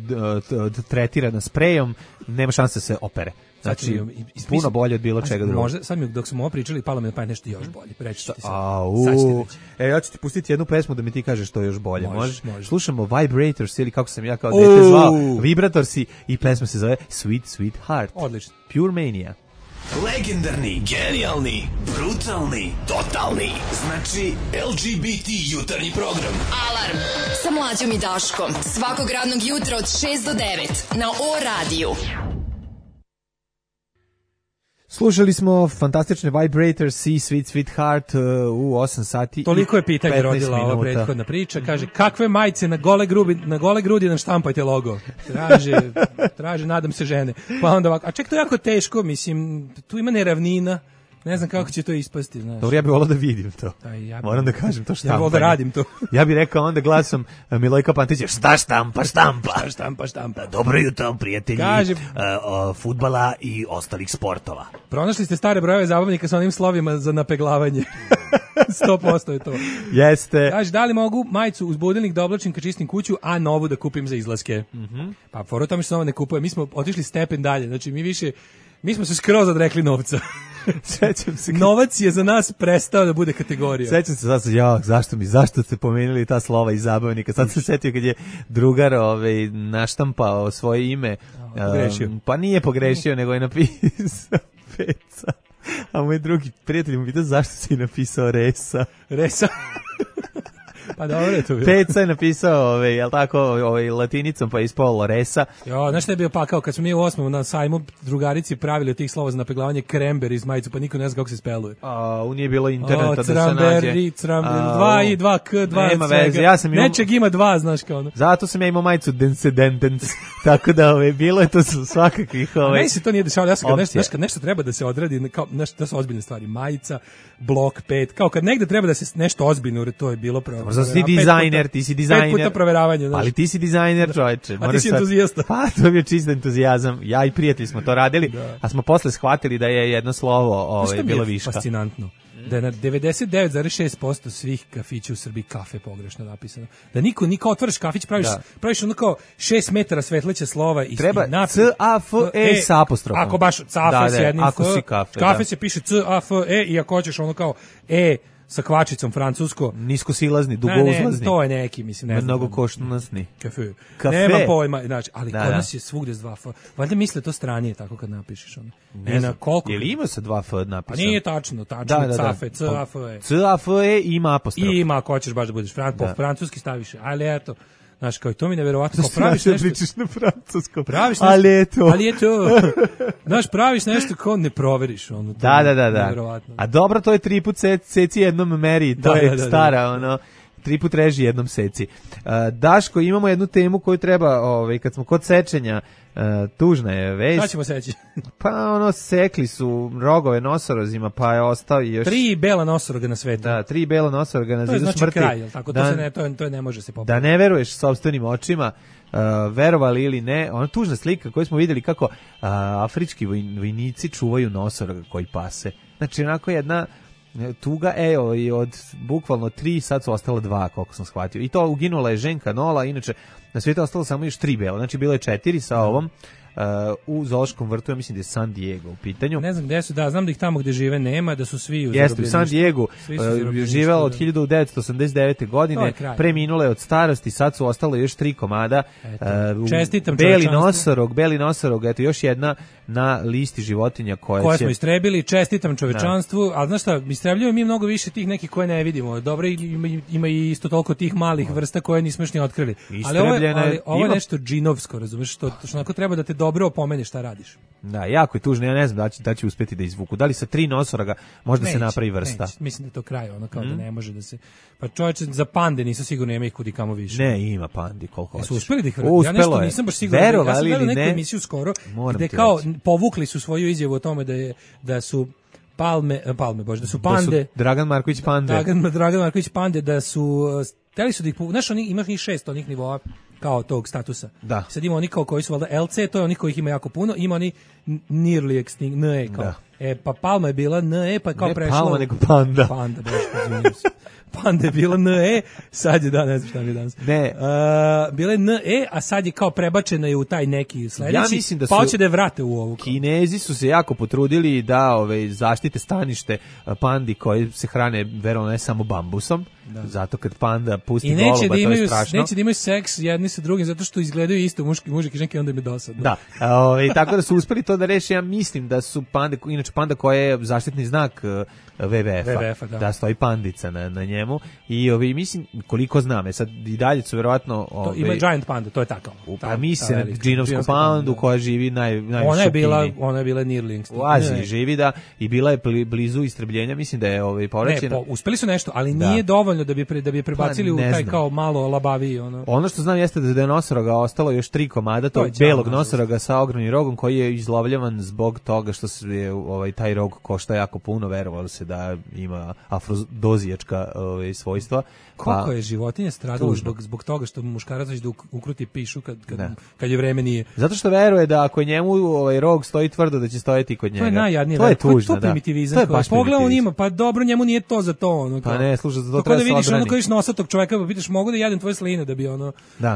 tretirana sprejom, nema šanse da se opere. Znači, puno bolje od bilo čega drugog. Možda, sad mi dok smo ovo pričali, palo mi na pamet nešto još bolje. Reći ću ti sad. Ja ću ti pustiti jednu pesmu da mi ti kažeš što je još bolje. Možeš. Slušamo Vibrators ili kako sam ja kao dete zvao, Vibratorsi i pesma se zove Sweet Sweet Heart. Odlično. Pure Mania. Legendarni, genijalni, brutalni, totalni. Znači, LGBT jutarnji program. Alarm sa Mlađom i Daškom. Svakog radnog jutra od 6 do 9 na O-radiju. Slušali smo fantastične Vibrators i Sweet Sweet Heart u 8 sati. Toliko je pitanje rodila ova prethodna priča. Kaže, kakve majice na gole grudi nam štampajte logo? Traže, nadam se žene. Pa onda ovako, a ček, to je jako teško, mislim, tu ima neravnina. Ne znam kako će to ispasti, znaš. Dobro, ja bih volao da vidim to. Moram da kažem to štampanje. Ja bih da radim to. Ja bih rekao onda glasom Milojka Pantića, šta štampa? Štampa. Dobro jutro, prijatelji fudbala i ostalih sportova. Pronašli ste stare brojeve zabavnika sa onim slovima za napeglavanje. 100% je to. Jeste. Kaže, da li mogu majicu uz budilnik da oblačim kad čistim kuću, a novu da kupim za izlaske? Pa fora tome što se nova ne kupuje. Mi smo otišli stepen dalje. Znači, mi smo se skroz odrekli novca. Sećam se. Novac je za nas prestao da bude kategorija. Sećam se sad, zašto ste pomenuli ta slova iz zabavnika? Sad se setio kad je drugar naštampao svoje ime. Pogrešio. Pa nije pogrešio, nego je napisao Peca. A moj drugi prijatelj mu pita zašto si napisao Resa. Pa dobro je to bilo. Peca je napisao, jel tako, latinicom, pa je ispao Loresa. Jo, znaš šta je bio pakao? Kad smo mi u 8. na sajmu drugarici pravili od tih slova za napeglavanje krember iz majicu, pa niko ne zna kako se speluje. Nije bilo interneta da se nađe. 2 i 2 k, 2 nema veze, ja sam nečeg ima 2, znaš kao ono. Zato sam ja imao majicu Densendens, tako da bilo je to svakakvih... Meni se to nije dešavalo, ja sam kad nešto treba da se odradi, kao, to su ozbiljne stvari, majica, blok 5, kao kad negde treba da se nešto ozbiljno, to je bilo pravo. Ti si dizajner. 5 puta proveravanje. Znaš. Ali ti si dizajner, čovječe. A ti si entuzijasta. Pa, to je bio čist entuzijazam. Ja i prijatelji smo to radili, a smo posle shvatili da je jedno slovo bilo viška. Fascinantno. Da je na 99,6% svih kafića u Srbiji kafe pogrešno napisano. Da niko otvoriš kafić, praviš ono kao 6 metara svetleća slova i treba C-A-F-E sa apostrofom. Ako baš C-A-F s jednim F, kafe se piše C-A-F-E i ako hoćeš ono kao sa kvačicom francusko. Niskosilazni, dugouzlazni. Ne, to je neki, mislim, ne znam. Mnogo koštunasni. Kafe. Nema pojma, znači, ali kod nas je svugde s 2 F. Valjda misle to stranije, tako kad napišeš ono. Ne znam, koliko? Je li ima sa 2 F napisano? Pa nije tačno, C-A-F-E, C-A-F-E. C-A-F-E ima apostrof. I ima, ako hoćeš baš da budeš po francuski staviš, ali eto. Znaš, kao i to mi neverovatno, kao praviš nešto... pričaš na francuskom, ali je to. Znaš, praviš nešto kao ne proveriš. Ono, da. A dobro, to je 3 put seci jednom meri, to je stara, ono... 3 put reži jednom seci. Daško, imamo jednu temu koju treba, kad smo kod sečenja, tužna je već. Šta ćemo seći? Pa sekli su rogove nosorozima, pa je ostao još... 3 bela nosoroga na svetu. Da, 3 bela nosoroga na zidu smrti. To je znači kraj, tako, to ne može se popraviti. Da ne veruješ sopstvenim očima, verovali ili ne, ona tužna slika koju smo vidjeli kako afrički vojnici čuvaju nosoroga koji pase. Znači, onako jedna... tuga, i od bukvalno 3, sad su ostalo 2, koliko sam shvatio. I to uginula je ženka Nola, inače na svijetu ostalo samo još 3 bela, znači bilo je 4 sa ovom, u zoološkom vrtu, ja mislim da je San Diego u pitanju. Ne znam gde su, znam da ih tamo gde žive nema, da su svi u Jeste, u San Diego živela od 1989. godine, preminula je od starosti, sad su ostale još 3 komada. Čestitam Beli nosorog, eto još jedna na listi životinja koje smo istrebili, čestitam čovečanstvu, ali znaš šta, istrebljujemo mi mnogo više tih nekih koje ne vidimo. Dobro, ima i isto toliko tih malih vrsta koje nismo još ni otkrili. Ali ovo je nešto džinovsko, razumeš, što onako treba da te dobro opomene šta radiš. Da, jako je tužno, ja ne znam da će uspeti da izvuku. Da li sa 3 nosoroga možda se napravi vrsta? Mislim da je to kraj, ono kao da ne može da se... Pa čovječe, za pande nisam sigurno, ima ih kudi kamo više. Ne, ima pandi koliko hoćeš. Su uspeli da ih vrati? Ja nešto nisam baš siguran. Ja sam gledao neku emisiju skoro, gde kao povukli su svoju izjavu o tome da su da su pande... Dragan Marković Pande. Dragan Marković Pande, da su... Hteli su da ih... Znaš, ima ih 6 onih nivoa kao tog statusa. Da. Sad ima oni kao koji su valjda LC, to je onih kojih ima jako puno, ima oni nearly extinct, NE kao. Da. Pa Palma je bila NE, pa je kao prešla... Ne Palma, nego Panda. Panda, baš, izvinim se. Panda je bila NE, sad je, ne znam šta mi je danas. Ne. Bila je NE, a sad je kao prebačena je u taj neki sledeći, ja mislim da pa hoće da je vrate u ovu. Kinezi su se jako potrudili da zaštite stanište pandi koji se hrane, verovatno ne samo bambusom, zato kad panda pusti goluba, to je strašno. Neće da imaju seks jedni sa drugim, zato što izgledaju isto mužik i ženke, onda im je dosadno. Da, tako da su uspeli to da reši, ja mislim da su pande, inače panda koja je zaštitni znak WWF-a, da stoji pandica na njemu i mislim, koliko znam, sad i dalje su verovatno... Ima Giant Panda, to je tako. Pa misli na džinovsku pandu koja živi najviše ona je bila nearly extinct. U Aziji živi, da, i bila je blizu istrebljenja, mislim da je povraćena. Ne, uspeli su nešto, ali nije dovoljno da bi prebacili u taj kao malo labaviji. Ono što znam jeste da je nosoroga ostalo još 3 komada, to je belog nosoroga sa ogromnim rogom koji je izlovljavan zbog toga što je taj rog košta jako puno, verovalo se da ima afrodozijačka svojstva. Koliko je životinja stradalo zbog toga što muškarac će da ukruti pišu kad je vreme nije. Zato što veruje da ako njemu rog stoji tvrdo da će stojati kod njega. To je najjadnije. To je tužno, to primitivizam. To je baš pogledao on ima, pa dobro, njemu nije to za to. Pa ne, slušaj, za to treba da se vidiš kad vidiš nosatog čoveka, pa pitaš mogu da jedem tvoje sline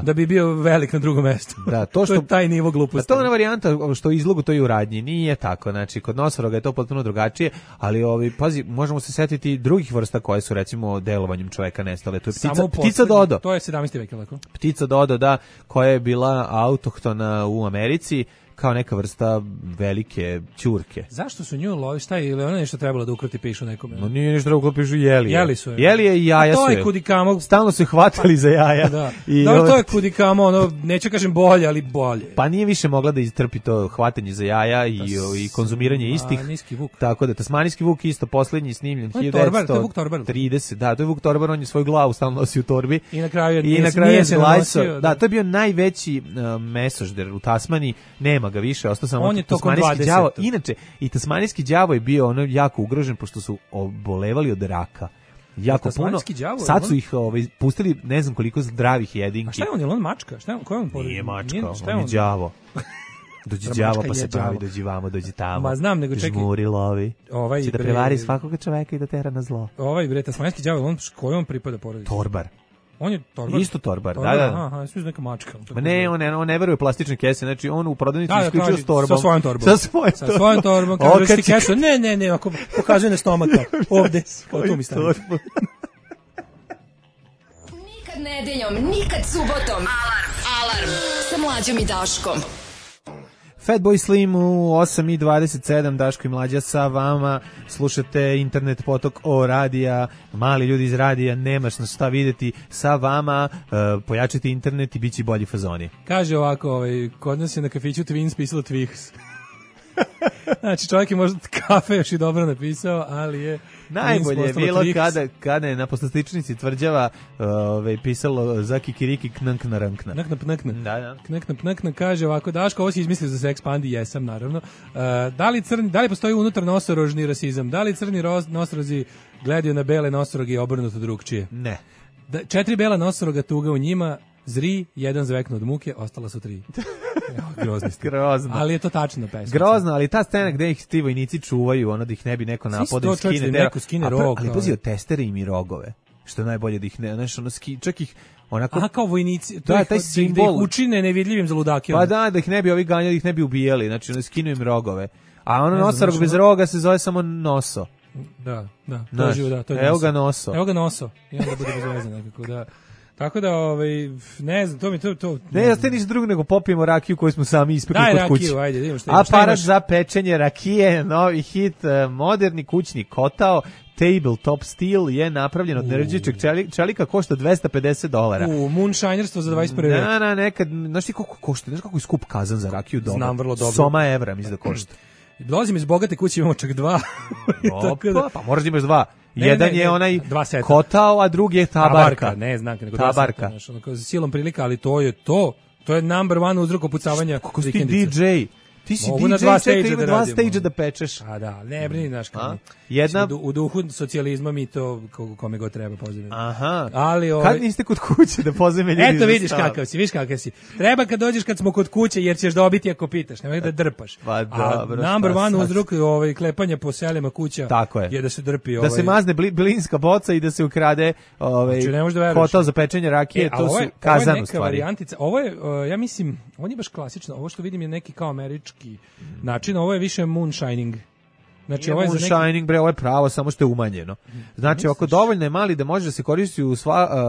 da bi bio velik na drugom mestu. Da, to je taj nivo gluposti. To je ona varijanta što izlogu to i u radnji. Nije tako. Znači kod nosoroga je to potpuno drugačije, ali pazi, možemo se setiti drugih vrsta koje su recimo delovanjem čoveka nestale. To je ptica dodo. To je 17. vek, lako. Ptica dodo, da, koja je bila autohtona u Americi kao neka vrsta velike ćurke. Zašto su nju lovi? Šta je, ili ona nešto trebalo da ukruti pišu nekome? No nije ništa trebalo da pišu jeli. Jeli su je. Jeli je i jaja su je. To je kudikamo. Stalno su hvatali za jaja. Da. Dobro, to je kudikamo, neću kažem bolje, ali bolje. Pa nije više mogla da istrpi to hvatanje za jaja i konzumiranje istih. Tasmanijski vuk. Tako da, tasmanijski vuk isto poslednji snimljen 1930. Da, to je Vuk Torbar, on je svoju glavu stalno nosi u torbi. I na kraju je nosio. Da, to je bio najveći mesožder u Tasmaniji. Nema ga više, ostao samo tasmanijski đavo. Inače, i tasmanijski đavo je bio jako ugrožen pošto su obolevali od raka. Jako puno. Sad su ih pustili ne znam koliko zdravih jedinki. A šta je on? Je on mačka? Šta je on? Ko je on? Nije mačka, on je đavo. Dođi đavo pa se pravi, dođi vamo, dođi tamo. Ma znam, nego čekaj. Žmuri lovi. Će da prevari svakoga čoveka i da tera na zlo. Tasmanijski đavo, kojoj on pripada porodici? Torbar. On je torbar. Isto torbar, da. Aha, sve neka mačka. Ma ne, on ne veruje u plastične kese, znači on u prodavnici isključio s torbom. Sa svojom torbom. Kaže kesu. Ne, ako pokazuje na stomaka. Ovde, tu mi stavi. Nikad nedeljom, nikad subotom. Alarm sa Mlađom i Daškom. Fatboy Slim u 8:27, Daško i Mlađa sa vama, slušate internet potok o radija, mali ljudi iz radija, nemaš na šta videti, sa vama, pojačite internet i bit će bolji fazoni. Kaže ovako, kod nas je na kafiću Twins pisalo Twix. Znači čovjek je možda kafe još i dobro napisao, ali je najbolje je bilo kada je na poslastičnici tvrđava pisalo za kikiriki knankna rankna. Knankna kaže ovako, Daško, ovo si izmislio za seks pandi, jesam naravno. Da li postoji unutar nosorožni rasizam? Da li crni nosorozi gledaju na bele nosoroge i obrnuto drugčije? Ne. 4 bela nosoroga, tuga u njima, zri, jedan zvekno od muke, ostala su 3. Grozno. Ali je to tačno pesma. Grozno, ali ta scena gde ih ti vojnici čuvaju, da ih ne bi neko napadao, skine neko skine rog. Ali pazi, od testere im i rogove. Što je najbolje da ih ne, čak ih onako. Aha, kao vojnici, to da, taj simbol, da ih učine nevidljivim za ludake. Pa da ih ne bi ovi ganjali, ih ne bi ubijali, znači ne skinu im rogove. A ono nosarog bez roga se zove samo noso. Da, to je živo, da, to je evo ga noso. Evo ga noso. I onda bude bez veze nekako, da. Tako da, ne znam, to... Ne, ostaje ništa drugo nego popijemo rakiju koju smo sami ispekli kod kuće. Daj rakiju, ajde, vidimo šta imaš. Aparat za pečenje rakije, novi hit, moderni kućni kotao, tabletop steel je napravljen od nerđičeg čelika, košta $250. Moonshinerstvo za 21. vek. Da, nekad, znaš ti koliko košta, znaš kako je skup kazan za rakiju doma? Znam vrlo dobro. Soma evra, mislim da košta. Dolazim iz bogate kuće, imamo čak 2. Opa, pa možda imaš 2. Jedan je onaj kotao, a drugi je tabarka. Ne znam, nego tabarka. Silom prilika, ali to je to. To je number one uzrok opucavanja kako si ti DJ? Ti si mogu DJ, ima dva stage da pečeš. A da, ne brini, znaš kako. Jedna... U duhu socijalizma mi to kome god treba poziviti. Aha. Ali kad niste kod kuće da pozove ljudi? Eto vidiš kakav si. Treba kad dođeš kad smo kod kuće jer ćeš dobiti ako pitaš, nemoj da drpaš. Pa dobro. Number one uzrok klepanja po selima kuća je da se drpi. Da se mazne blinska boca i da se ukrade kotao za pečenje rakije, to su kazan u stvari. Ovo je, ja mislim, on je baš klasično. Ovo što vidim je neki kao američki način, ovo je više moonshining. Znači ovo je moonshining, bre, ovo je pravo, samo što je umanjeno. Znači, ako dovoljno je mali da može da se koristi u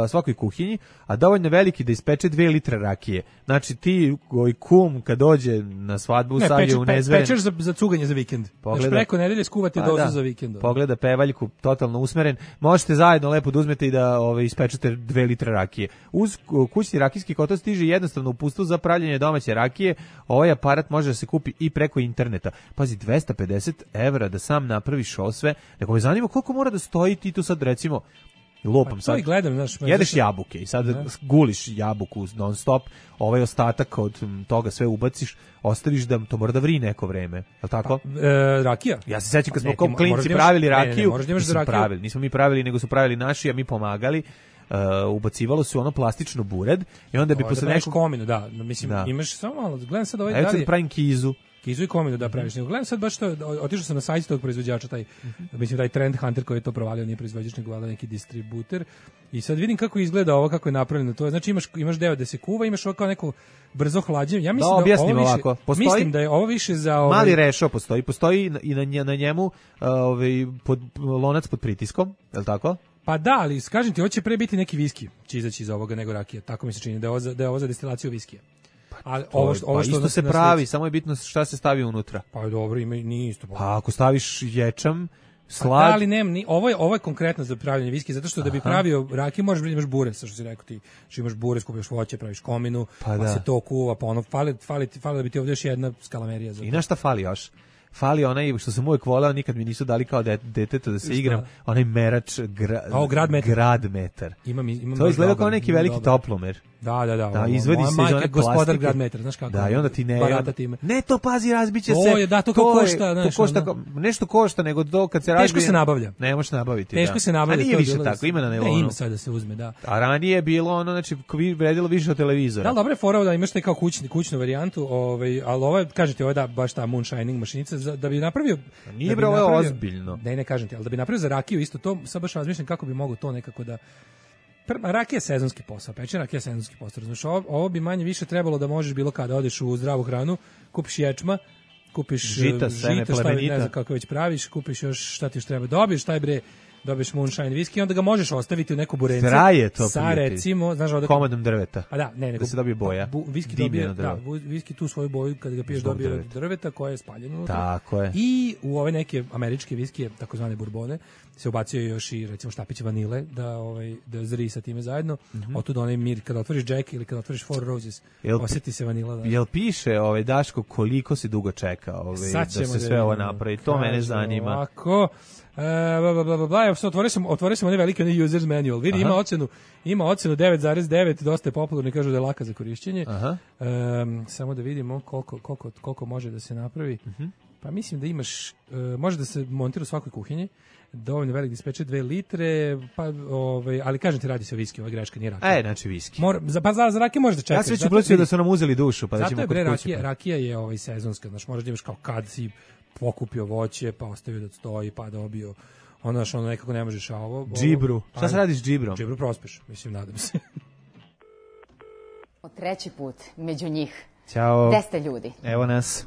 svakoj kuhinji, a dovoljno veliki da ispeče 2 litre rakije. Znači, ti kum kad dođe na svadbu stavlja u nezveren... Pečeš za cuganje za vikend. Znači, preko nedelje skuvate dozu za vikend. Pogleda pevaljku, totalno usmeren. Možete zajedno lepo da uzmete i da ispečete 2 litre rakije. Uz kućni rakijski kotao stiže jednostavno uputstvo za pravljenje domaće rakije. Ovaj aparat može da se kupi i preko interneta. Pazi, $250 da sam napraviš ovo sve. Nego me zanima koliko mora da stoji ti tu sad recimo lupam sad. Gledam, znaš, jedeš jabuke i sad guliš jabuku non stop, ovaj ostatak od toga sve ubaciš, ostaviš da to mora da vri neko vreme. Je li tako? Rakija. Ja se sećam kad smo kao klinci pravili rakiju. Nismo mi pravili, nego su pravili naši, a mi pomagali. Ubacivalo se ono plastično bured i onda bi posle nekog kominu, da, mislim imaš samo malo, gledam sad ovaj dalje. Evo sad pravim kizu i kominu da praviš. Gledam sad baš to, otišao sam na sajt tog proizvođača, mislim taj Trend Hunter koji je to provalio, nije proizvođač nego valjda neki distributer. I sad vidim kako izgleda ovo, kako je napravljeno to. Znači imaš deo da se kuva, imaš ovo kao neko brzo hlađenje. Ja mislim mislim da je ovo više za mali rešo postoji i na njemu lonac pod pritiskom, je l' tako? Pa da, ali kažem ti, ovo će pre biti neki viski će izaći iz ovoga nego rakija. Tako mi se čini da je ovo za destilaciju viskija. Ovo što isto se pravi, samo je bitno šta se stavi unutra. Pa dobro, nije isto. Pa ako staviš ječam, slad... Pa da, ali ovo je konkretno za pravljanje viski, zato što da bi pravio rakiju možeš da imaš bure, što si rekao ti. Što imaš bure, skupiš voće, praviš kominu, pa se to kuva, pa ono, fali da bi ti ovdje još jedna skalamerija. I na šta fali još? Fali onaj što sam uvijek voleo, nikad mi nisu dali kao detetu da se igram, onaj merač grad metar. To izgleda kao neki veliki toplomer. Da, izvadi se iz one plastike. Gospodar grad metar, znaš kako. Da, i onda ti ne to pazi, razbiće se. Da, to košta, znaš. Nešto košta, nego to kad se razbije. Teško se nabavlja. Ne možeš nabaviti. Teško se nabavlja. A nije više tako, ima na nivou. Ima sad da se uzme, da. A ranije je bilo ono, znači, vredilo više od televizora. Da, dobro je fora da imaš taj kao kućnu varijantu, ali ovo, kažete, ovo je da baš ta moonshining mašinica, da bi napravio... Nije bre, ovo je ozbiljno. Ne kažem ti, ali da bi napravio za rakiju isto to, sad baš razmišljam kako bi mogo to nekako da... Rakija je sezonski posao, pečenje rakija je sezonski posao. Znači, ovo bi manje više trebalo da možeš bilo kada odeš u zdravu hranu, kupiš ječma, kupiš žita, ne znam kako već praviš, kupiš još šta ti još treba, dobiješ moonshine viski, onda ga možeš ostaviti u neku burence. Traje to, sa recimo, znaš, komadom drveta. A da, ne, nego da se dobije boja. Viski dobije, viski tu svoju boju kad ga piješ dobije od drveta koje je spaljeno unutra. Tako je. I u ove neke američke viskije, takozvane burbone, se ubacio još i recimo štapić vanile da zri sa time zajedno. Otud onaj mir kada otvoriš Jack ili kada otvoriš Four Roses, osjeti se vanila. Jel piše Daško koliko si dugo čeka da se sve ovo napravi? To mene zanima. Ovako, otvorio sam onaj veliki users manual. Vidi, ima ocenu 9,9, dosta je popularno i kažu da je laka za korišćenje. Samo da vidimo koliko može da se napravi. Pa mislim da imaš, može da se montira u svakoj kuhinji, dovoljno velik da ispeče 2 litre, ali kažem ti, radi se o viski, ova greška nije rakija. Znači viski. Za rakije možeš da čekaš. Ja se već uplaćio da su nam uzeli dušu, pa da ćemo kod kuće. Rakija je sezonska, znači možeš da imaš kao kad si pokupio voće, pa ostavio da stoji, pa dobio ono nekako ne možeš, a ovo... Džibru. Šta se radi s džibrom? Džibru prospeš, mislim, nadam se. treći put među njih. Ćao. Gde ste ljudi? Evo nas.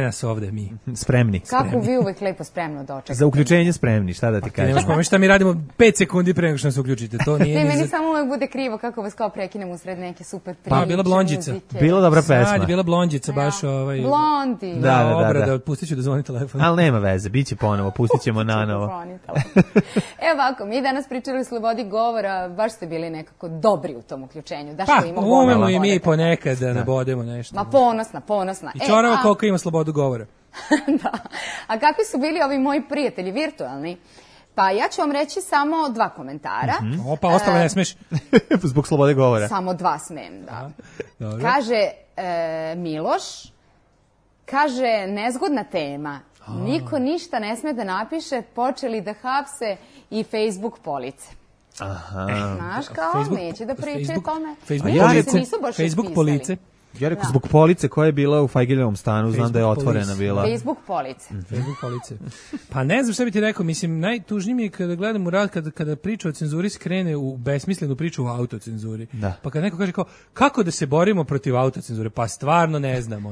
Nas ovde mi. Spremni. Kako vi uvek lepo spremno dočekate? Za uključenje spremni, šta da ti kažem? Nemaš pojma šta mi radimo 5 sekundi pre nego što nas uključite. To nije ne, meni samo uvek bude krivo kako vas kao prekinem usred neke super priče. Pa, bila Blondjica. Muzike. Bila dobra pesma. Sad je bila Blondjica, baš Blondi. Da. Obrada, pustit ću da zvoni telefon. Ali nema veze, bit će ponovo, pustit ćemo nanovo. Evo ovako, mi danas pričali o slobodi govora, baš ste bili nekako dobri u tom uključenju. Pa, umemo i mi ponekad da nabodemo nešto. Ma ponosna. I čorava koliko ima slobodu govora. Da. A kakvi su bili ovi moji prijatelji virtualni? Pa ja ću vam reći samo 2 komentara. Opa, ostalo ne smeš. Zbog slobode govora. Samo 2 smem, da. Kaže Miloš, kaže nezgodna tema. Niko ništa ne sme da napiše, počeli da hapse i Facebook police. Aha. Znaš kao, neće da pričaju tome. Facebook police. Ja rekao zbog police koja je bila u Fajgeljevom stanu, znam da je otvorena bila. Facebook police. Facebook police. Pa ne znam šta bi ti rekao, mislim, najtužnije mi je kada gledam u rad, kada priča o cenzuri skrene u besmislenu priču o autocenzuri. Da. Pa kada neko kaže kao, kako da se borimo protiv autocenzure? Pa stvarno ne znam.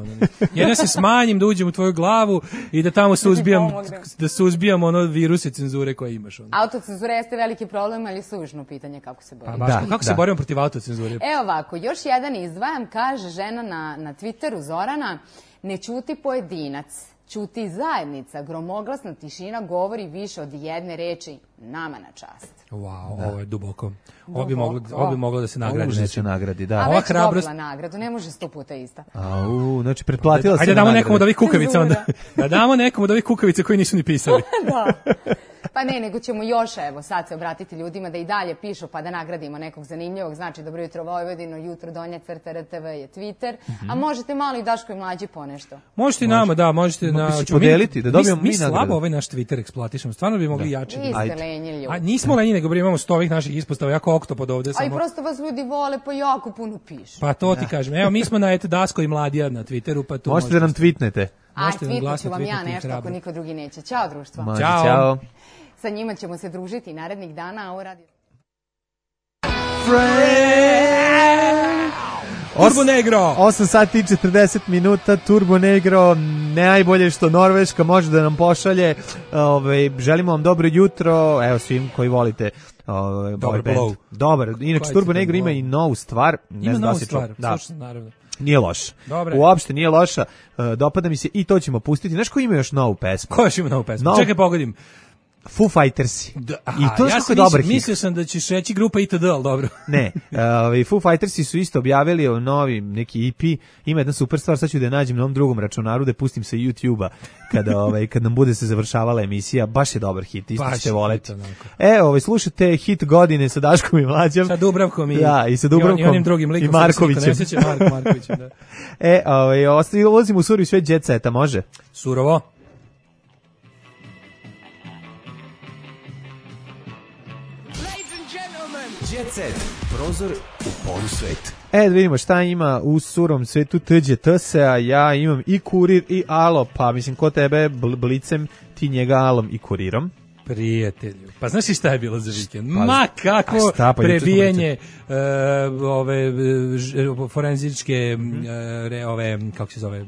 Ja se smanjim da uđem u tvoju glavu i da tamo suzbijam ono viruse cenzure koje imaš. Autocenzura jeste veliki problem, ali suvišno pitanje kako se borimo. Kako se borimo protiv autocenzure? Evo ovako, još jedan izdvajam, kaže žena na Twitteru Zorana, ne ćuti pojedinac, ćuti zajednica, gromoglasna tišina govori više od jedne reči, nama na čast. Wow, ovo je duboko. Ovo bi moglo da se nagradi. Ovo se nagradi, da. A već dobila nagradu, ne može 100 puta ista. Znači pretplatila se. Ajde damo nekom od ovih kukavica onda. Da damo nekom od ovih kukavica koji nisu ni pisali. Da. Pa ne, nego ćemo još, evo, sad se obratiti ljudima da i dalje pišu pa da nagradimo nekog zanimljivog. Znači, Dobro jutro Vojvodino, jutro Donja crta RTV je Twitter, a možete malo i Daško i Mlađi ponešto. Možete i nama, da, možete podeliti, da dobijemo mi nagradu. Mi slabo ovaj naš Twitter eksploatišemo, stvarno bi mogli jače. Vi ste lenji ljudi. A nismo lenji, nego imamo 100 ovih naših ispostava, jako oktopod ovde. A i prosto vas ljudi vole, pa jako puno pišu. Pa to ti kažem. Evo, mi smo na Daško i Mladija na Twitteru, pa to možete da nam tweetnete. Tweetnut ću vam ja nešto ako niko drugi neće. Ćao društvo. Ćao. Sa njima ćemo se družiti narednih dana, a ovo radi... Turbo Negro! 8 sati i 40 minuta, Turbo Negro, najbolje što Norveška može da nam pošalje. Želimo vam dobro jutro, evo svim koji volite dobar blow. Dobar, inače Turbo Negro ima i novu stvar. Ima novu stvar, slušam, naravno. Nije loš. Uopšte nije loša, dopada mi se i to ćemo pustiti. Znaš ko ima još novu pesmu? Ko još ima novu pesmu? Čekaj, pogodim. Foo Fightersi. I to je kako dobar hit. Mislio sam da ćeš reći grupa ITD, ali dobro. Ne, Foo Fightersi su isto objavili novi neki EP, ima jedna super stvar, sad ću da je nađem na ovom drugom računaru, da pustim sa YouTube-a kad nam bude se završavala emisija, baš je dobar hit, isto ćete voleti. Slušajte hit godine sa Daškom i Mlađom. Sa Dubravkom i sa Dubravkom i onim drugim likom. I Markovićem. Markovićem, da. Ulazimo u surovi svet Jet Seta, može? Surovo. Jet Set, prozor u polusvet. Da vidimo šta ima u surom svetu Tđe Tse-a, ja imam i Kurir i Alo, pa mislim ko tebe Blicem, ti njega Alom i Kurirom. Prijatelju, pa znaš i šta je bilo za vikend? Ma kako prebijanje forenzičke kako se zove,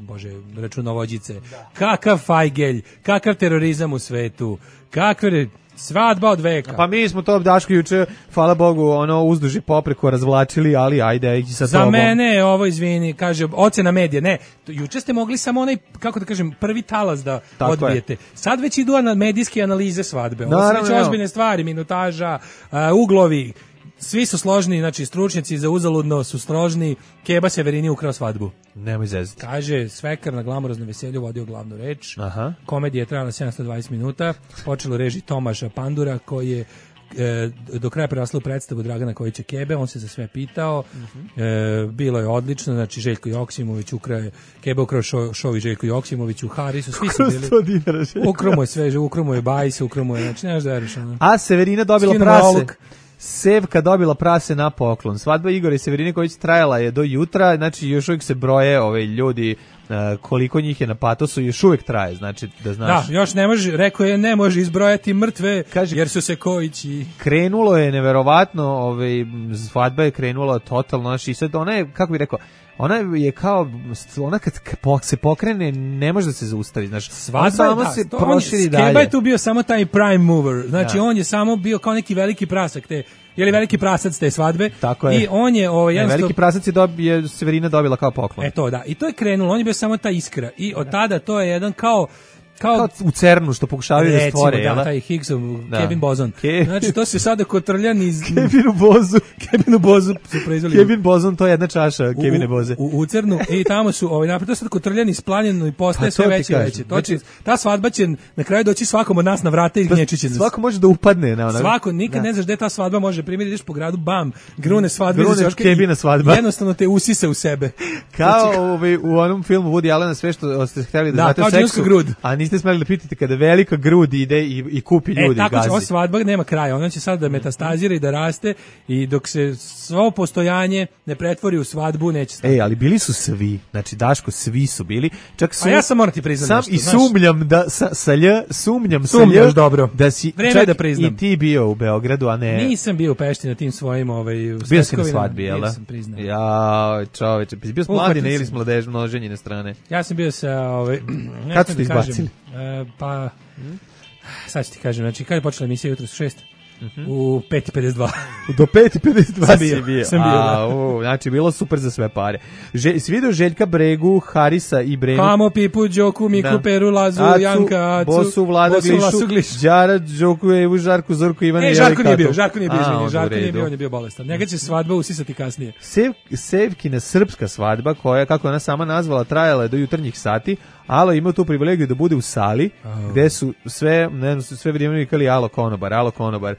računovođice, kakav fajgelj, kakav terorizam u svetu, kakve... Svadba od veka. Pa mi smo to Daško juče, hvala Bogu, uzduži popreko razvlačili, ali ajde ići sa tobom. Za mene je ovo, izvini, kaže, ocena medija. Ne, juče ste mogli samo onaj, kako da kažem, prvi talas da odbijete. Sad već idu medijske analize svadbe. Ovo su već ozbiljne stvari, minutaža, uglovi. Svi su složni, znači stručnjaci za uzaludno su složni. Keba Severini ukrao svadbu. Nemoj zezati. Kaže, Svekar na glamuroznom veselju vodio glavnu reč. Aha. Komedija je trajala 720 minuta. Počelo reži Tomaša Pandura, koji je do kraja prerasla u predstavu Dragana Kojića Kebe. On se za sve pitao. Bilo je odlično, znači Željko Joksimović Kebe ukrao šovi Željko Joksimović u Harisu. Svi su bili. Ukromo je sve, ukromo je Bajs, ukromo je, znači nemaš da veriš. A Severina dobila prase. Sevka dobila prase na poklon. Svadba Igora i Severine Kojić trajala je do jutra, znači još uvijek se broje ljudi koliko njih je na patosu, još uvijek traje, znači da znaš. Da, još ne može, rekao je, ne može izbrojati mrtve, jer su se Kojići. Krenulo je neverovatno, svadba je krenula totalno, znači sad ona je, kako bih rekao, ona je kao, ona kad se pokrene, ne može da se zaustavi, znači, svadba se proširi dalje. Skeba je tu bio samo taj prime mover, znači on je samo bio kao neki veliki prasak te, je li veliki prasac te svadbe. Tako je. I on je jednostavno... Veliki prasac je Severina dobila kao poklon. To da, i to je krenulo, on je bio samo ta iskra i od tada to je jedan kao u CERN-u što pokušavaju da stvore. Recimo, taj Higgsov, Kevin Bozon. Znači, to se sada kotrljan iz... Kevinu Bozu su proizveli. Kevin Bozon, to je jedna čaša Kevine Boze. U CERN-u, i tamo su, napred, to je sada kotrljan iz planjeno i postaje sve veće i veće. Znači, ta svadba će na kraju doći svakom od nas na vrata i gnječit će nas. Svako može da upadne. Svako, nikad ne znaš gde ta svadba može primiti, ideš po gradu, bam, grune svadbe. Grune Kevina svadba. Jednostavno te usise u sebe. Kao u onom filmu Woody Allena, sve što ste htjeli da znate o seksu, a niste smeli da pitate kada velika grud ide i kupi ljudi tako gazi. Ova svadba nema kraja, ona će sad da metastazira i da raste i dok se svo postojanje ne pretvori u svadbu, neće stati. Ali bili su svi, znači Daško, svi su bili. Čak su, ja sam moram ti priznati nešto. Sumnjam da sumnjaš dobro. Da si čak da priznam. I ti bio u Beogradu, a ne... Nisam bio u Pešti na tim svojim bio si na svadbi, jel da? Nisam priznam. Ja, čoveče, bio s mladine ili s mladežnje strane? Ja sam bio sa... Kad ste izbacili? Pa, sad ću ti kažem, znači kada je počela emisija jutro su 6? U 5:52. Do 5:52 sam bio. Da. Znači, bilo super za sve pare. Si vidio Željka Bregu, Harisa i Brenu? Hamo, Pipu, Đoku, Miku, Peru, Lazu, Janka, Acu, Bosu, Vlada, Glišu, Đara, Đoku, Evu, Žarku, Zorku, Ivana i Žarko nije bio, on je bio bolestan. Njega će svadba usisati kasnije. Sevkina srpska svadba, koja, kako ona sama nazvala, trajala je do jutarnjih sati, Alo imao tu privilegiju da bude u sali, gde su sve vrijeme vikali alo konobar.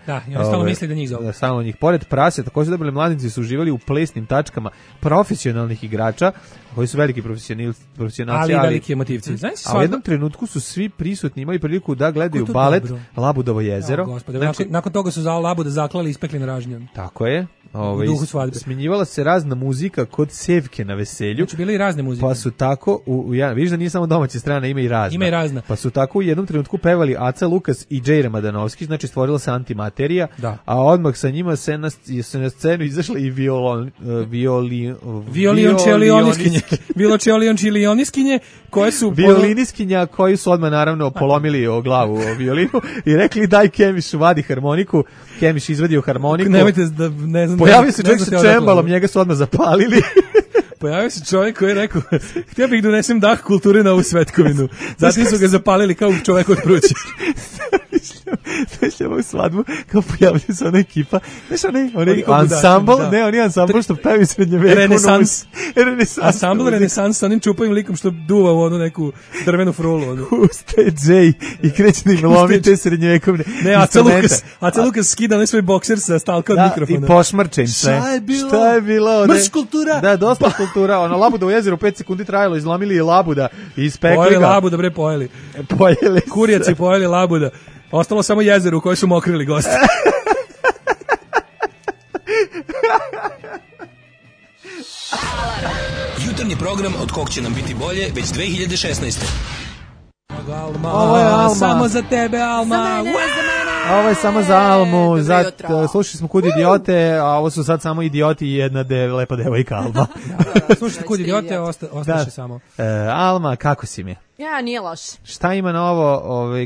Da, i oni stalno misli da njih zove. Stalno njih. Pored prase, također dobili mladinci su uživali u plesnim tačkama profesionalnih igrača, koji su veliki profesionalci. Ali veliki emotivci. A u jednom trenutku su svi prisutni imali priliku da gledaju balet Labudovo jezero. Nakon toga su za Labuda zaklali i ispekli na ražnjan. Tako je. U duhu svadbe. Smenjivala se razna muzika kod Sevke na veselju. Znači bile i razne muzike. Pa su tako, vidiš da nije samo domaća strana, ima i razna. Pa su tako u jednom trenutku pevali Aca Lukas i Džejre Madanovski, znači stvorila se antimaterija, a odmah sa njima se na scenu izašla i violončelioniskinje, koje su... Violiniskinja koji su odmah naravno polomili o glavu o violinu i rekli daj Kemišu, vadi harmoniku. Kemiš izvadio harmoniku. Nemojte da, ne znam... Pojavio se čovjek sa čembalom, njega su odmah zapalili. Pojavio se čovjek koji je rekao, htio bih donesem dah kulture na ovu svetkovinu. Zatim su ga zapalili kao čovjek od pruće. Znaš ovu svadbu, kao pojavljaju se ona ekipa, znaš onaj ansambl, oni ansambl što pevi srednjeveku. Renesans. Ansambl Renesans sa onim čupavim likom što duva u onu neku drvenu frulu. Ustaje Jay i kreće da im lomi te srednjevekovne instrumente. Aca Lukas skida onaj svoj bokser sa stalka od mikrofona. I pošmrčen sve. Šta je bilo? Mrš kultura. Da, dosta kultura. Ono, Labudovo jezero 5 sekundi trajalo, izlomili je Labuda i ispekli ga. Pojeli Labuda, bre, pojeli. Kurjaci pojeli Labuda. Ostalo samo jezero u koje su mokrili gosti. Jutarnji program od kog će nam biti bolje već 2016. Ovo je Alma. Samo za tebe, Alma. Ovo je samo za Almu. Slušali smo Kud idiote, a ovo su sad samo idioti i jedna lepa devojka Alma. Slušajte Kud idiote, ostaše samo. Alma, kako si mi? Ja, nije loš. Šta ima novo,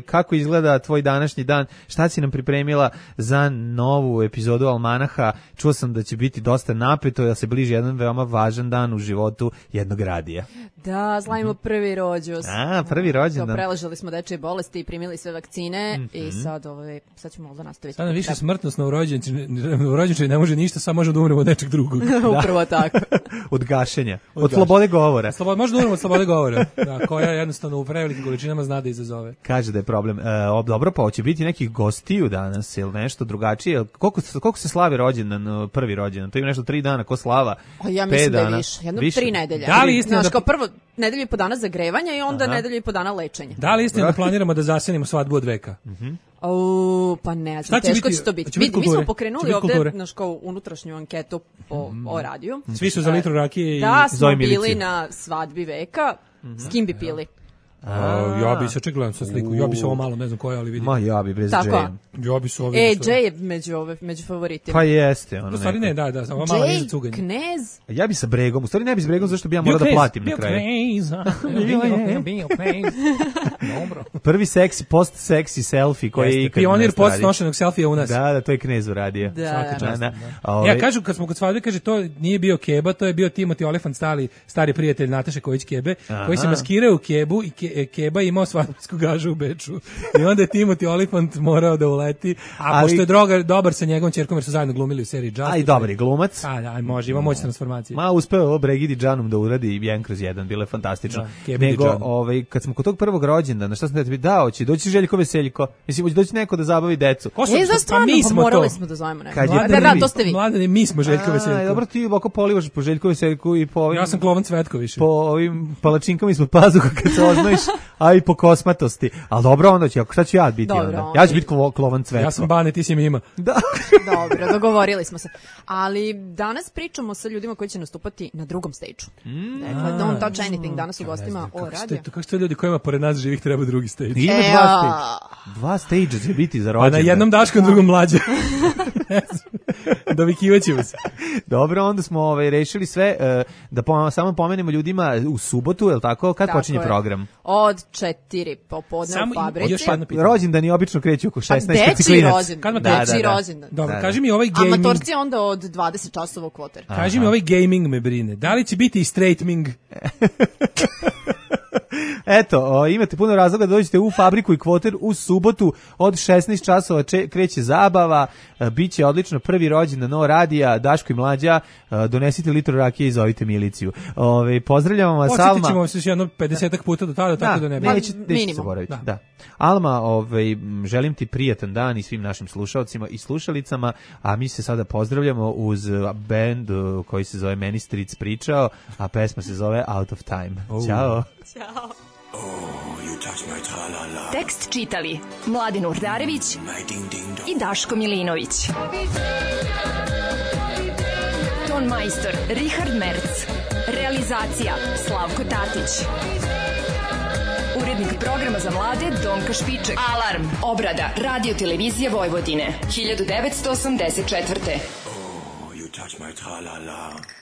kako izgleda tvoj današnji dan, šta si nam pripremila za novu epizodu Almanaha? Čuo sam da će biti dosta napeto, jer se bliži jedan veoma važan dan u životu jednog radija. Da, slavimo prvi rođus. Prvi rođendan. Preležali smo dečje bolesti i primili sve vakcine i sad ćemo možda nastaviti. Sada više smrtnost na urođenčaju ne može ništa, samo možemo da umremo od nečeg drugog. Upravo tako. Od gašenja, od slobode govora. Možda umremo od slobode govora, koja jednostavno jednostavno u prevelikim količinama zna da izazove. Kaže da je problem. Dobro, pa hoće biti nekih gostiju danas ili nešto drugačije. Koliko se slavi rođendan, prvi rođendan? To ima nešto 3 dana, ko slava? Ja mislim da je više. Jedno 3 nedelje. Da li istina kao prvo nedelju i po dana zagrevanja i onda nedelju i po dana lečenja. Da li istina da planiramo da zasenimo svadbu od veka? Pa ne znam, teško će to biti. Mi smo pokrenuli ovde kao unutrašnju anketu o radiju. Svi su za litru rakije i da smo bili na svadbi veka, s kim bi pili? Ja bi se gledam sa sliku, ja bi se ovo malo, ne znam koja, ali vidim. Ma ja bi bez Jay. Ja bi se ovo Jay je među favoritima. Pa jeste. U stvari ne, da, ovo malo niže cuganje. Knez. Ja bi sa Bregom, u stvari ne bi s Bregom, zašto bi ja morao da platim na kraju. Bio Knez. Dobro. Prvi seksi, post-seksi selfie koji je ikad pionir post-nošenog selfija u nas. Da, to je Knez uradio. Da. Ja kažu, kad smo kod svadbe, kaže, to nije bio Keba, to je bio Timothy Olyphant, stari prijatelj Nataše Kojić Kebe, koji se maskirao u Kebu i Keba imao svadbsku gažu u Beču. I onda je Timothy Olyphant morao da uleti, pošto je dobar sa njegovom ćerkom, jer su zajedno glumili u seriji Just. A i dobar je glumac. Može, ima moć transformacije. Uspeo ovo Bregidi Džanom da uradi 1/1, bilo je fantastično. Nego, kad smo kod tog prvog rođendana, šta sam da ti hoće doći Željko Veseljko, mislim, hoće doći neko da zabavi decu. Morali smo da zovemo neko. Da, to ste vi. Mladene, mi smo Željko Veseljko. Dobro, ti ovako polivaš po Željko Veseljku i po ovim... Ja sam Klovan Cvetko više. Po ovim palačinkama ispod pazuha kad se oznojiš, a i po kosmatosti. Ali dobro, onda će, šta ću ja biti onda? Ja ću biti Klovan Cvetko. Ja sam Bane, ti si mi ima. Da. Dobro, dogovorili smo se. Ali danas pričamo sa ljudima koji će nastupati na drugom stage-u. Dakle, Don't Touch Anything danas u gostima o radiju. Kako ste ljudi kojima pored nas živih treba drugi stage? Ima 2 stage će biti za rođendan. A na jednom Daškom, drugom Mlađe. Dovikivaćemo se. Dobro, onda smo rešili sve, da samo pomenemo ljudima u subotu, je li tako? Kad počinje program? Od 4 popodne u fabrici. Rođendani obično kreću oko 16 Dečiji rođendan. Dobro, kaži mi ovaj gaming... Amatorci onda od 20 časova u kvoter. Kaži mi ovaj gaming me brine. Da li će biti i straightming? Eto, imate puno razloga da dođete u fabriku i kvoter u subotu od 16 časova kreće zabava, biće odlično prvi rođendan No radija, Daško i Mlađa, donesite litru rakije i zovite miliciju. Pozdravljamo vas, Alma. Podsjetit ćemo se jedno 50 puta do tada, tako da ne bi. Nećete zaboraviti. Da. Alma, želim ti prijatan dan i svim našim slušalcima i slušalicama, a mi se sada pozdravljamo uz band koji se zove Meni Stric pričao, a pesma se zove Out of Time. Ćao. Ćao. Tekst čitali Mladin Urdarević i Daško Milinović. Ton majstor Richard Merc. Realizacija Slavko Tatić. Urednik programa za mlade Donka Špiček. Alarm. Obrada Radio Televizije Vojvodine 1984. You touch my tra-la-la.